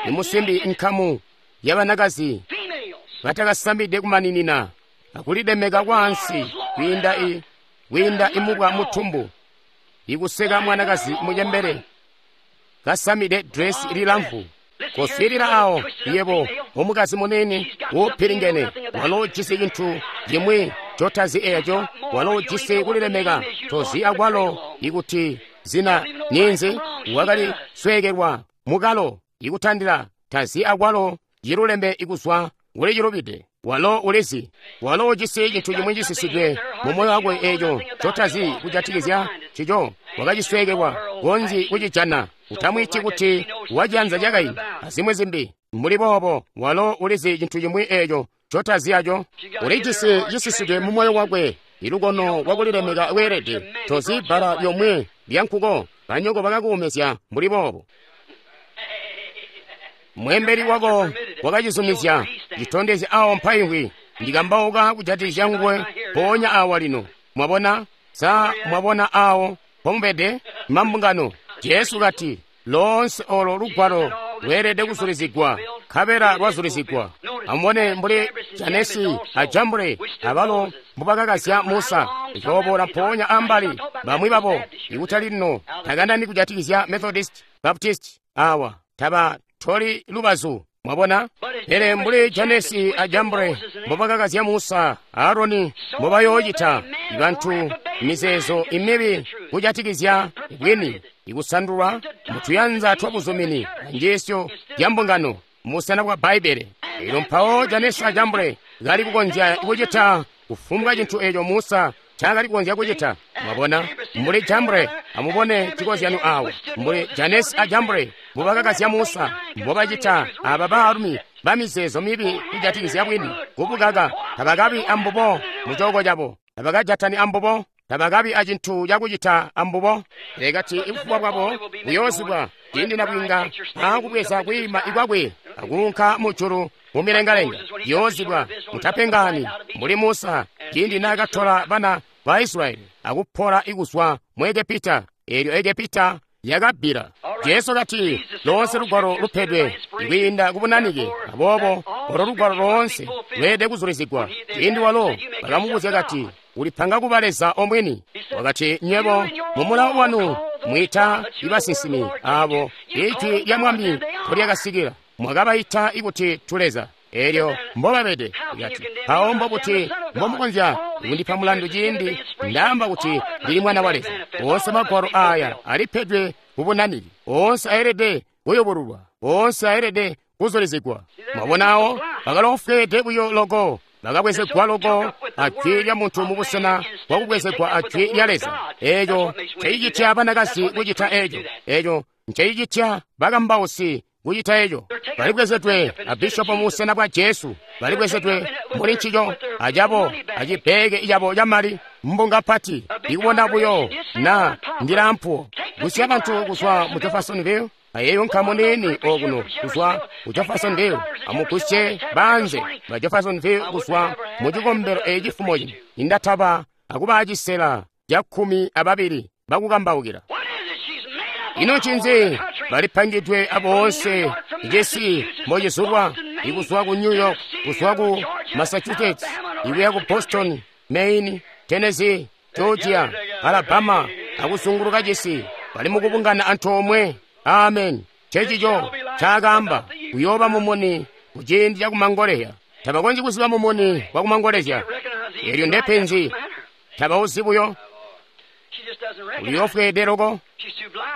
imusimbi nkamu yabanakazi batakasamide kumaninina akulidemeka kwaansi kwiinda i kwiinda imubwa mutumbu, ikuseka mwanakazi mucembele kasamide dresi lilamfu. Koswiilila awo yebo omukazi munene wopilingene, walo ujisi cintu cimwi cotazi eeco, walo ujisi kulilemeka tozi akwalo ikuti zina ninzi, wakali sweekelwa mukalo ikutandila tazi akwalo cilulembe ikuzwa kuli cilubide. Walo ulizi, walo ujisi cintu cimwi cisisidwe mu moyo wakwe eeco cotazi kujatikizya cico, wakacisweekelwa konzi kucijana. Utamwiiti kuti wacianza cakayi azimwi zimbi mbuli boobo. Walo ulizi cintu cimwi eeco cotazi aco, ulijisi cisisidwe mu moyo wakwe ilukono lwakulilemeka lweelede. Tozi bbala lyomwe lyankuko, banyoko bakakuumezya mbuli boobo. Mwembeli wako wakacizumizya, citondezya awo mpaimvwi. Ndikambauka kujatikizya nguwe mpoonya awa lino. Mwabona? Sa mwabona awo pomubede mambungano? Jesu kati, loonse olo lugwalo lweelede kuzulizigwa, nkabela lwazulizigwa. Amubone mbuli Janesi a Jambure abalo mbubakakazya Musa. Icooboola mpoonya ambali bamwi babo, ikutali lino takandani kujatikizya Methodist, Baptist awa taba toli lubazu. Mwabona? Pele mbuli Janesi a Jambure mbubakakazya Musa, Aroni mbubayoocita bantu mizeezo imibi kujatikizya bwini, ikusandulwa mutuyanza twabuzumini anjiisyo ya mbungano musana bwa Bbaibbele. Elyo mpawo Janesi a Jambure kali kukonzya kucita kufumbwa cintu eeco Musa ncaakali kukonzya kucita. Mwabona? Mbuli Jambure, amubone cikozyano awo, mbuli Janesi a Jambure mbubakakazya Musa, mbubacita aba baalumi bamizeezo mibi kujatikizya bwini, kubukaka. Tabakabi ambubo mucooko cabo, tabakajatani ambubo, tabakabi acintu cakucita ambubo. Lekati ibufuba bwabo buyoozibwa ciindi nabwiinga aakubweza kwiima ikwakwe akuunka mujulu mumilengalenga. Yoozibwa, mutapengani mbuli Musa ciindi naakatola bana ba Israyeli akupola ikuzwa mu Egepita, eelyo Egepita yakabbila. Jesu kati, loonse lugwalo lupedwe ikwiinda kubunanike, aboobo olo lugwalo loonse lweelede kuzulizigwa. Ciindi walo bakamubuzya kati, ulipanga kuba Leza omwini. Wakati, nywebo mumulawo wanu mwita ibasinsimi abo ijwi lya Mwami nkolyakasikila, mwakabaita ikuti tuleza. Elyo mbobabede. Kati, mpawo mbobuti mbomukonzya kundipa mulandu ciindi ndaamba kuti ndili mwana wa Leza? Oonse magwalo aya alipedwe kubunaniki, oonse ayelede kuyubululwa, oonse ayelede kuzulizigwa. Mwabonawo bakalofweede buyo loko, bakabwezegwa loko ajwi lya muntu mubusena bwakubwezegwa ajwi lya Leza. Eeco ncecicitya banakazi kucita eeco, eeco ncecicitya bakambausi kucita eeco. Balibwezedwe a bishopo mubusena bwa Jesu, balibwezedwe muli ncico acabo acibbeeke cabo camali, mbunga pati ikubona buyo na ndilampuwo kusya bantu kuzwa mu Jeffersonville ayeyo nkamu nini okuno kuzwa ku Jeffersonville, amugusye banze ba Jeffersonville kuzwa mu cikombelo eci fumo cino. Indataba akuba cisela ca kkumi ababili bakukambaukila. Ino ncinzi? Balipangidwe aboonse cisi mbocizulwa, ikuzwa ku New York, kuzwa ku Massachusetts, ikuya ku Boston, Maine, Tennessee, Georgia, Alabama, akuzunguluka cisi, bali mukubungana antoomwe. Amen. Ncencico ncaakaamba, kuyooba mumuni kuciindi cakumangolezya. Tabakonzyi kuziba mumuni wakumangolezya. Eelyo ndepenzi. Tabauzi buyo. Uliofweede loko.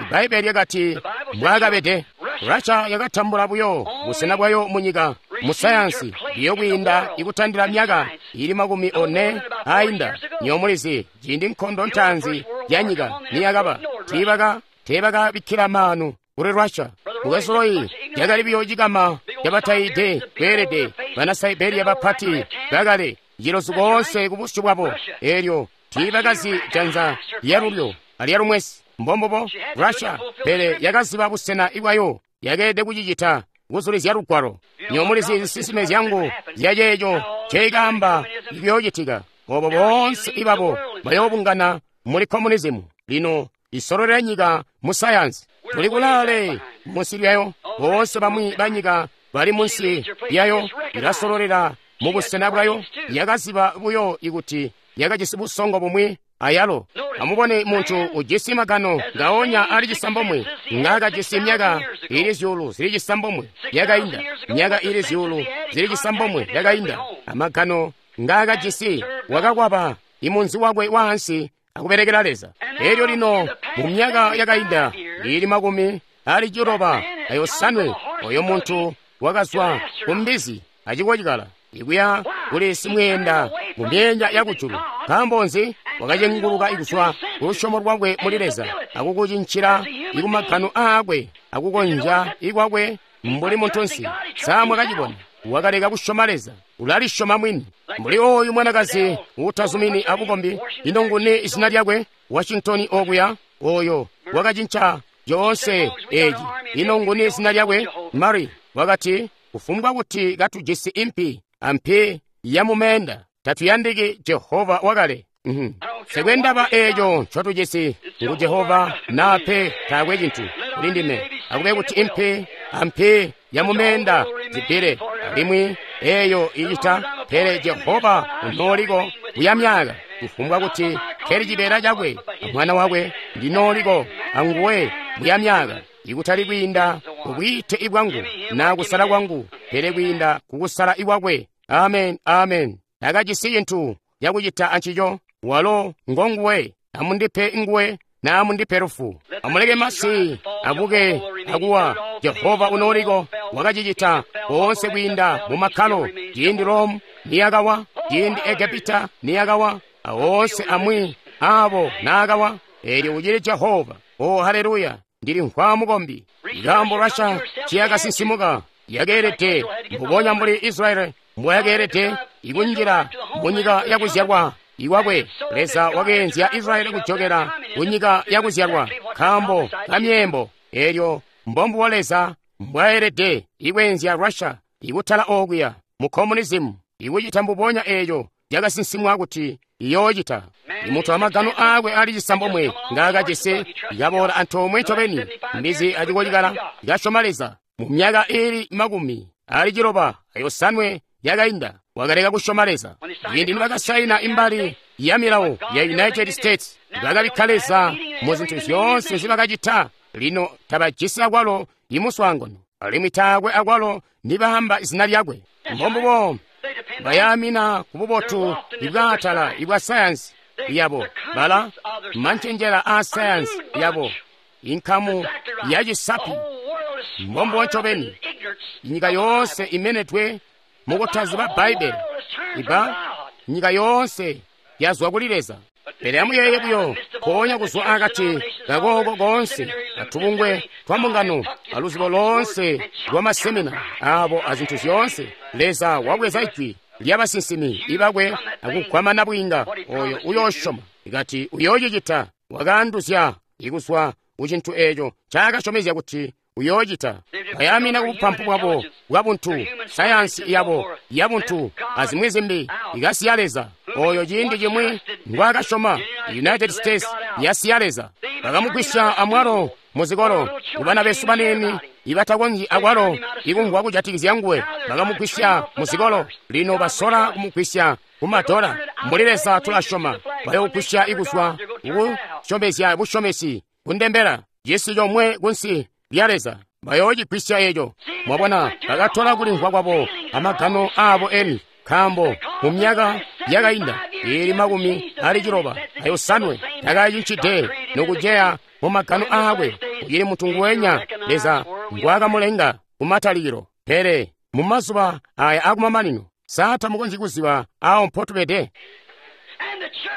Ibbaibbele lyakati mbwaakabede. Russia yakatambula buyo busena bwayo munyika mu sayansi biyo kwiinda ikutandila myaka ili makumi one ainda. Nyomulizi ciindi nkondo ntaanzi ya nyika niyakaba, tiibaka teebakabikkila maanu kuli Russia. Mukwesu yakali biyo cikama cabataide kweelede bana Siberia bapati bakale cilozu koonse kubusyu bwabo. Eelyo tiibakazi janza lyalulyo alyalumwesi. Mbombubo Russia, pele yakaziba busena bwayo, yakeelede kucicita kuzulizya lugwalo. Nyomulizi zisinsime zyangu zyaceeco nceikaamba ikuyoocitika. Obo boonse ibabo bayoobungana muli komunizimu. Lino isololera nyika mu sayansi. Tuli kulaale munsi lyayo. Boonse bamwi banyika bali munsi lyayo. Ilasololera mu busena bwayo. Yakaziba buyo ikuti yakajisi busongo bumwi ayalo. Amubone muntu ujisi magano ngaonya ali cisambomwe ngakajisi myaka ili zyuulu zili cisambomwe yakainda, myaka ili zyuulu zili cisambomwe yakainda. Amagano ngakajisi wakakwaba imunzi wakwe waansi akubelekela Leza. Elyo lino mu myaka yakainda ili makumi ali ciloba ayosanwe, oyo muntu wakazwa ku mbizi acikocikala ikuya kuli simweenda mu myenya yakujulu. Nkaambo nzi? Wakacenguluka ikuzwa ku lusyomo lwakwe muli Leza akukucincila ikumagano aakwe akukonzya ikwakwe mbuli muntunsi. Samwa kacibona, wakaleka kusyoma Leza, ulalisyoma mwini. Mbuli oyu mwanakazi uutazumini abukombi, ino nguni izina lyakwe? Washington okuya, oyo wakacinca coonse eci. Ino nguni izina lyakwe? Mary wakati, kufumbwa kuti katujisi impi ampi yamumeenda, tatuyandiki Jehova wakale. Mm-hmm. Sekwendaba eeco ncotujisi ngu Jehova nape taakwe cintu kuli ndime. Akube kuti impi ampi yamumeenda zibbile alimwi eeyo icita, pele Jehova unooliko kuya myaka. Kufumbwa kuti keli cibeela cakwe amwana wakwe, ndinooliko anguwe muya myaka, ikutali kwiinda kubwiite ibwangu na kusala kwangu, pele kwiinda kukusala ikwakwe. Amen, amen. Takajisi cintu cakucita ancico. Walo ngonguwe. Amundipe nguwe na amundipe lufu. Amuleke masi abuke akuwa. Jehova unooliko wakacicita koonse kwiinda mu makkalo. Ciindi Rome niyakawa, ciindi Egepita niyakawa, awoonse amwi abo naakawa, eelyo ucili Jehova. Oh, haleluya! Ndili nkhwa mukombi. Nkaambo Russia ciyakasinsimuka yakeelede mbubonya mbuli Israeli mbwayakeelede ikunjila munyika yakuzyalwa iwakwe. Leza wakeenzya Israeli kujokela kunyika yakuzyalwa nkaambo kamyeembo. Eelyo mbombubo Leza mbwaelede ikweenzya Russia ikutala okuya mu communism, ikucita mbubonya eeco cakasinsimwa kuti iyoocita. Imuntu amagano aakwe ali cisambomwe ngaakajisi ikaboola antoomwe ncobeni mbizi acikolikala ikasyoma Leza. Mu myaka ili makumi ali ciloba ayosanwe yakainda wakaleka kusyoma Leza. Ciindi nibakasaina imbali ya milawo ya United States, bakabikka Leza mu zintu zyoonse nzibakacita. Lino tabajisi akwalo imuswaangano, alimwi taakwe akwalo nibaamba izina lyakwe. Mbombubo bayaamina ku bubotu ibwaatala ibwa sayansi yabo, bala mancenjela a sayansi yabo, inkamu ya cisapi. Mbombubo ncobeni nyika yoonse imenedwe mukutaziba Bbaibbele. Iba nyika yoonse yazwa kuli Leza. Pele amuyeeye buyo, mpoonya kuzwa akati kakooko koonse katubungwe twa mbungano aluzibo loonse lwa masemina abo azintu zyoonse, Leza wabweza ijwi lyabasinsimi ibakwe akugwamana bwiinga oyo uyoosyoma ikati uyoocicita. Wakaanduzya ikuzwa kucintu eeco ncaakasyomezya kuti uyoocita. Bayamina kubupampu bwabo bwabuntu, sayansi yabo yabuntu azimwi zimbi, ikasiya Leza. oyo ciindi cimwi ngwaakasyoma. United States yasiya Leza. Bakamugwisya amwalo muzikolo kubana besu baniini ibatakonzyi akwalo ikumvwa kujatikizya nguwe. Bakamugwisya muzikolo, lino basola kumugwisya kumadola. Mbuli Leza tulasyoma, bayogwisya ikuzwa kukusyomezya busyomesi kundembela cisi comwe kunsi lya Leza, bayoocigwisya eco. Mwabona, bakatola kulimvwa kwabo amagano aabo eni, nkaambo mu myaka yakainda ili makumi ali ciloba ayosanwe takacincide nokuceya mu magano aakwe. Ucili muntu nguwenya Leza ngwaakamulenga kumatalikilo. Pele mu mazuba aya akumamanino, sa tamukonzyi kuziba awo mpotubede?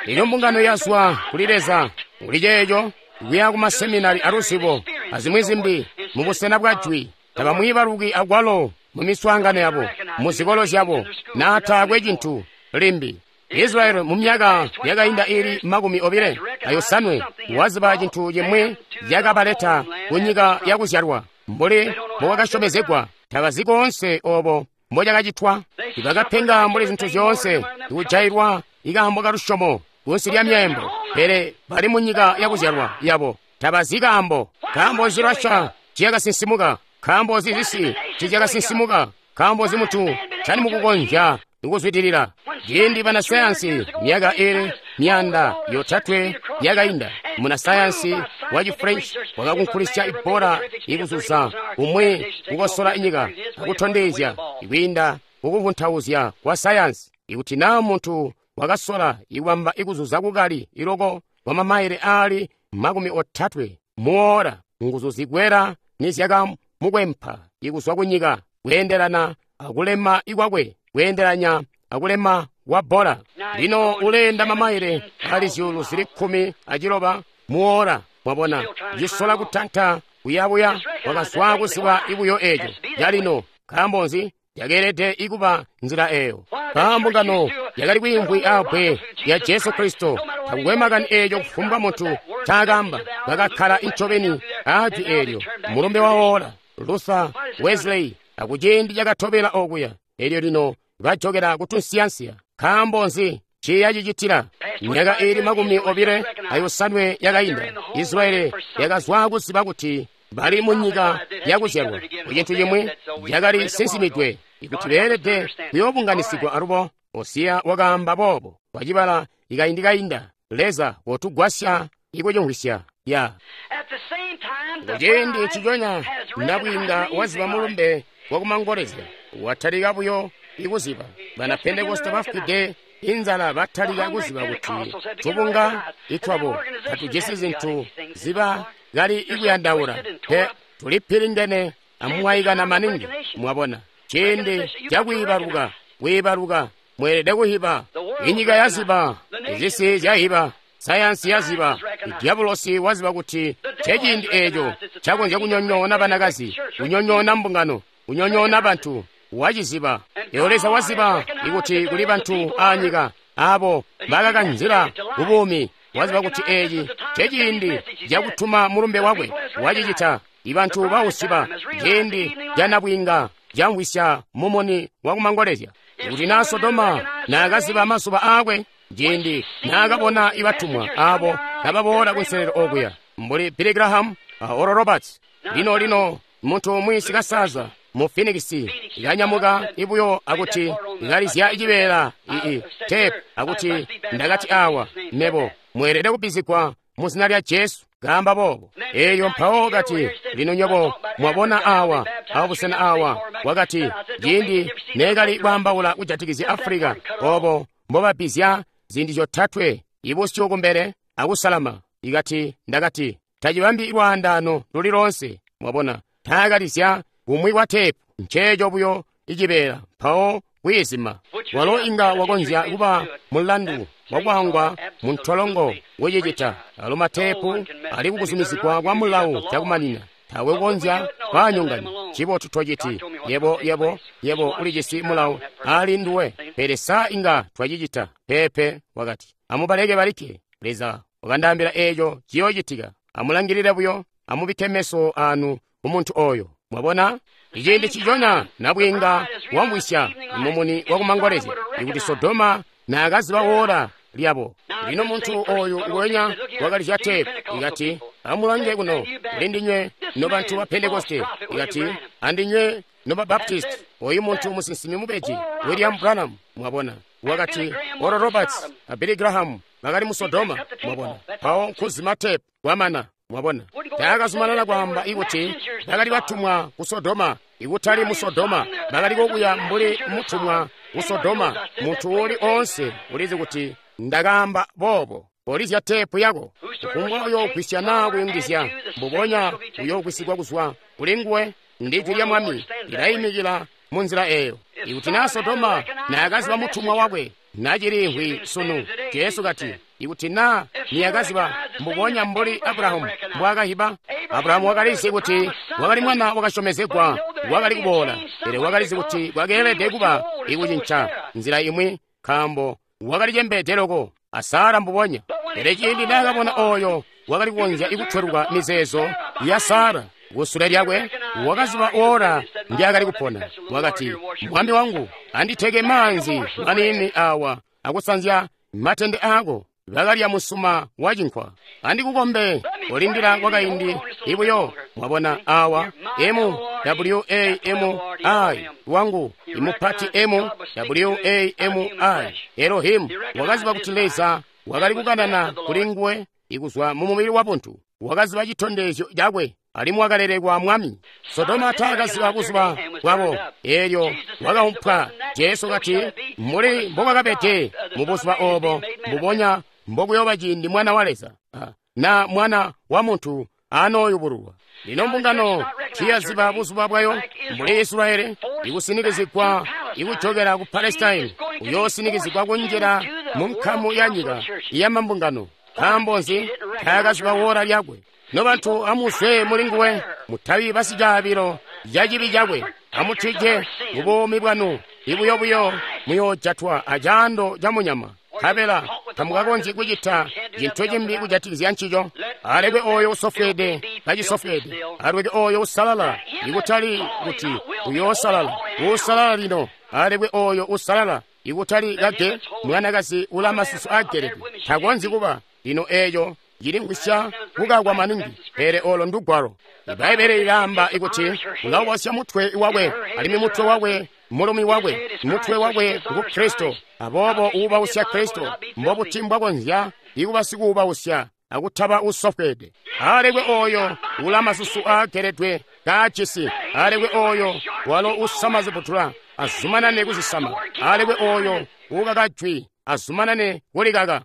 Elyo mbungano yazwa kuli Leza kuli ceeco kuya kumaseminari aluzibo azimwi zimbi mu busena bwa jwi. Tabamwiibaluki akwalo mu miswaangano yabo, mu zikolo zyabo, na taakwe cintu limbi. Israeli mu myaka yakainda ili makumi obile ayosanwe waziba cintu cimwi yakabaleta ku nyika yakuzyalwa mbuli mbowakasyomezegwa. Tabazi koonse obo mbocakacitwa. Ibakapenga mbuli zintu zyoonse, ikujailwa ikaambo kalusyomo kunsi lya myeembo, pele bali mu nyika yakuzyalwa yabo. Tabazi kaambo. Nkaambo nzi Russia ciyakasinsimuka? Nkaambo nzi zisi cizyakasinsimuka? Nkaambo nzi muntu cali mukukonzya ikuzwidilila? Ciindi banasayansi myaka ili myanda yotatwe yakainda, munasayansi waci French wakakunkulisya ibbola ikuzuza kumwi kukosola inyika akutondezya ikwiinda kukuvuntauzya kwa sayansi ikuti naa muntu wakasola ikubamba ikuzuza kukali iloko kwa mamaile aali makumi otatwe muora, nguzu zikwera nizyakamukwempa ikuzwa kunyika kweendelana akulema ikwakwe kweendelanya akulema kwa bbola. Lino uleenda mamaile ali zyuulu zili kkumi aciloba muora. Mwabona, cisola kutanta kuyabuya, wakazwa kuziba ibuyo eco calino. Nkaambo nzi? Yakeelede ikuba nzila eyo. Mbungano yakali kwiimvwi abbwe ya Jesu Kristo. Takukwe makani eeco kufumbwa muntu ncaakaamba, bakakkala incobeni aajwi eelyo. Mulumbe wa oora, Luther, Wesley, akuciindi cakatobela okuya. Elyo lino bajokela kutunsiyansiya. Nkaambo nzi ciya cicitila? Myaka ili makumi obile ayosanwe yakainda, Israeli yakazwa kuziba kuti bali mu nyika yakuzyalwa ku cintu cimwi cakali sinsimidwe ikuti beelede kuyoobunganisigwa alubo. Hosiya wakaamba boobo wacibala ikaindi kainda. Leza wotugwasya ikucimvwisya ya kuciindi nciconya nabwiinga waziba mulumbe wakumangolezya watalika buyo ikuziba. Bana Pentekoste bafwide inzala batalika kuziba kuti tubunga itwabo tatujisi zintu ziba kali ikuyandaula pe, tulipilingene amwaikana maningi. Mwabona, ciindi cakwiibaluka kwiibaluka mweelede kuhiba. Inyika yaziba, izisi zyahiba, sayansi yaziba, idyabulosi waziba kuti ceciindi eeco cakonzya kunyonyoona banakazi, kunyonyoona mbungano, kunyonyoona bantu. Waciziba. Eyo Leza waziba ikuti kuli bantu aanyika abo bakakanzila kubuumi. Waziba kuti eeci ceciindi cakutuma mulumbe wakwe. Wacicita. Ibantu bausiba ciindi canabwiinga camvwisya mumuni wakumangolezya. Kuti naa Sodoma naakaziba mazuba aakwe, ciindi naakabona ibatumwa abo kababoola kunselelo okuya mbuli Billy Graham a Oral Roberts. Lino lino muntu umwi sikasaza mu Phoenix ikanyamuka ibuyo akuti ikalizya cibeela ii tape akuti ndakati awa mebo mweelede kubbizigwa mu zina lya Jesu kaamba boobo. Eyo mpawo kati lino nyobo mwabona awa awa busena awa wakati ciindi neekali kwaambaula kujatikizya Afrika obo mbobabbizya ziindi zyotatwe ibusyu kumbele akusalama. Ikati ndakati tacibambi lwaandaano luli loonse. Mwabona, taakalizya kumwi kwa tepu nceeco buyo icibeela mpawo kwiizima. Walo inga wakonzya kuba mulandu wakwangwa mu ntolongo kucicita. Alo matepu ali kukuzumizigwa kwa mulawu cakumanina. Tawe kukonzya kwaanyonganya. Cibotu tociti yebo yebo yebo ulijisi mulawu ali nduwe, pele sa inga twacicita? Peepe, wakati amubaleke balikke. Leza wakandaambila eeco ciyoocitika. Amulangilile buyo, amubikke meso anu ku muntu oyo. Mwabona, iciindi ciconya nabwiinga wamvwisya mumuni wakumangolezya ikuti Sodoma naakaziba oora lyabo. Lino muntu oyu nguwenya wakalizya teepu, ikati, amulange kuno, kuli ndinywe nobantu ba Pentekoste, ikati, andinywe noba Baptist, oyu muntu musinsimi mubeji, William Branham, mwabona. Wakati, Oral Roberts a Billy Graham bakali mu Sodoma, mwabona. Mpawo nkuzima teepu, kwamana, mwabona. Taakazumanana kwaamba ikuti bakali batumwa ku Sodoma, ikutali mu Sodoma, bakali kokuya mbuli mutumwa ku Sodoma. Muntu uli oonse ulizi kuti ndakaamba boobo. Polizya teepu yako. Kufumbwa uyoogwisya naa kuyungizya, mbubonya uyoogwisigwa kuzwa kuli nguwe. Ndi jwi lya Mwami lilaimikila mu nzila eyo. Ikuti naa Sodoma naakaziba mutumwa wakwe, nachiliimvwi sunu. Jesu kati, ikuti naa niyakaziba mbubonya mbuli Abrahamu mbwaakahiba. Abrahamu wakalizi kuti wakali mwana wakasyomezegwa wakali kuboola, pele wakalizi kuti kwakeelede kuba ikucinca nzila imwi, nkaambo wakali cembeede loko a Sara mbubonya. Pele ciindi naakabona oyo wakali kukonzya ikutweluka mizeezo ya Sara kusule lyakwe, wakaziba ora ndyakali kupona. Wakati, Mwami wangu, anditeke maanzi maniini awa akusanzya matende aako. Bakalya musuma wa cinkwa. Andikukombe olindila kwakaindi ibuyo. Mwabona awa M W A M I wangu imupati M W A M I Elohim wakaziba kuti Leza wakali kukanana kuli nguwe ikuzwa mu mubili wa buntu. Wakaziba chitondezyo chakwe alimwi wakalelekwa Mwami. Sodoma taakaziba buzuba bwabo, eelyo wakaumpwa. Jesu kati, muli mbobwakabede mu buzuba obo, mbubonya mbokuyoba ciindi Mwana wa Leza na Mwana wa Muntu anooyubululwa. Lino mbungano tiyaziba buzuba bwayo mbuli Israeli ikusinikizigwa ikujokera ku Palestine, uyoosinikizigwa kunjila mu nkamu ya nyika ya mambungano. Nkaambo nzi? Taakaziba wora lyakwe. Nobantu amuzwe muli nguwe, mutabi basicaabilo ca cibi cakwe, amutije bubuumi bwanu ibuyobuyo muyoojatwa acaando ca munyama. Nkabela tamukakonzyi kucita cintu cimbi kujatikizya ncico. Alekwe oyo usofweede kacisofweede, alekwe oyo usalala ikutali kuti uyoosalala, usalala lino, alekwe oyo usalala ikutali kage mwanakazi ula masusu agelede, takonzyi kuba lino. Eeyo cilimvwisya kukakwa maningi, pele olo ndugwalo. Ibbaibele lilaamba ikuti ulawasya mutwe wakwe, alimwi mutwe wakwe mulumi wakwe, mutwe wakwe ngu Kristo. Aboobo uubausya Kristo mbobuti mbwakonzya ikuba sikuubausya akutaba usofweede? Alekwe oyo ula masusu aageledwe kaajisi, alekwe oyo walo usama zibutula azumanane kuzisama, alekwe oyo uukaka jwi azumanane kulikaka.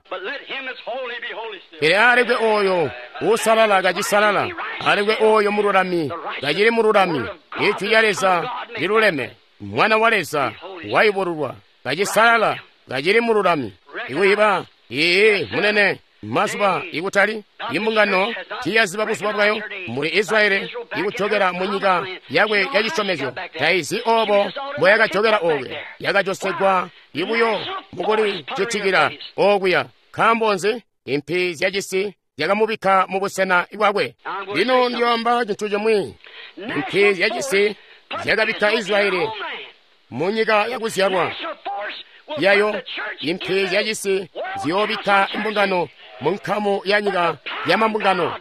Pele alekwe oyo usalala kacisalala, alekwe oyo mululami kacili mululami. Ijwi lya Leza liluleme, Mwana wa Leza wayubululwa kacisalala kacili mululami. Ikuyiba ii munene mazuba ikutali imbungano tiyaziba buzuba bwayo muli Israeli ikujokera mu nyika yakwe ya cisyomezyo. Taizi obo mbwayakajokera okuya, yakajosegwa ibuyo mukuli citikila okuya. Nkaambo nzi? Impi zyacisi zyakamubikka mu busena bwakwe. Lino ndiyoamba cintu cimwi. Impi zyacisi zyakabikka Israeli mu nyika yakuzyalwa yayo. Impi zyacisi ziyoobikka mbungano mu nkamu ya nyika ya mambungano,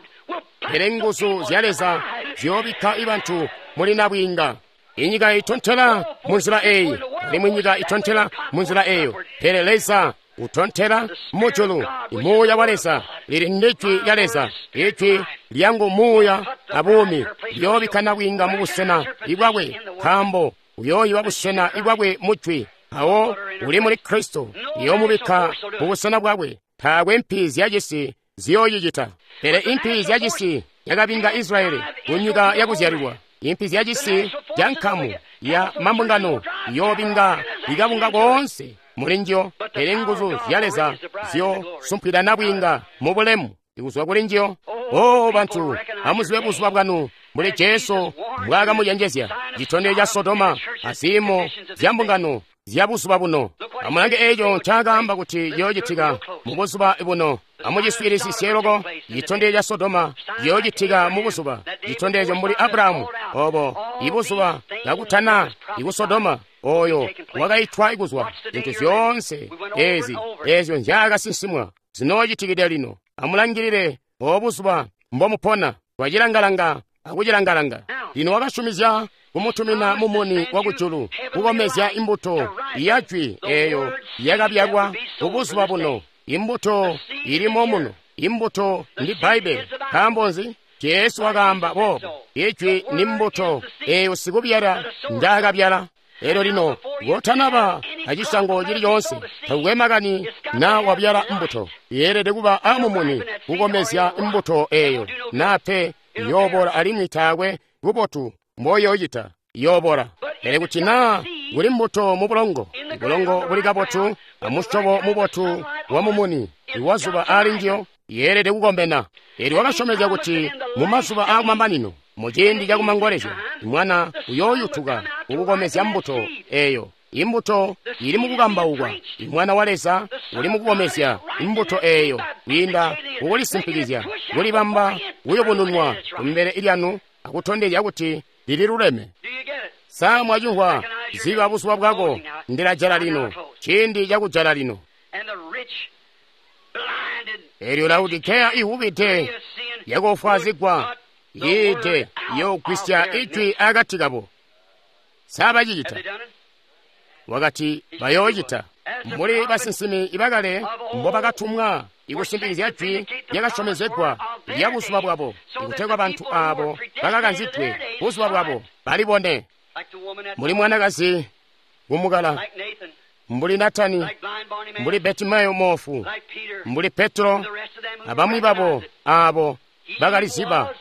pele nguzu zya Leza ziyoobikka ibantu muli nabwiinga. Inyika itontela mu nzila eyi, alimwi nyika itontela mu nzila eyo, pele Leza utontela mujulu. Muuya wa Leza lili ndijwi lya Leza. Ijwi lyangu muuya abuumi liyoobikka nabwiinga mu busena ibwakwe, nkaambo uyooyiba busena ibwakwe mujwi. Awo uli muli Kristo iyoomubikka mu busena bwakwe. Taakwe mpi zyacisi ziyooyicita, pele impi zyacisi yakabinga Israeli ku nyika yakuzyalilwa. Impi zyacisi ca nkamu ya mambungano iyoobinga ikabunga koonse muli njiyo, pele nguzu zya Leza ziyoosumpwida nabwiinga mu bulemu ikuzwa kuli njiyo. O bantu, amuzibe buzuba bwanu mbuli Jesu mbwaakamucenjezya. Citondezyo ca Sodoma aziimo zya mbungano zya buzuba buno. Amulange eeco ncaakaamba kuti ciyoocitika mu buzuba buno. Amuciswiilisisye loko. Citondezyo ca Sodoma ciyoocitika mu buzuba. Citondezyo mbuli Abrahamu obo ibuzuba kakutana iku Sodoma. oyo wakaitwa kuzwa zintu zyoonse ezi ezyo nzyaakasinsimwa zinoocitikide lino. Amulangilile obuzuba mbomupona. Twacilangalanga akucilangalanga. Lino wakasyomezya kumutumina mumuni wakujulu kukomezya imbuto ya jwi eyo yakabyalwa kubuzuba buno. Imbuto ilimo muno. Imbuto ndi Bbaibbele. Nkaambo nzi? Jesu wakaamba boobo. Ijwi ni mbuto eyo sikubyala njaakabyala. Elyo lino kotanaba acisyango cili coonse, takukwe makani na wabyala mbuto, yeelede kuba amumuni kukomezya mbuto eyo, na pe yoobola alimwi taakwe bubotu mboyoocita, yoobola. Pele kuti naa kuli mbuto mu bulongo, bulongo buli kabotu amusyobo mubotu wa mumuni iwazuba ali njiyo, yeelede kukomena. Elyo wakasyomezya kuti mu mazuba aakumamanino, muciindi cakumangolezya, mwana uyooyutuka kukukomezya mbuto eyo. Imbuto ili mukukambaukwa. Mwana wa Leza uli mukukomezya imbuto eyo kwiinda kukulisimpikizya, kulibamba kuyubununwa kumbele lyanu akutondezya kuti lililuleme. Sa mwacimvwa? Ziba buzuba bwako. Ndilajala lino, ciindi cakujala lino. Elyo Laodikeya ihubide yakofwazigwa yiide yoogwisya ijwi akati kabo. Sa bacicita? Wakati bayoocita. Mbuli basinsimi ibakale mbobakatumwa ikusimpikizya jwi lyakasyomezegwa lya buzuba bwabo, ikutegwa bantu aabo bakakanzidwe buzuba bwabo balibone. Mbuli mwanakazi kumukala, mbuli Natani, mbuli Betimayo moofu, mbuli Petro abamwi babo aabo bakaliziba.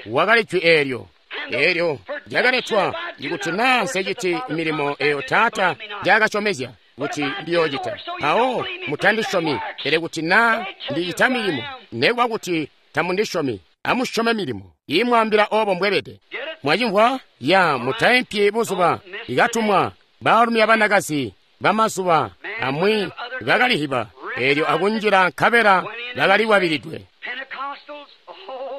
Wakali jwi eelyo. Eelyo lyakaletwa ikuti naa nseciti milimo eyo Taata njaakasyomezya kuti ndiyoocita, mpawo mutandisyomi. Pele kuti naa ndicita milimo, nekuba kuti tamundisyomi, amusyome milimo imwaambila oobo mbwebede. Mwacimvwa? Ya mutaimpyi buzuba ikatumwa baalumi abanakazi bamazuba amwi bakalihiba eelyo akunjila nkabela bakaliwabilidwe.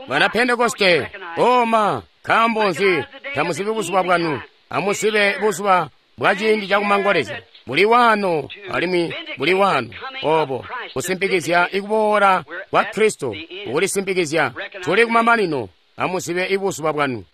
Bana Pentekoste, oma, nkaambo nzi tamuzibi buzuba bwanu? Amuzibe buzuba bwa ciindi cakumangolezya. Buli wano alimwi buli wano. Obo kusimpikizya ikuboola kwa Kristo, ukulisimpikizya. Tuli kumamanino. Amuzibe ibuzuba bwanu.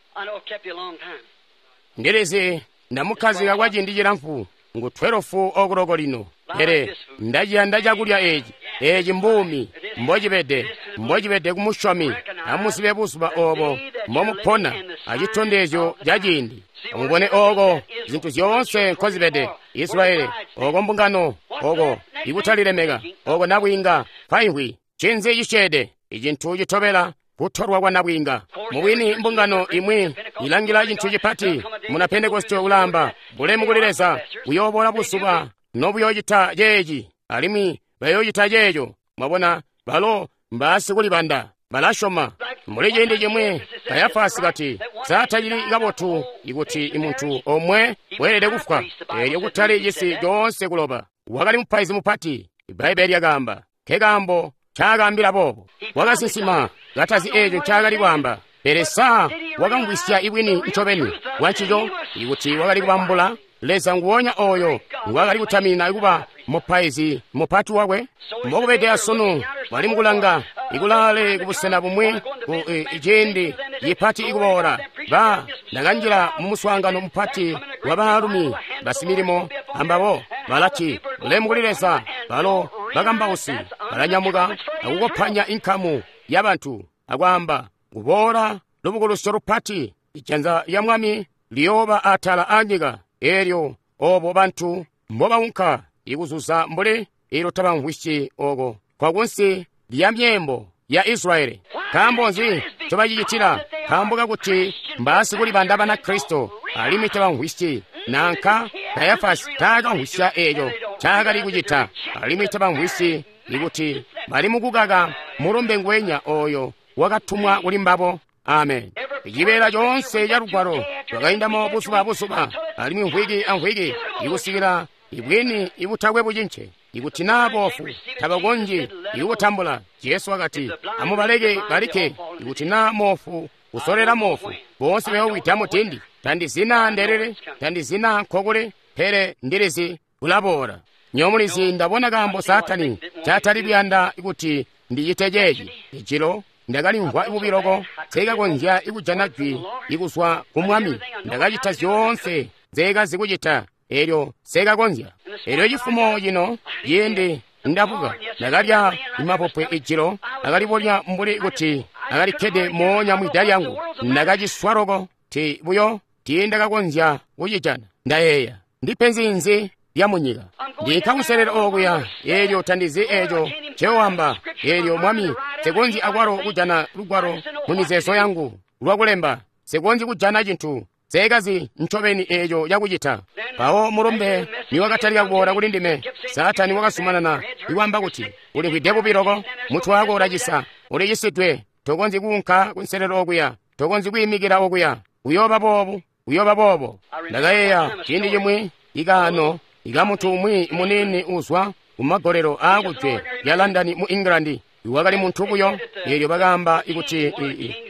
Ndilizi ndamukhazika kwa ciindi cilamfu, ngu twelofu okuloko lino. Pele ndaciyanda cakulya eci. Eci mbuumi mbocibede, mbocibede kumusyomi. Amuzibe buzuba obo mbomupona acitondezyo ca ciindi. Amubone oko zintu zyoonse nkozibede. Israeli, oko mbungano, oko ikutalilemeka, oko nabwiinga paihwi. Ncinzi cisyeede? Icintu citobela kutolwa kwa nabwiinga. Mubwini mbungano imwi ilangila cintu cipati. Muna Pentekoste ulaamba, bulemu kuli Leza, buyoobola buzuba nobuyoocita ceeci, alimwi bayoocita ceeco. Mwabona, balo mbaasikulibanda, balasyoma. Mbuli ciindi cimwi Kayafasi kati, sa tacili kabotu ikuti muntu omwe weelede kufwa, eelyo kutali cisi coonse kuloba. Wakali mupaizi mupati, Bbaibbele lyakaamba. Nkekaambo ncaakaambila boobo. Wakasinsima katazi eeco ncaakali kwaamba. Pele sa wakamvwisya ibwini ncobeni bwancico, ikuti wakali kubambula Leza nguwonya oyo ngwakali kutaminina kuba mupaizi mupati wakwe. Mbokubede asunu bali mukulanga ikulaale kubusena bumwi ku ciindi cipati ikuboola. Ba ndakanjila mu muswaangano mupati wa baalumi basimilimo ambabo balati, bulemu kuli Leza. Balo bakambausi balanyamuka akukopanya inkamu yabantu akwaamba, kuboola lubukulusyo lupati, ijanza lya Mwami liyooba atala anyika. Eelyo obo bantu mbobaunka ikuzuza mbuli ilo tabamvwisyi oko kwakunsi lya myeembo ya Israeli. Nkaambo nzi ncobacicitila? Nkaambo kakuti mbaasikulibanda bana Kristo alimwi tabamvwisyi. Nanka Kayafasi taakamvwisya eeco ncaakali kucita, alimwi tabamvwisyi ikuti bali mukukaka mulumbe ngwenya oyo wakatumwa kuli mbabo. Amen. Cibeela coonse ca lugwalo lwakaindamo buzuba buzuba alimwi mvwiki amvwiki ikusikila ibwini ibutakwe bucince. Ikuti naa boofu tabakonzyi ikutambula, Jesu wakati, amubaleke balikke. Ikuti naa moofu kusolela moofu, boonse bayowida mudindi. Tandizina ndelele, tandizina nkokuli, pele ndilizi kulaboola. Nyomulizi ndabona kaambo Saatani catali kuyanda kuti ndicite ceeci. Ijilo ndakalimvwa bubi loko, nseekakonzya kujana jwi ikuzwa ku Mwami. Ndakacita zyoonse nzeekazi kucita, elyo nseekakonzya. Elyo cifumo cino ciindi ndabuka, ndakalya mapopwe ijilo, akalibonya mbuli kuti akalikkede moonya mwida lyangu. Ndakaciswa loko, ti buyo tiindakakonzya kucijana. Ndayeeya, ndipenzi nzi lya munyika? Ndinka kuselera okuya, elyo tandizi eco nceoamba. Elyo Mwami, nsekonzyi akwalo kujana lugwalo mu mizeezo yangu lwakulemba. Nsekonzyi kujana cintu, nseekazi ncobeni eco cakucita. Mpawo mulumbe niwakatalika kuboola kuli ndime, Saatani wakazumanana ikwaamba kuti, ulimvwide bubi loko, mutwe wako ulacisa, ulicisidwe, tokonzyi kuunka kunselelo okuya, tokonzyi kwiimikila okuya, uyooba boobu, uyooba boobo. Ndakayeeya ciindi cimwi ikaano ikamuntu umwi muniini uzwa kumagolelo aakujwe lya London mu England, wakali muntu buyo. Eelyo bakaamba kuti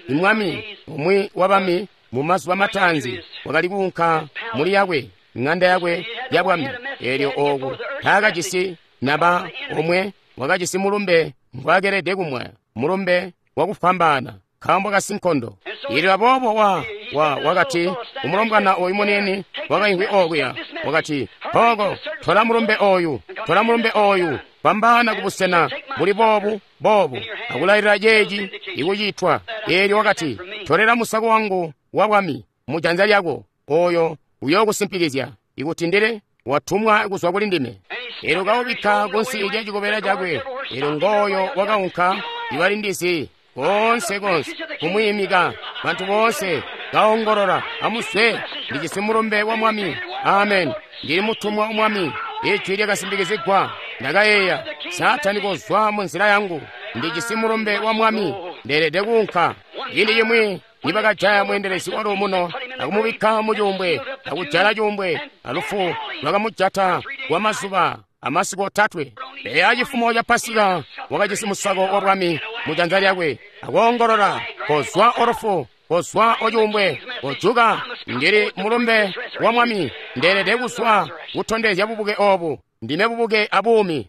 imwami umwi wabami mu mazuba mataanzi wakali kuunka muli yakwe ng'anda yakwe ya bwami. Eelyo ooku taakajisi naba omwe wakajisi mulumbe ngwaakelede kumwaya, mulumbe wakufwambaana nkaambo kasinkondo. Eelyo aboobo wa wa wakati umulombwana oyu muniini wakaimvwi okuya, wakati, "Hoko, tola mulumbe oyu, tola mulumbe oyu, fwambaana kubusena buli boobu boobu, akulailila ceeci ikucitwa." Eelyo wakati, "Tolela musako wangu wa bwami mu janza lyako, oyo uyookusimpikizya ikuti ndile watumwa kuzwa kuli ndime." Eelyo kaubikka kunsi lya cikobela cakwe. Eelyo ngooyo wakaunka ibalindizi konse konse kumwiimika, bantu boonse kaongolola, "Amuzwe, ndijisi mulumbe wa Mwami. Amen, ndili mutumwa wa Mwami." Ijwi lyakasimpikizigwa. Ndakayeeya, Saatani kozwa mu nzila yangu, ndijisi mulumbe wa Mwami, ndeelede kuunka. Ciindi cimwi nibakajaya mweendelezi wa luumuno akumubikka mu cuumbwe akujala cuumbwe, alufu lwakamujata kwa mazuba amasiku otatwe. Eya cifumo ca Pasika wakajisi musako wa bwami mu janza lyakwe, akoongolola, "Kozwa olufu, kozwa ocuumbwe, kojuka, ndili mulumbe wa Mwami, ndeelede kuzwa kutondezya bubuke obu, ndime bubuke abuumi."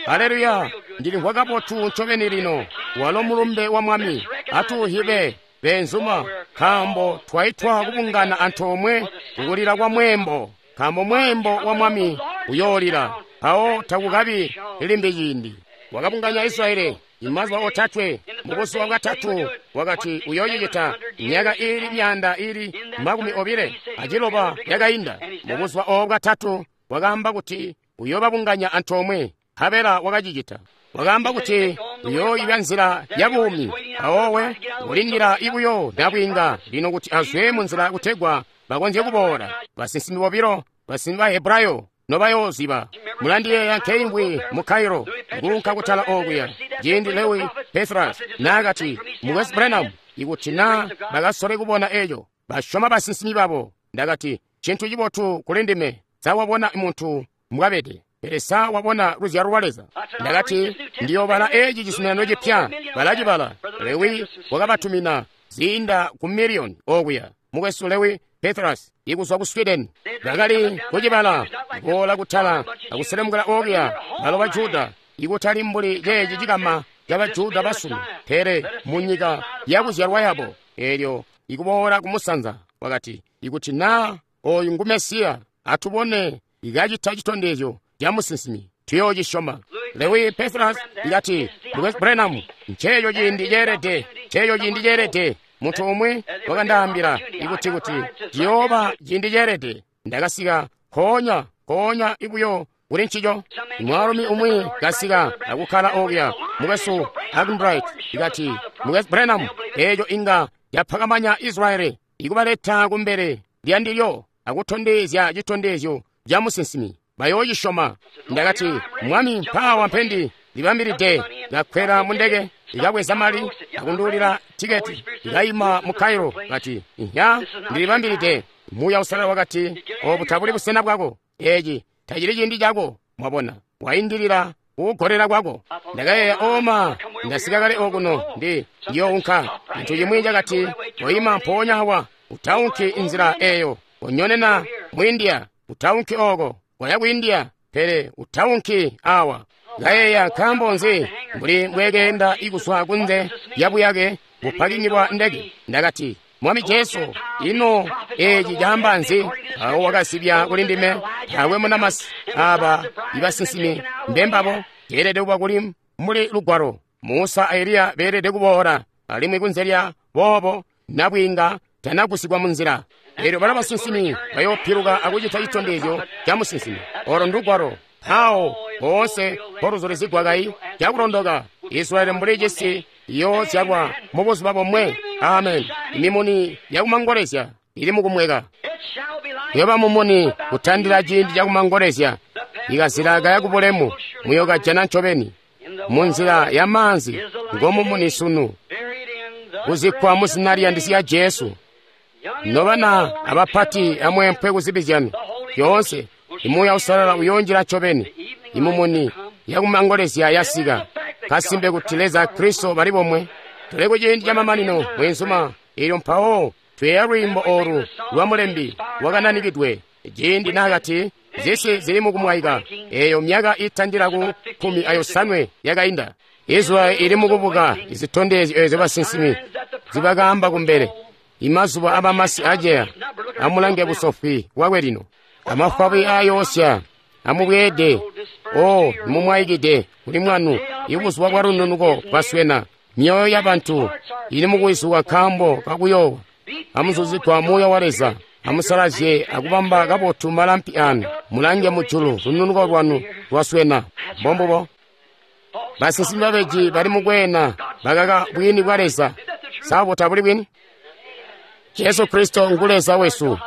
Haleluya! Ndilimvwa kabotu ncobeni lino. Walo mulumbe wa Mwami. Atuuhibe beenzuma, nkaambo twaitwa kubungana antoomwe kukulila kwa mweembo, nkaambo mweembo wa Mwami uyoolila, mpawo takukabi limbi ciindi. Wakabunganya Israeli imazuba otatwe, mubuzuba bwatatu wakati uyoocicita. Myaka iili myaanda iili makumi obile aciloba yakainda. Mubuzuba oobu bwatatu wakaamba kuti uyoobabunganya antoomwe, nkabela wakacicita. Wakaamba kuti uyooyibya nzila ya buumi, mpawowe ulindila ibuyo nabwiinga lino kuti azwe mu nzila kutegwa bakonzye kuboola. Basinsimi bobilo, basinsimi ba Hebrayo nobayooziba. Mulandiyeeya nkeimvwi mu Cairo kuunka kutala okuya ciindi Lewi Petras naakati, "Mukwesu Branham, ikuti na bakasole kubona eco, basyoma basinsimi babo." Ndakati, "Cintu cibotu kuli ndime, sa wabona muntu mbwabede, pele sa wabona luzyalo lwa Leza?" Ndakati, "Ndiyoobala eci cizuminano cipya." Balacibala. Lewi wakabatumina ziinda ku miliyoni okuya. Mukwesu Lewi Petras ikuzwa ku Sweden bakali kucibala, kuboola kutala akuselemukila okuya. Balo ba Juda, ikutali mbuli ceeci cikama ca Bajuda basunu, pele mu nyika yakuzyalwa yabo. Eelyo ikuboola kumusanza wakati, ikuti na oyu ngu Mesiya, atubone ikacita citondezyo ca musinsimi, tuyoocisyoma. Lewi Petras ikati, "Mukwesu Branham, nceeco ciindi ceelede, nceeco ciindi ceelede. Muntu umwi wakandaambila ikuti kuti ciyooba ciindi ceelede. Ndakasika nkoonya nkoonya ibuyo kuli ncico." Mwaalumi umwi kasika akukkala okuya, Mukwesu Arganbright, ikati, "Mukwesu Branham, eeco inga yapakamanya Israeli ikubaleta kumbele lyandilyo akutondezya citondezyo ca musinsimi, bayoocisyoma." Ndakati, "Mwami, mpaawa mpendi libambilide." Kakwela mu ndeke, ikabweza mali akunduulila tiketi, ikayima mu Cairo. Kati, "Ihya, ndilibambilide." Muuya Uusalala wakati, "Obu tabuli busena bwako, eci tacili ciindi cako." Mwabona, waindilila kukugolela kwako. Ndakayeeya, "Oma, ndasika kale okuno, ndi ndiyounka." Cintu cimwi cakati, "Koima mpoonya awa, Utaunki nzila eyo. Konyonena mu India. Utaunki oko. Koya ku India. Pele utaunki awa. Kayeeya nkaambo nzi mbuli mbwekeenda ikuzwa kunze lyabuyake bupakingi bwa ndege. Ndakati, Mwami Jesu, ino eci caamba nzi? Awo wakasibya kuli ndime, taakwe munamasi aba ibasinsimi mbembabo. Ceelede kuba kuli mbuli lugwalo. Musa a Eliya beelede kuboola, alimwi kunze lya boobo nabwiinga tanagusigwa munzila. Elyo bala basinsimi bayoopiluka akucita citondezyo ca musinsimi. Olo ndugwalo. Mpawo boonse poluzulizigwa kai cakulondoka. Israeli mbuli cisi iyoozyalwa mubuzuba bomwe. Amen. Imimuni yakumangolezya ili mukumweka. Kuyoba mumuni kutandila ciindi cakumangolezya. Ikazila kaya kubulemu muyokajana ncobeni. Munzila ya maanzi ngomumuni sunu. Kuzikkwa muzina liyandisi ya Jesu. Nobana abapati amwempwe kuzibi zyanu zyoonse, Imuuya Uusalala uyoonjila ncobeni. Imumuni yakumangolezya yasika. Kasimpe kuti Leza Kristo bali bomwe. Tuli kuciindi camamanino mwenzuma. Elyo mpawo tweeya lwiimbo olu lwa mulembi wakananikidwe ciindi naakati zisi zili mukumwaika. Eyo myaka itandila ku kkumi ayosanwe yakainda. Israeli ili mukubuka izitondezyo ezyo basinsimi zibakaamba kumbele. Imazuba abamasi aceya. Amulange busofwi bwakwe lino. Amafwabi ayoosya. Amubweede. O mumwaikide kuli mwanu. Ibuzuba bwa lununuko bwaswena. Myoyo yabantu ili mukuwizuka nkaambo kakuyoowa. Amuzuzigwa Muuya wa Leza. Amusalazye akubamba kabotu malampi anu. Mulange mujulu, lununuko lwanu lwaswena. Mbombubo. Basinsimi babeji bali mukweena bakaka bwini bwa Leza. Sabo tabuli bwini? Jesu Kristo ngu Leza wesu.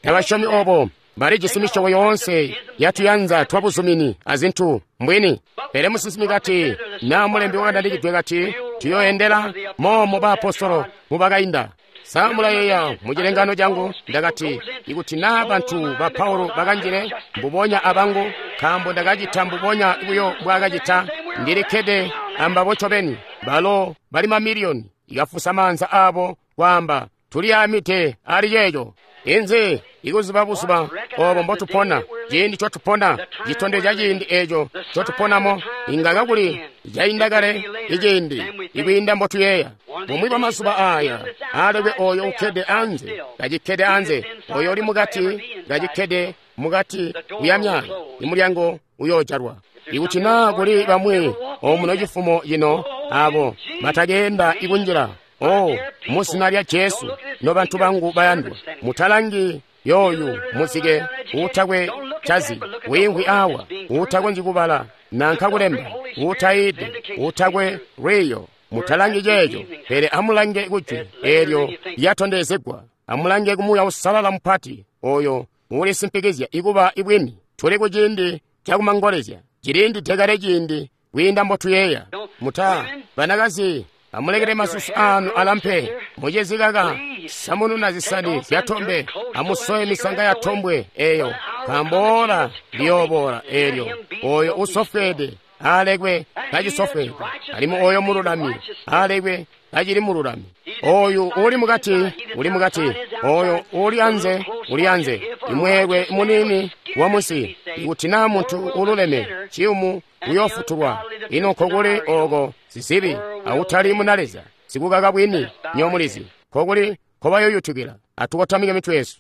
Tabasyomi obo. Balijisi misyobo yoonse yatuyanza twabuzumini azintu mbwini. Pele musinsimi kati, na mulembi wakananikidwe kati, tuyoendela momo baapostolo mubakainda. Sa mulayeeya mucilengano cangu ndakati, ikuti naa bantu ba Paulo bakanjile mbubonya abangu, nkaambo ndakacita mbubonya buyo mbwaakacita, ndilikkede ambabo ncobeni. Balo bali mamiliyoni ikafusa maanza aabo kwaamba, tuliyaamide ali ceeco. Inzi ikuziba buzuba obo mbotupona, ciindi cotupona, citondezya ciindi eco cotuponamo, inga kakuli cainda kale iciindi ikwiinda mbotuyeeya. Bumwi bwa mazuba aya alekwe oyo ukkede anze kacikkede anze, oyo uli mukati kacikkede mukati kuyamya, imulyango uyoojalwa. Ikuti naa kuli bamwi omuno cifumo cino abo batakeenda ikunjila, oh, muzina lya Jesu, nobantu bangu bayandwa, mutalangi yoyu muzike uutakwe cazi, wiimvwi awa, uutakonzyi kubala nanka kulemba, uutayiide, uutakwe lwiiyo. Mutalangi ceeco, pele amulange kujwi eelyo lyatondezegwa. Amulange ku Muuya Uusalala mupati oyo uulisimpikizya ikuba ibwini. Tuli kuciindi cakumangolezya, ciliindide kale ciindi kwiinda mbotuyeeya. Muta banakazi, amulekele masusu anu alampe, mucezi kaka samununa zisani zyatombe, amusowe misanga ya tombwe eyo, nkaambo ola liyooboola eelyo. Oyo usofweede alekwe kacisofweede, alimwi oyo mululami alekwe kacili mululami. Oyu uli mukati uli mukati, oyo uli anze uli anze. Imweelwe munini wa munsi, ikuti naa muntu ululeme ciyumu uyoofutulwa. Ino nkokuli oko sizibi awutali muna Leza sikukaka bwini nyomulizi, nkokuli nkobayoyutukila. Atukotamike mitwe yesu.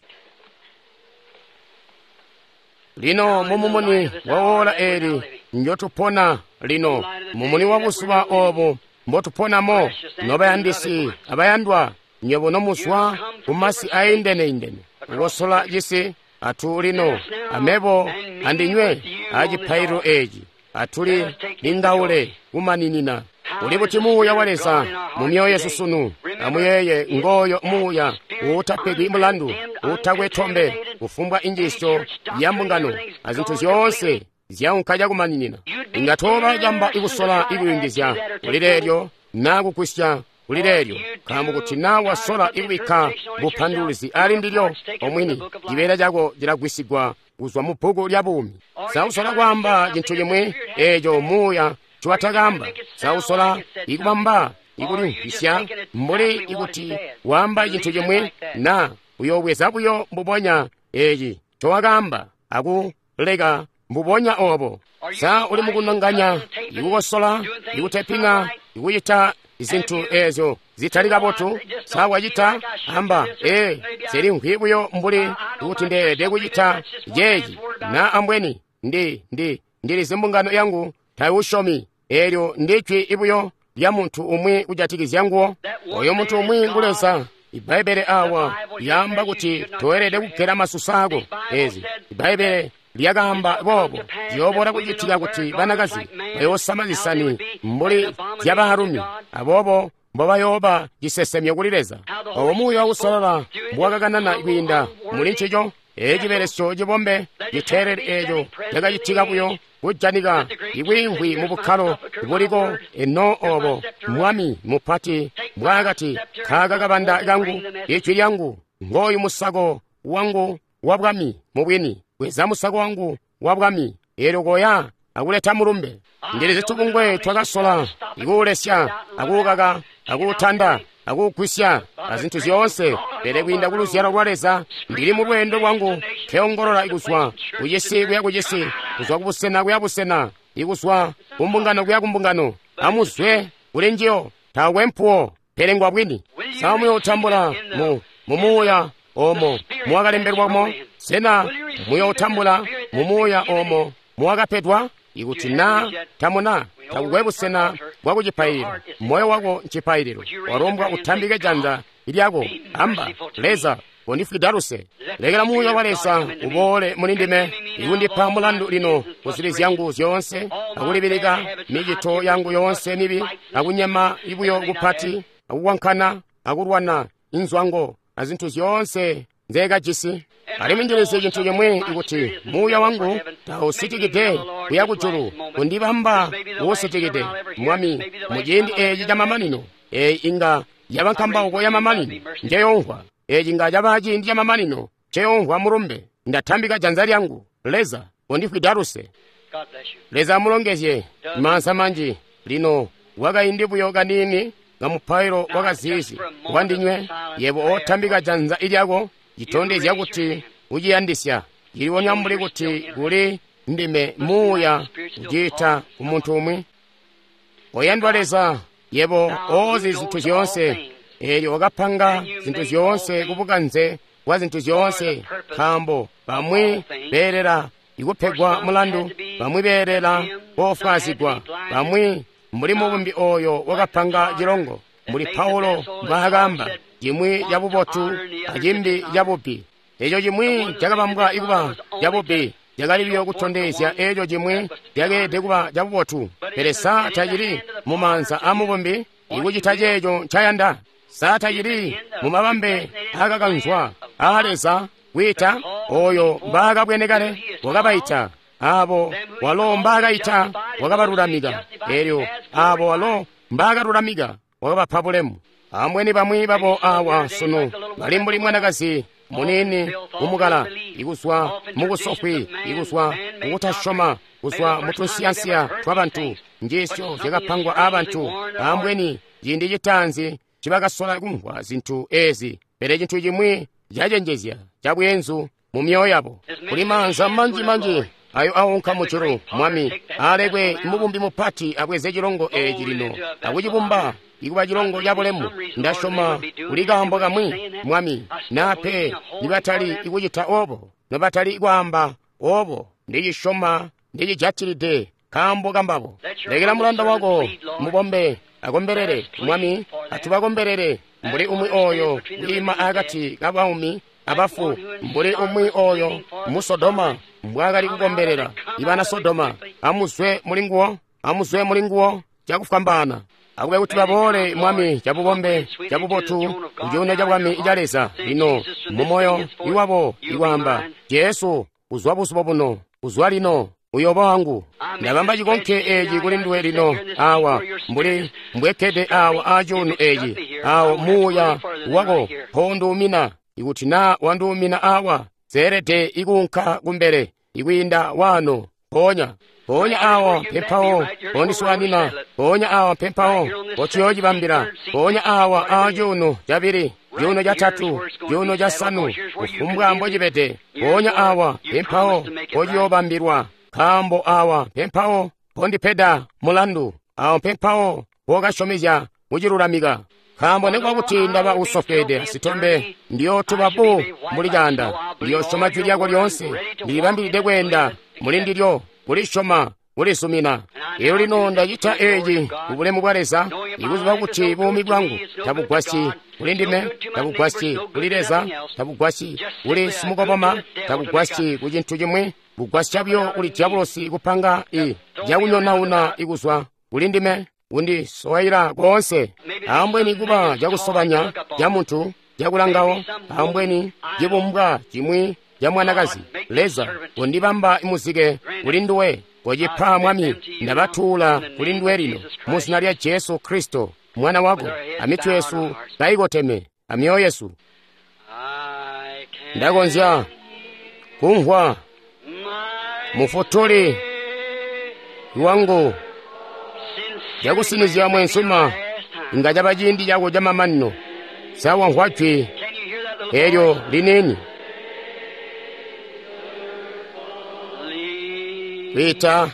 Lino mumumuni wa ola eli njotupona lino, mumuni wa buzuba obu mbotuponamo, nobayandisi abayandwa, nywebo nomuzwa kumasi aindene-indene, kukosola cisi atu lino amebo andinywe acipaililo eci atuli lingaule kumaninina. Uli buti Muuya wa Leza mu myoyo yesu sunu? Amuyeeye ngoyo Muuya uutapegwi mulandu, uutakwe tombe, kufumbwa injiisyo ya mbungano azintu zyoonse zyaunka cakumaninina. Inga tooba camba ikusola ikuyungizya kuli leelyo naa kugwisya kuli leelyo, nkaambo kuti naa wasola ikubikka bupanduluzi ali ndilyo omwini, cibeela cako cilagwisigwa kuzwa mu bbuku lya buumi. Sausola kwaamba cintu cimwi eeco Muuya nciwatakaamba. Sausola ikubamba ikulimvwisya mbuli ikuti waamba cintu cimwi naa Uyobweza buyo mbubonya eci ncowakaamba akuleka mbubonya obo. Sa uli mukunonganya, ikukosola, ikuteping'a, ikucita zintu ezyo zitali kabotu? Sa wacita? Amba, ee, nsilimvwi buyo mbuli kuti ndeelede kucita ceeci, na ambweni ndi ndi ndilizi mbungano yangu taiwusyomi. Eelyo ndi jwi buyo lya muntu umwi kujatikizya nguwo. Oyo muntu umwi ngu Leza. Ibbaibbele awa lyaamba kuti toelede kugela masusu ako. Ezi Ibbaibbele lyakaamba boobo, ziyooboola kucitika kuti banakazi bayoosama zisani mbuli zyabaalumi, aboobo mbobayooba cisesemyo kuli Leza. Obo Muuya Uusalala mbuwakakanana kwiinda muli ncico, eci cibelesyo cibombe citeeleli eeco cakacitika buyo kujanika ikwiimvwi mu bukkalo buliko eno obo Mwami mupati mbwaakati, kaaka kabanda kangu, ijwi lyangu, ngooyu musako wangu wa bwami. Mubwini, bweza musako wangu wa bwami, eelyo koya akuleta mulumbe. Ndilizi tubungwe twakasola ikuulesya, akuukaka, akuutanda, akuugwisya, azintu zyoonse, pele kwiinda ku luzyalo lwa Leza ndili mu lweendo lwangu nkeongolola ikuzwa kucisi kuya kucisi, kuzwa kubusena kuya busena, ikuzwa kumbungano kuya kumbungano. Amuzwe kuli njiyo, taakwe mpuwo, pele ngwa bwini. Sa muyootambula mu mumuuya omo muwakalembelwamo? Sena muyootambula mumuuya omo muwakapedwa? Ikuti na tamuna, takukwe busena bwa kucipaililo. Moyo wako ncipaililo. Walombwa utambike janza lyako, amba, Leza, kondifwida luse. Lekela Muuya wa Leza uboole muli ndime, ikundipa mulandu lino ku zibi zyangu zyoonse, akulibilika micito yangu yoonse mibi, akunyema ibuyo kupati, akukwankana, akulwana inzwango, azintu zyoonse nzeekajisi. Alimwi ndilizi cintu cimwi, ikuti muuya wangu tausitikide kuya kujulu, kundibamba uusitikide, Mwami, muciindi eeci camamanino. Eeyi inga yaba nkambauko yamamanino njeyomvwa. Eeci inga caba ciindi camamanino nceyomvwa mulumbe. Ndatambika janza lyangu, Leza, kondifwida luse. Leza amulongezye. Maanza manji lino wakaindi buyo kaniini kamupailo wakaziizi wandinywe. Yebo otambika janza lyako, citondezya kuti uciyandisya. Ciliwonya mbuli kuti kuli ndime muuya uciita ku muntu umwi. Oyandwa Leza, yebo oozi zintu zyoonse, eelyo wakapanga zintu zyoonse kubukanze bwa zintu zyoonse, nkaambo bamwi beelela ikupegwa mulandu, bamwi beelela koofwaazigwa, bamwi mbuli mubumbi oyo wakapanga cilongo, mbuli Paulo mbwaakaamba, cimwi cabubotu acimbi cabubi. Eco cimwi cakabambwa ikuba cabubi cakali buyo kutondezya eco cimwi cakeelede kuba cabubotu. Pele sa tacili mumaanza amubumbi ikucita ceeco ncayanda? Sa tacili mumabambe aakakanzwa aa Leza kwiita oyo mbaakabwene kale wakabaita, abo walo mbaakaita wakabalulamika, eelyo abo walo mbaakalulamika wakabapa bulemu. Ambweni bamwi babo awa sunu bali mbuli mwanakazi muniini kumukala, ikuzwa mukusofwi, ikuzwa mukutasyoma, kuzwa mutunsiyansiya twabantu, njiisyo zyakapangwa aabantu. Ambweni ciindi citaanzi cibakasola kumvwa zintu ezi, pele cintu cimwi cacenjezya cabweenzu mu myoyo yabo. Kuli maanza manji-manji ayo aunka mujulu, Mwami, alekwe mubumbi mupati abweze cilongo eeci lino akucibumba ikuba cilongo cabulemu. Ndasyoma kuli kaambo kamwi, Mwami, nape nibatali ikucita obo, nobatali kwaamba obo, ndicisyoma ndicijatilide kaambo kambabo. Lekela mulanda wako mubombe akombelele, Mwami, atubakombelele mbuli umwi oyo wiima akati kabaumi abafu, mbuli umwi oyo mu Sodoma mbwaakali kukombelela ibana Sodoma. Amuzwe mulinguwo, amuzwe mulinguwo cakufwambaana. Akube kuti baboole, Mwami, cabubombe cabubotu kucuuno cabwami ca Leza lino mumoyo iwabo ikwaamba, Jesu, kuzwa buzuba buno, kuzwa lino, uyooba wangu. Ndabamba cikonke eeci kuli nduwe lino awa, mbuli mbwekkede awa aacuuno eeci, awo muuya wako mpounduumina. Ikuti naa wanduumina awa, seelede ikuunka kumbele ikwiinda waano. Mpoonya mpoonya awa mpempawo pondiswaanina, mpoonya awa mpempawo potuyoocibambila, mpoonya awa aacuuno cabili Cuuno catatu, cuuno casanu, kufumbwa mbocibede. Mpoonya awa mpempawo mpociyoobambilwa, nkaambo awa mpempawo mpondipeda mulandu, awo mpempawo mpokasyomezya kucilulamika. Nkaambo nikuba kuti ndaba usofweede asitombe, ndiyootuba bu mbuli caanda. Ndiyoosyoma jwi lyako lyoonse, ndilibambilide kweenda mulindilyo, kulisyoma, kulisumina. Elyo lino ndacita eeci kubulemu bwa Leza, ikuziba kuti buumi bwangu tabugwasyi kuli ndime, tabugwasyi kuli Leza, tabugwasyi kuli simukoboma, tabugwasyi ku cintu cimwi, bugwasya buyo kuli dyabulosi kupanga i cakunyonauna ikuzwa kuli ndime, kundisowaila koonse. Ambweni kuba cakusobanya ca muntu cakulangawo, ambweni cibumbwa cimwi ca mwanakazi. Leza, kondibamba muzike kuli nduwe. Kocipa Mwami, ndabatuula kuli nduwe lino mu zina lya Jesu Kristo Mwana wako, amitwe yesu kaikoteme, amyoyo yesu. Ndakonzya kumvwa Mufutuli wangu cakusinizya mwensuma, inga caba ciindi cako camamanino. Sa wamvwa jwi elyo liniini kwiita?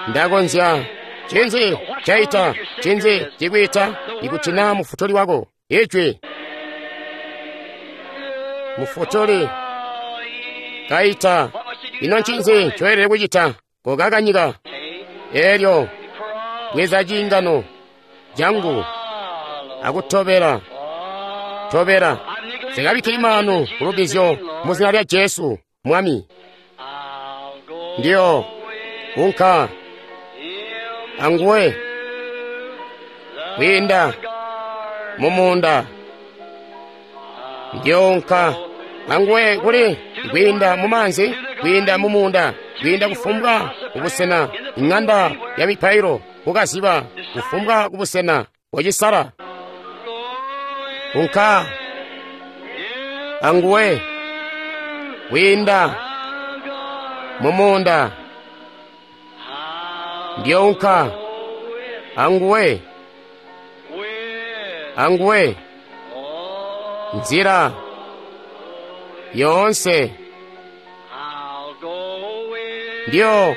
Ndakonzya. Cinzi caita? Cinzi cikwiita? Ikuti na Mufutuli wako ijwi Mufutuli kaita, ino ncinzi ncoelede kucita? Kokakanyika elyo bweza ciingano cangu akutobela tobela. Sikabikkili maanu kulubizyo mu zina lya Jesu Mwami. Ndiyo unka anguwe kwiinda mumuunda. Ndiyo unka anguwe kuli kwiinda mumaanzi, kwiinda mumuunda, kwiinda kufumbwa kubusena, ing'anda ya mipailo, kukaziba, kufumbwa kubusena kocisala. Unka anguwe kwiinda mumuunda. Ndiyo unka anguwe anguwe nzira yoonse. Ndiyo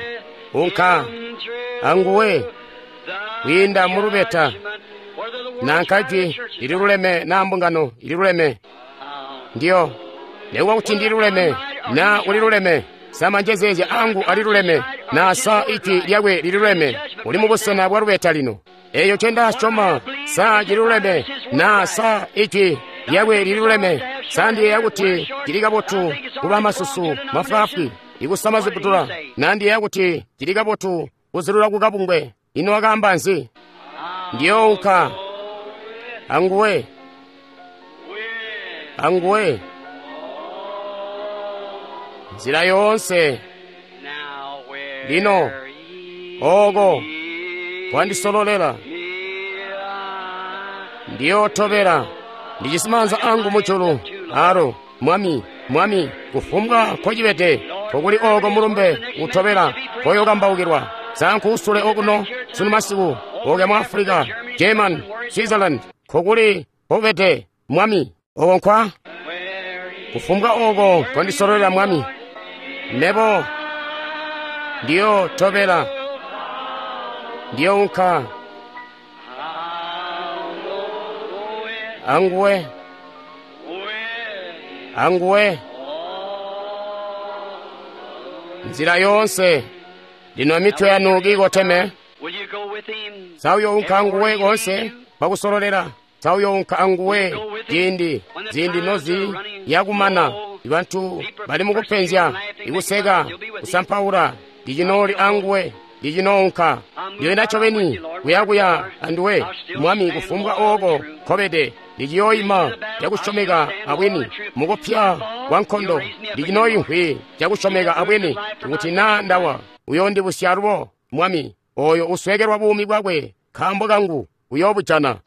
unka anguwe kwiinda mulubeta, nanka jwi lililuleme na mbungano ililuleme. Ndiyo nekuba kuti ndililuleme na uliluleme, sa manjezeezya angu aliluleme na sa ijwi lyakwe lililuleme, uli mubusena bwa lubeta lino. Eyo ncendasyoma sa cililuleme na sa ijwi lyakwe lililuleme, sa ndiyeeya kuti cili kabotu kuba masusu mafwaafwi ikusama ziputula, na ndiyeeya kuti cili kabotu kuzilula kukabungwe. Ino wakaamba nzi? Ndiyo unka anguwe anguwe nzira yoonse. Lino oko kwandisololela, ndiyotobela. Ndijisi maanza angu mujulu alo Mwami, Mwami, kufumbwa nkocibede, nkokuli oko mulumbe utobela koyokambaukilwa. Sankuusule okuno sunu masiku, oke mu Africa, German, Switzerland, nkokuli nkobede Mwami, oko nkwa kufumbwa oko kondisololela Mwami. Nebo ndiyotobela, ndiyounka anguwe anguwe nzira yoonse. Lino mitwe yanu kiikoteme. Sauyounka anguwe konse pakusololela. Sauyounka anguwe ciindi ziindi nozi yakumana. Ibantu bali mukupenzya, ikuseka, kusampaula, ndicinooli anguwe, ndicinounka. Ndiyoenda ncobeni kuyakuya anduwe Mwami, kufumbwa oko nkobede. Ndiciyoima cakusyomeka abwini mukupya kwa nkondo. Ndicinoimvwi cakusyomeka abwini kuti naa ndawa uyoondibusya alubo Mwami. Oyo usweekelwa buumi bwakwe nkaambo kangu uyoobujana.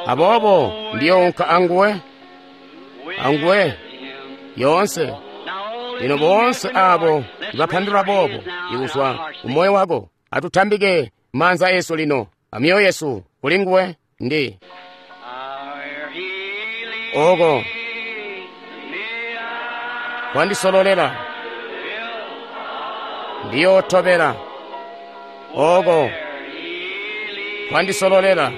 Aboobo ndiyounka anguwe anguwe yoonse. Lino boonse abo ibapandulula boobo ikuzwa kumoyo wako, atutambike maanza esu lino amyoyo yesu kuli nguwe. Ndi Oko kwandisololela, ndiyotobela. Oko kwandisololela,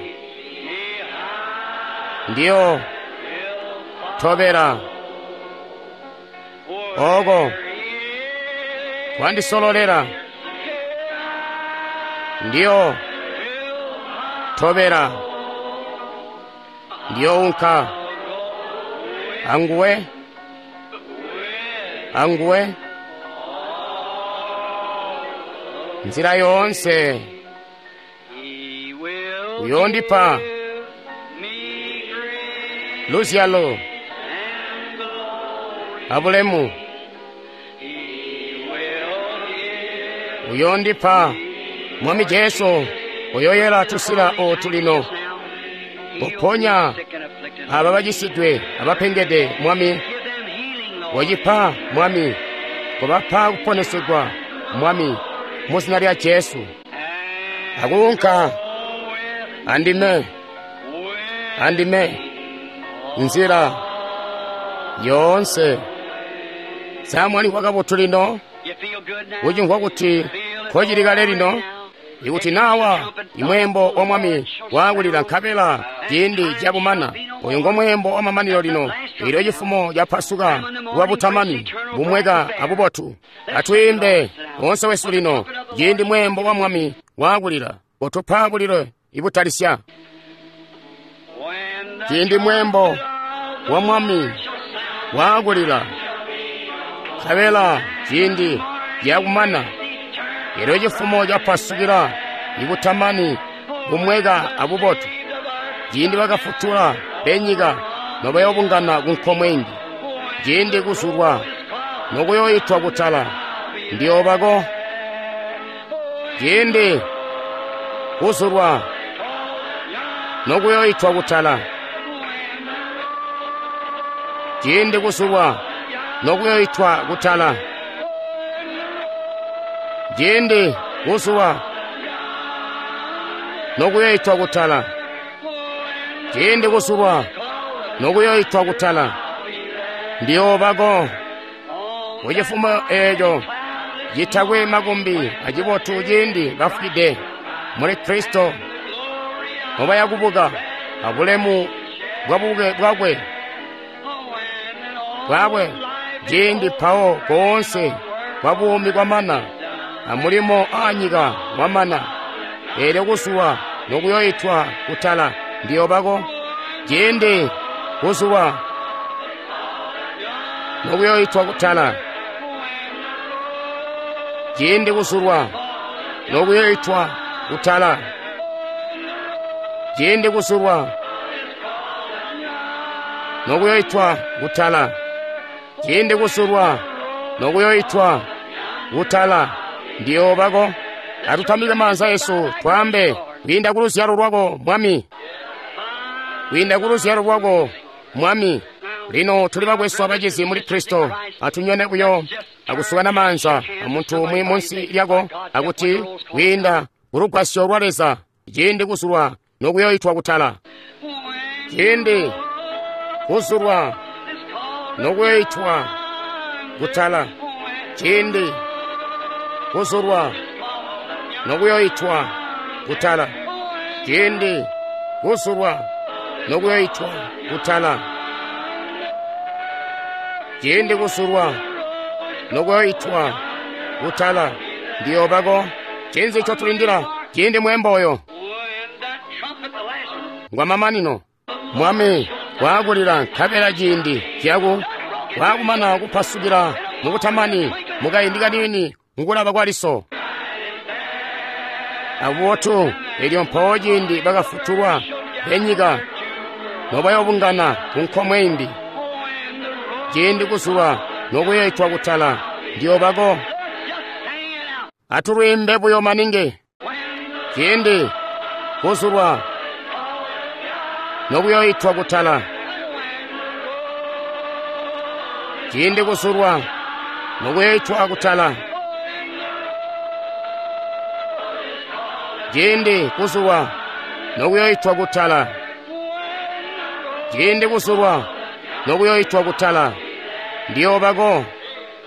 ndiyo tobela. Oko kwandisololela, ndiyo tobela. Ndiyounka anguwe, anguwe nzira yoonse. Uyondipa luzyalo abulemu, uyondipa Mwami Jesu. Uyoyela tusila otu lino, uponya aba bacisidwe abapengede. Mwami, wacipa Mwami, kubapa kuponesegwa Mwami, muzina lya Jesu. Akuunka andime, andime nzira yoonse. Samwani kwakabotu lino, ucimvwa kuti kocili kale lino. Ikuti nawa imwembo wa Mwami wakulila nkabela ciindi cabumana, uyu ngo mwembo wa mamanino lino. Ilyo cifumo ca Pasuka lwa butamani bumweka abubotu. Atwiimbe onse wesu lino, ciindi mwembo wa Mwami wakulila, utupa bulilo ibutalisya. Ciindi mwembo wa Mwami wakulila nkabela ciindi cakumana, elyo cifumo capasukila ibutamani bumweka abubotu. Ciindi bakafutula benyika nobayobungana kunkomwe ingi, ciindi kuzulwa nokuyoitwa kutala, ndiyobako. Ciindi kuzulwa nokuyoitwa kutala, ciindi kuzulwa nokuyoitwa kutala, ciindi kuzulwa nokuyoitwa kutala, ciindi kuzulwa nokuyoitwa kutala, ndiyobako. Kucifumo eeco citakwe makumbi acibotu, ciindi bafwide muli Kristo nobayakubuka abulemu bwabuke bwakwe bwakwe, ciindi pawo koonse kwa buumi kwamana amulimo aanyika wamana, eelyo kuzulwa nokuyoitwa kutala, ndiyobako. Ciindi kuzulwa nokuyoitwa kutala, ciindi kuzulwa nokuyoitwa kutala, ciindi kuzulwa nokuyoitwa kutala, ciindi kuzulwa nokuyoitwa kutala, ndiyobako. Atutamike maanza yesu twambe, kwiinda ku luzyalo lwako Mwami, kwiinda ku luzyalo lwako Mwami. Lino tuli bakwesu abacizi muli Kristo. Atunyone buyo akusukana maanza amuntu umwi munsi lyako, akuti kwiinda kulugwasyo lwa Leza, ciindi kuzulwa nokuyoitwa kutala, ciindi kuzulwa nokuyoitwa kutala, ciindi kuzulwa nokuyoitwa kutala, ciindi kuzulwa nokuyoitwa kutala, ciindi kuzulwa nokuyoitwa kutala, ndiyobako. Cinzi ncotulindila? Ciindi mwembo oyo ngwa mamanino. Mwami wakulila nkabela ciindi ciyaku wakumana kupasukila mukutamani mukaindi kaniini mukulaba kwa liso abubotu. Elyo mpawo ciindi bakafutulwa benyika nobayobungana kunkomwe imbi, ciindi kuzulwa nokuyoitwa kutala, ndiyobako. Atulwiimbe buyo maningi. Ciindi kuzulwa nokuyoitwa kutala, ciindi kuzulwa nokuyoitwa kutala, ciindi kuzulwa nokuyoitwa kutala, ciindi kuzulwa nokuyoitwa kutala, Ndiyoobako.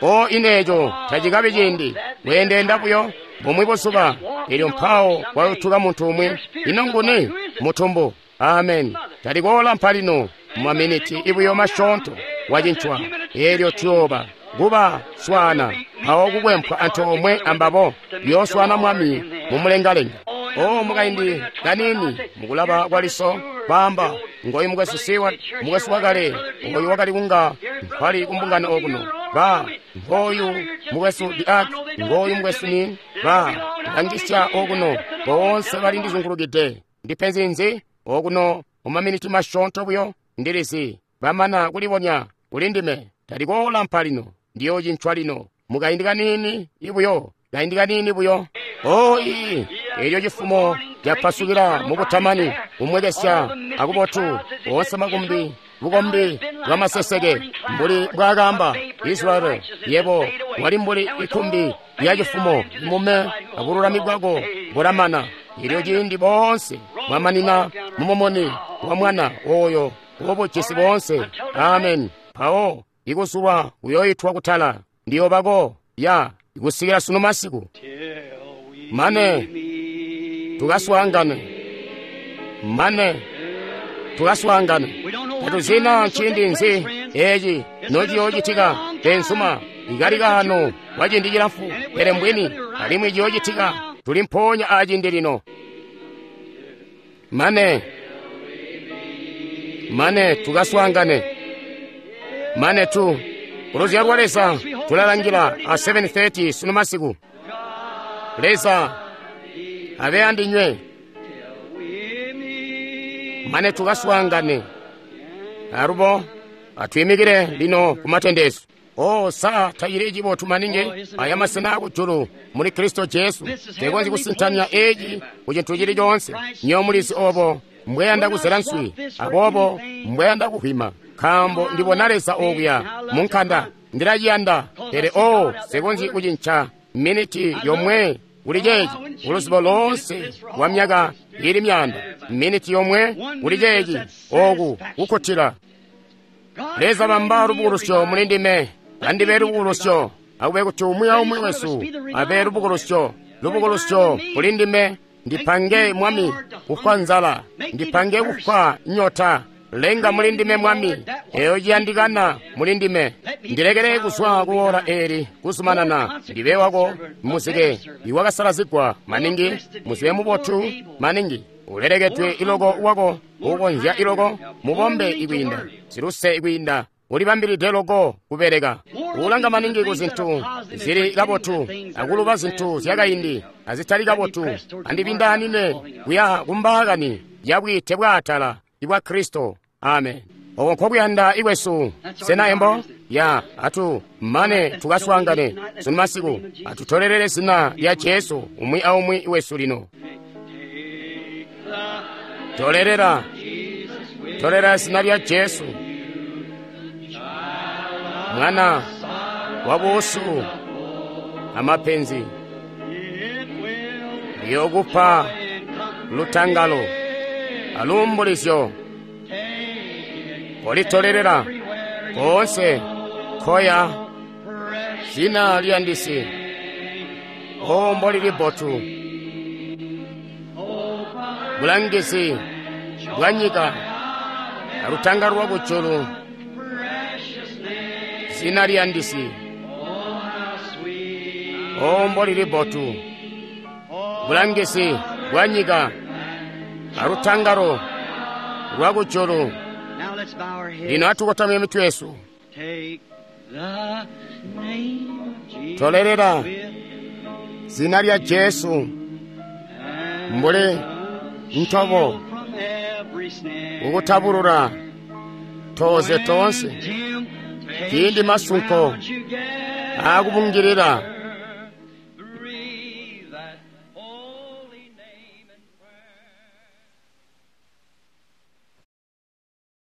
O ineeco tacikabi ciindi kweendeenda buyo bumwi buzuba, elyo mpawo kwayutuka muntu umwi. Ino nguni? Mutumbu. Amen. Talikoolampa lino, mumaminiti ibuyo masyoonto wacincwa, elyo tuyooba kuba swaana mpawo kukwempwa antoomwe ambabo, yooswaana Mwami mumulengalenga. O mukaindi kanini mukulaba kwaliso, kwaamba ngoyu mukwesu siwa, mukwesu wakale oyu wakali kunga nkwali kumbungano okuno, ba ngoyu mukwesu diak, ngoyu mukwesu ni ba langisya okuno, boonse bali ndizungulukide. Ndipenzi nzi okuno mumaminiti masyoonto buyo ndilizi bamana kulibonya kuli ndime. Talikoolampa lino, ndiyoocincwa lino mukaindi kanini ibuyo, kaindi kanini buyo. O ii elyo cifumo capasukila mukutamani, kumwekesya akubotu, oonse makumbi bukombi bwamaseseke, mbuli mbwaakaamba Israeli, yebo wali mbuli ikumbi lya cifumo mume abululami bwako bulamana. Elyo ciindi boonse bwamanina mumumuni wa mwana oyo wobujisi boonse. Amen. Mpawo ikusulwa kuyoitwa kutala, ndiyobako ya ikusikila sunu masiku mane tukaswaangane, mane tukaswaangane. Tatuzina nciindi nzi eci nociyoocitika, benzuma, ikali kaano kwa ciindi cilamfu, pele mbwini alimwi ciyoocitika. Tuli mpoonya aciindi lino. Mane mane tukaswaangane, mane tu kuluzyalo lwa Leza tulalangila a seven thirty sunu masiku. Leza abe andinywe mane tukaswaangane. Alubo atwimikile lino kumatendezo. O sa tacili cibotu maningi aya masena akujulu muli Kristo Jesu. Tekonzyi kusintanya eci ku cintu cili coonse. Nyo mulizi obo mbweyanda kuzela nswi, aboobo mbweyanda kuhwima, nkaambo ndibona Leza okuya munkanda. Ndilaciyanda, pele o sekonzyi kucinca miniti yomwe kuli ceeci kuluzibo loonse lwa myaka ili myaanda. Miniti yomwe kuli ceeci oku kukkutila. Leza bamba lubukulusyo muli ndime, andibe lubukulusyo, akube kuti umwi aumwi wesu abe lubukulusyo, lubukulusyo kuli ndime. Ndipange Mwami kufwa nzala, ndipange kufwa nyota. Lenga muli ndime Mwami, eyo ciyandikana muli ndime. Ndilekele kuzwa kuwola eli kuzumanana, ndibe wako muzike iwakasalazigwa maningi, muzike mubotu maningi, ulelekedwe iloko wako ukonzya iloko, mubombe ikwiinda, siluse ikwiinda, ulibambilide loko kubeleka, ulanga maningi ku zintu zili kabotu akuluba zintu zyakaindi azitali kabotu. Andibindaanine kuya kumbaakani yabwiite bwaatala ibwa Kristo. Amen. Oko nkokuyanda ikwesu. Sena embo ya atu mane tukaswaangane sunu masiku, atutolelele zina lya Jesu umwi aumwi wesu lino. Tolelela, tolelela zina lya Jesu, mwana wa buusu amapenzi, liyokupa lutangalo aluumbulizyo. Kolitolelela koonse koya zina liyandisi. O mbolili bbotu bulangizi bwa nyika alutangalo lwa kujulu, zina liyandisi. O mbolili bbotu bulangizi bwa nyika alutangalo lwa kujulu. Lino atukotamye mitwe yesu. Tolelela zina lya Jesu mbuli ntobo ukutabulula toze tonse ciindi masunko akubungilila.